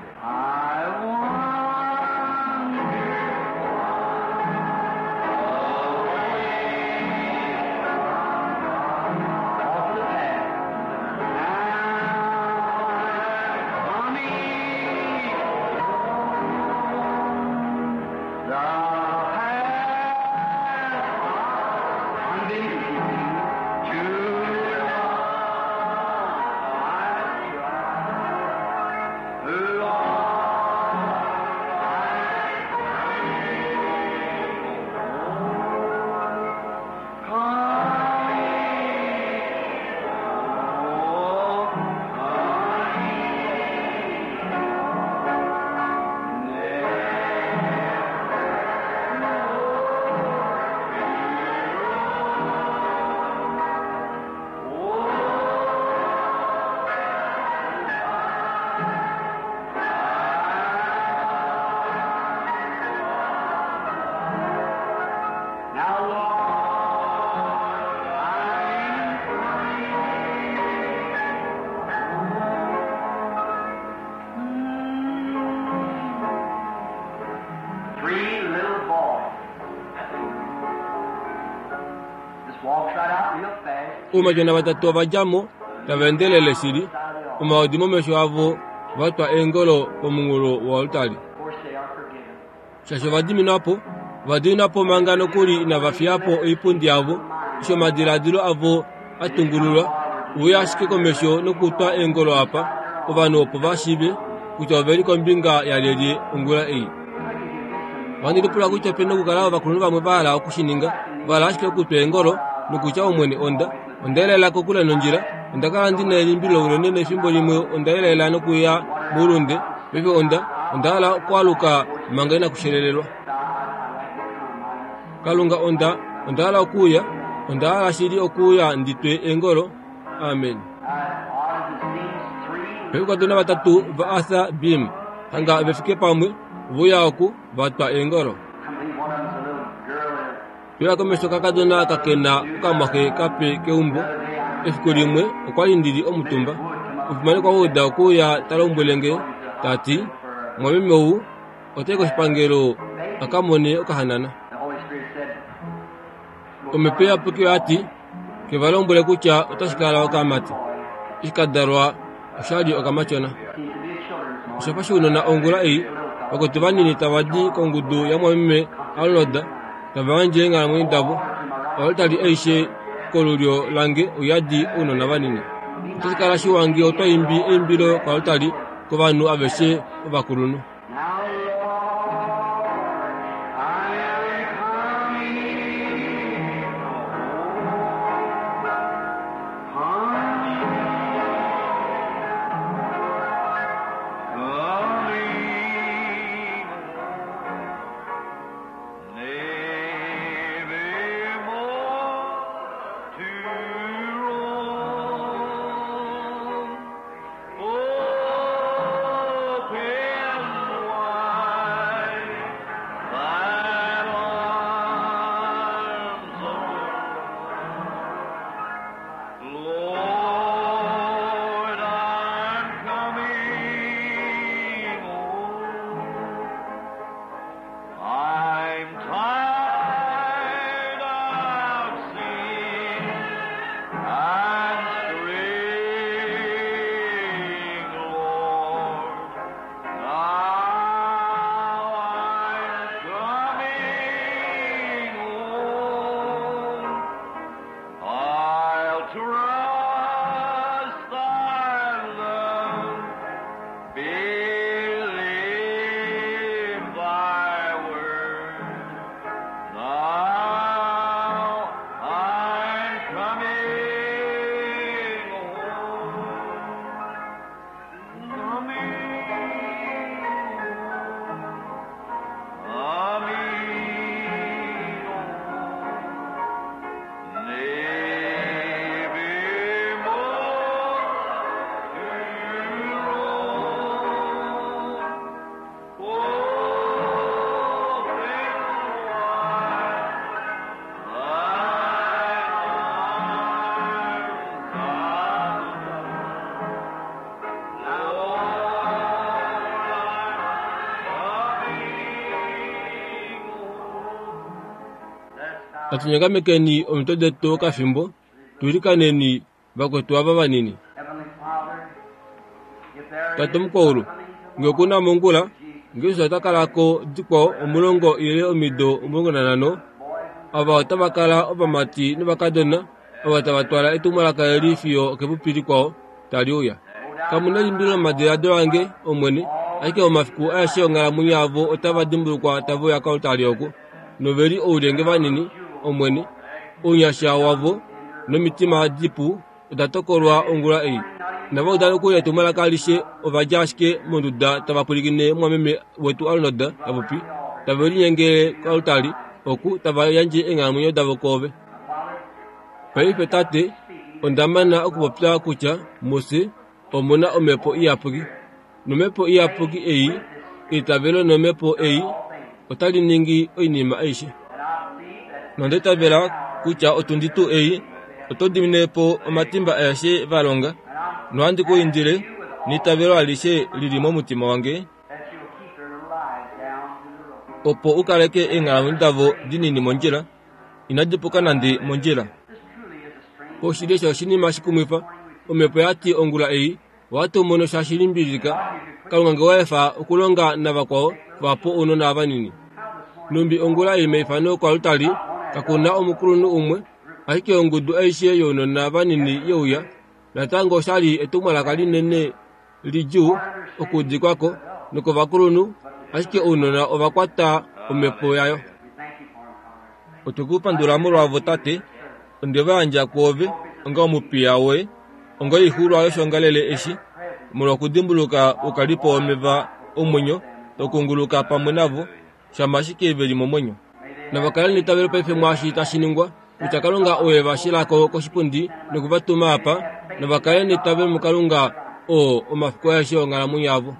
Oumatyona vatatu ova dja mo, tava endelele shili, omaodi momesho avo va twa eengolo pomunghulo woaltari. Shaashi ova diminwa po, ova diminwa po manga nokuli inava fiya po oipundi yavo, eshi omadiladilo avo a tungululwa, uya ashike komesho nokutwa eengolo apa, ovanhu opo va shiive kutya ove li kombinga yalyelye ongula ei. Ohandi lipula kutya opena okukala ovakulunhu vamwe va hala okushininga, va hala ashike okutwa eengolo nokutya Omwene onda, onda elaela kokule nondjila, onda kala ndi na elimbililo unene nefimbo limwe onda elaela nokuya moulunde, paife onda, onda hala okwaluka manga inakushelelelwa. Kalunga onda, onda hala okuuya, onda hala shili okuuya ndi twe eengolo. Amen. Paife oukadona vatatu va Arthur Beam hanga ve fike pamwe, veuya oku va twa eengolo. Twila komesho kakadona kakena okamwaxe kape keumbo. Efiku limwe okwali ndili omutumba. Omufimanekwa Wood okuuya ta lombwele nge, ta ti, Mwameme ou otai koshipangelo a ka mone okahanana. Omhepo Iyapuki oya ti, ke va lombwele kutya otashi kala okamati. Eshi ka dalwa oshali okamatyona. Osha fa shounona ongula ei, vakwetu vanini tava di kongudu yamwameme Arnold, tava yandje eenghalamwenyo davo. Oaltari aishe kolulyo lange oyadi ounona vanini. Otashi kala shiwa ngee otwa imbi eimbilo koaltari kovanhu aveshe ovakulunhu. Natu nyakamekeni omitwe detu okafimbo, tuilikaneni vakwetu ava vanini. Tate omukwaulu, ngee okuna mongula, ngee Jesus ota kala ko dikwao omulongo ile omido omulongo nanhano, ava otava kala ovamati novakadona ava tava twala etumwalaka eli fiyo okepupi likwao tali uya. Kamu na elimbililo momadiladilo ange, Omwene, ashike momafiku aeshe onghalamwenyo yavo otava dimbulukwa tave uya koaltari oku, noveli oulenge vanini, Omwene, ounyasha wavo nomitima dipu oda tokolwa ongula ei. Inava uda nokuli etumwalaka alishe, ova dja ashike monduda tava pwilikine mumwameme wetu Arnold ta popi, tave linyengele koaltari oku tava yandje eenghalamwenyo davo koove. Paife Tate, onda mana okupopya kutya mufye omuna Omhepo Iyapuki, nomhepo Iyapuki ei, eitavelo nomhepo ei otali ningi oinima aishe. Nonda itavela kutya otundi tuu ei oto dimine po omatimba aeshe va longa, nohandi ku indile neitavelo alishe lili momutima wange, opo u kaleke eenghalamwenyo davo dinini mondjila, inadi puka nande mondjila. Oshili osho oshinima shikumwifa, Omhepo ya ti ongula ei, Ohatu mono sha limbililika Kalunga nge waefa okulonga navakwao vapo ounona vanini. Numbi ongula ei meifano koaltari kakuna omukulunhu umwe, ashike ongudu aishe younona vanini yeuya. Natango oshali etumwalaka linene lidjuu okuudikwako nokovakulunhu, ashike ounona ova kwata omhepo yayo. Otwe ku pandula molwavo tate, onde va yandja kwoove onga omupiya woye, onga oixuulwa yoshiongalele eshi, molwa okudimbuluka oukalipo womeva omwenyo tau pamwe navo, shama ashike ve li momwenyo. Nava kale neitavelo paife mwaashi tashi ningwa, kutya Kalunga oye va shilako koshipundi noku va tuma apa, nava kale neitavelo muKalunga oo omafiku aeshe onghalamwenyo yavo.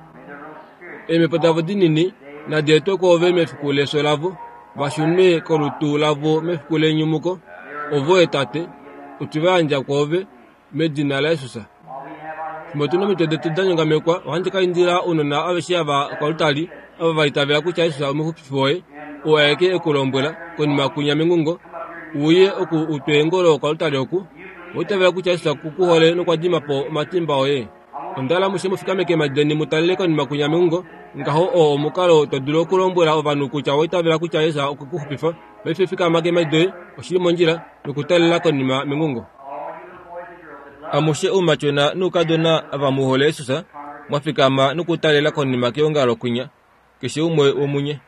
Eemhepo davo dinini nadi etwe kwoove mefiku lefyo lavo, va shunwe kolutu lavo mefiku lenyumuko. Ovoye tate, otwe va yandja kwoove medina laJesus. Fimbo tuna omitwe detu da nyongamekwa, ohandi ka indila ounona aveshe ava koaltari, ava va itavela kutya Jesus omuxupifi woye, oo aeke e ku lombwela konima kunya mengungo, uye oku utwe eengolo koaltari oku. Owa itavela kutya Jesus oku ku hole nokwa dima po omatimba oye. Onda hala amushe mu fikame keemhadi deni mu talele konima kunya mengungo. Ngaho oo omukalo to dulu okulombwela ovanhu kutya owa itavela kutya Jesus okwe ku xupifa. Paife fikama keemhadi doye, oshili mondjila, nokutalela konima mengungo. Amushe oumatyona noukadona ava mu hole Jesus, mwa fikama nokutalela konima keongalo kwinya, keshe umwe womunye.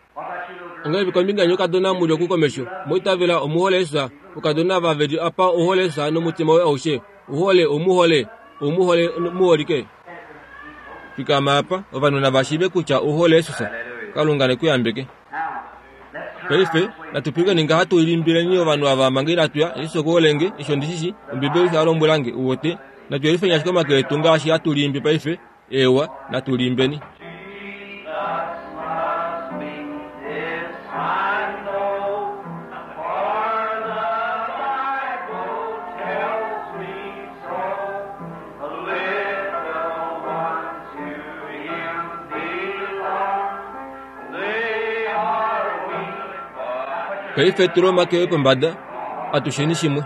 Ongahelipi kombinga yeni oukadona muli oku komesho? Mwa omuhole Jesus? Oukadona ava veli apa ouhole Jesus nomutima woye aushe? Ouhole, oumuhole, oumuhole muholike? Fikama apa, ovanhu nava shiive kutya ouhole Jesus. Kalunga ne ku yambeke. Paife natu pwilikeni ngaha tu limbileni ovanhu ava manga inatu ya. Jesus oku hole nge, eshi ondi shi shii, Ombibeli osho ya lombwela nge, uwete. Natu yelifeni ashike omake etu ngaashi hatu liimbi paife. Eewa, natu liimbeni. Paife tula omake oye pombada, atusheni shimwe.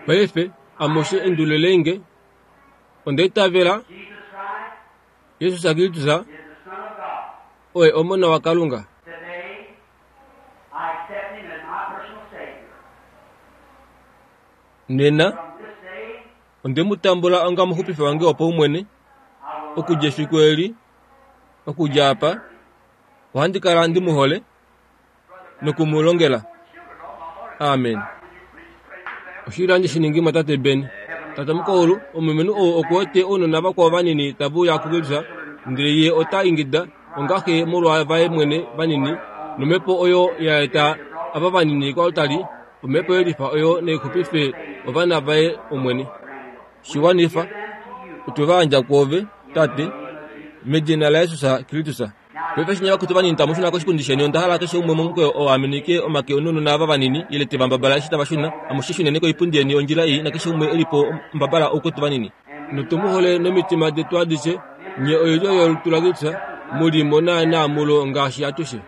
Paife amushe endululenge, onda itavela Jesus Kristus oye Omona waKalunga. Nena onde mu tambula onga omuxupifi wange wopaumwene. Okudja efiku eli, okudja apa, ohandi kala ndi mu hole noku mu longela. Amen. Oshili handi shi ningi mwatate Ben. Tate mukaulu, omulumenhu ou oku wete ounona vakwao vanini tave uya kuKristus, ndele ye ota ingida onga xe molwa vaye mwene vanini, nomhepo oyo ya eta ava vanini koaltari, omhepo yelifa oyo naixupife ovana vaye Omwene. Shiwanifa, otwe va yandja kwoove, Tate, medina laJesus Kristus. Paife eshi nye vakwetu vanini tamu shuna koshipundi sheni, onda hala keshe umwe momukweyo oo a minike omake nounona ava vanini, ile te va mbabala eshi tava shuna. Amushe shuneni koipundi yeni ondjila ei, nakeshe umwe e li po mbabala oukwetu vanini. Notu mu hole nomitima detu adishe, nye oilyo yolutu laKristus, mu li mo naanaa mulo ngaashi atushe.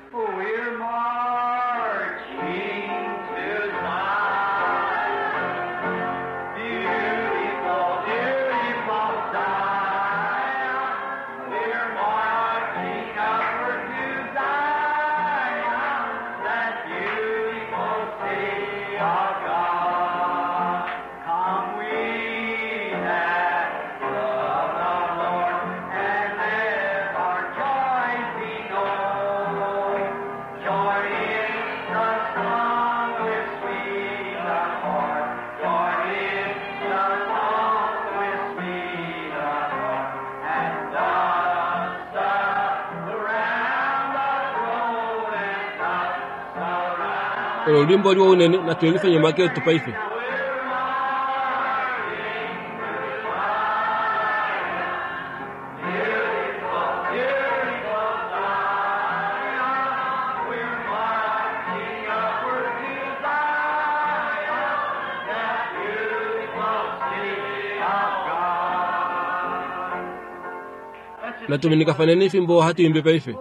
Olo olwiimbo liwa unene, natu yelifeni omake etu paife. Natuminikafaneni fimbo hatu imbi paife.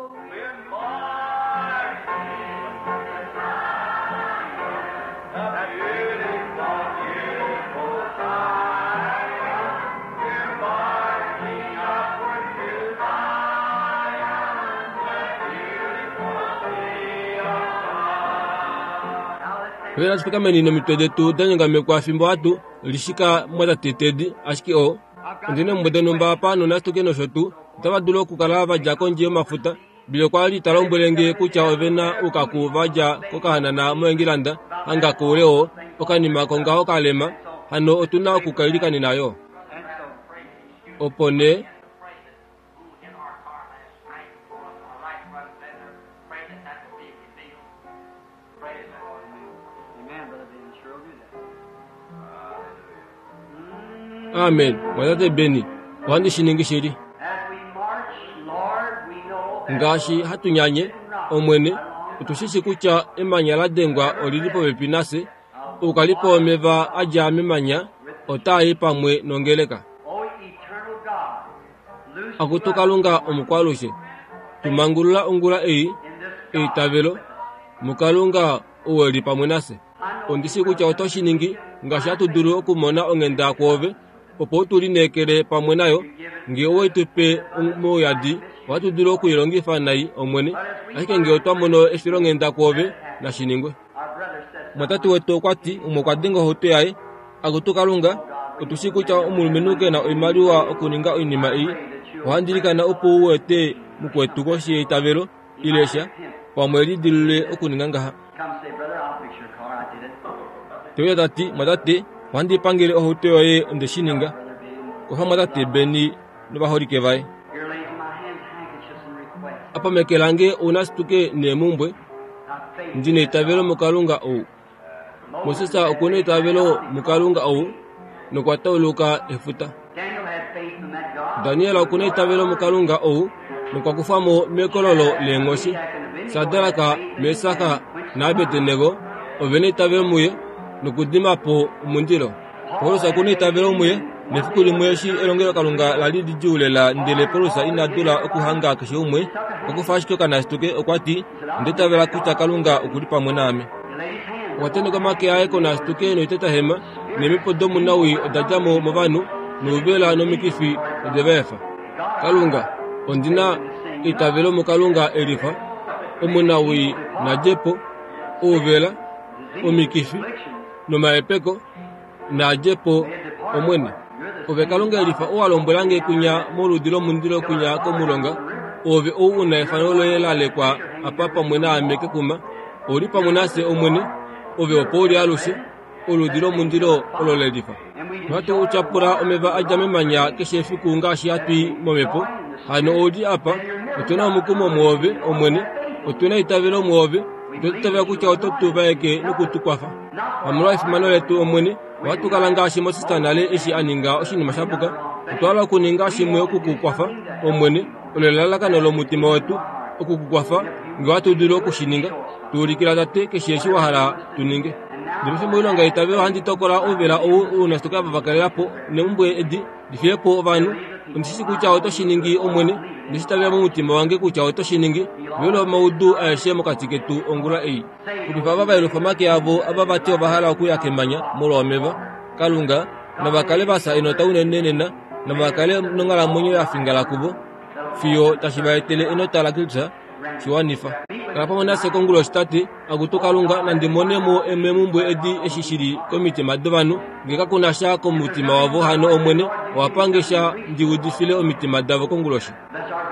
Paife natu fikameni nomitwe detu da nyongamekwa fimbo hatu lishika mwatate Tedi, ashike o ondina eemhumbwe donhumba apa nonasituke nosho tuu otava dulu okukala va dja kondje yomafuta. Bile okwa li ta lombwele nge kutya ove na oukaku va dja kokahanana moEngilanda hanga koule oo okanima kongaho kalema, hano otu na okukailikanena yo. Opo nee Amen. Mwatate Beni, ohandi shi ningi shili. Ngaashi hatu nyanye, Omwene, otu shi shi kutya emanya la dengwa olili popepi nafye, oukalipo womeva a dja memanya otaa i pamwe nongeleka. Akutu Kalunga omukwalushe, tumangulula ongula ei, eitavelo muKalunga ou e li pamwe nafye. Ondi shii kutya oto shi ningi ngaashi hatu dulu okumona onghenda kwoove, opo u tu lineekele pamwe nayo. Ngee owe tu pe mouyadi, ohatu dulu okuilongifa nai, Omwene, ashike ngee otwa mono efilonghenda kwoove, nashi ningwe. Mwatate wetu okwa ti umwe okwa denga ohauto yaye. Akutu Kalunga, otu shii kutya omulumenhu ke na oimaliwa okuninga oinima ei. Ohandi ilikana opo u ete mukwetu koshi yeitavelo, ile sha, pamwe lidilulule okuninga ngaha. Teuya ta ti, mwatate, ohandi pangele ohauto yoye onde shi ninga. Kwafa mwatate Beni novaholike vaye. Apa meke lange ounasituke neemhumbwe, ndi neitavelo muKalunga ou. Moses oku neitavelo muKalunga ou nokwa tauluka efuta. Daniel oku neitavelo muKalunga ou nokwa kufwa mo mekololo leenghoshi. Sadraka, Mesaka naAbednego ove neitavelo muye nokudima po omundilo. Paulus oku neitavelo muye, nefiku limwe eshi elongelokalunga la li lidjuu lela ndele Paulus ina dula okuhanga keshe umwe, okwa kufa ashike okanasituke okwa ti, onda itavela kutya Kalunga oku li pamwe naame. Okwa tenheka omake aye konasituke noitetahema, neemhepo domunawii oda dja mo movanhu, nouvela nomikifi ode va efa. Kalunga, ondi na eitavelo muKalunga e lifa, omunawii na dje po, ouvela, omikifi, nomahepeko, na dje po, Omwene. Ove Kalunga e lifa ou wa lombwela nge kwinya moludi lomundilo kwinya komulonga, oove ou u na efano loye la lekwa apa pamwe naame kekuma, ou li pamwe nafye Omwene, ove opo u li alushe, oludi lomundilo olo le lifa. Nohatu tyapula omeva a dja memanya keshe efiku ngaashi hatu i momhepo. Hano ou li apa, otu na omukumo mwoove, Omwene, otu na eitavelo mwoove, otwa itavela kutya oto tu vaeke noku tu kwafa. Hamolwa efimano letu, Omwene, ohatu kala ngaashi Moses nale eshi a ninga oshinima sha puka. Otwa hala okuninga shimwe oku ku kwafa, Omwene, olo elalakano lomutima wetu, oku ku kwafa, ngee ohatu dulu oku shi ninga. Tu ulikila Tate keshe eshi wa hala tu ninge. Ndele paife moilonga yeitavelo ohandi tokola ouvela ou ounasituke ava va kalela po neemhumbwe edi di fiye po ovanhu. Ondi shi shii kutya oto shi ningi, Omwene, onde shi itavela momutima wange kutya oto shi ningi. Velula omaudu aeshe mokati ketu ongula ei. Xupifa ava va yelufa omake avo, ava vati ova hala okuya kemanya molwa omeva. Kalunga, nava kale va fya enota unene nena, nava kale nonghalamwenyo ya fingala kuvo, fiyo tashi va etele enota laKristus. Shi wanifa. Kala pamwe nafye konguloshi, Tate. Akutu Kalunga, nandi mone mo meemhumbwe edi eshi shi li komitima dovanhu. Ngee kaku na sha komutima wavo, hano Omwene, owa pange sha ndi udifile omitima davo konguloshi.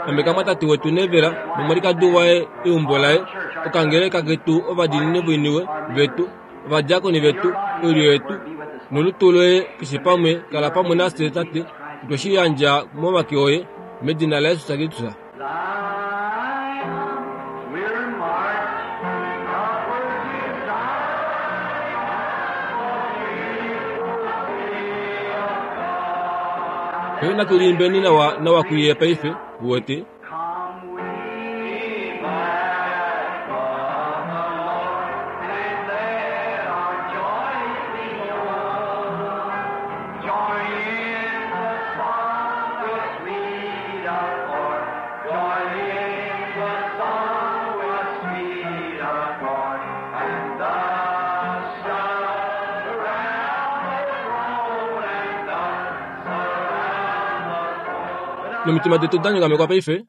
Ameka mwatate wetu Nevela nomwalikadi waye, eumbo laye, okangeleka ketu, ovadiinini voiniwe vetu, ovadiakoni vetu, oilyo yetu, nolutu loye keshe pamwe. Kala pamwe nafye, Tate. Otwe shi yandja momake oye, medina laJesus Kristus. Paife natu liimbeni nawa nawa kuye paife, uwete. Nomitima detu da nyongamekwa paife.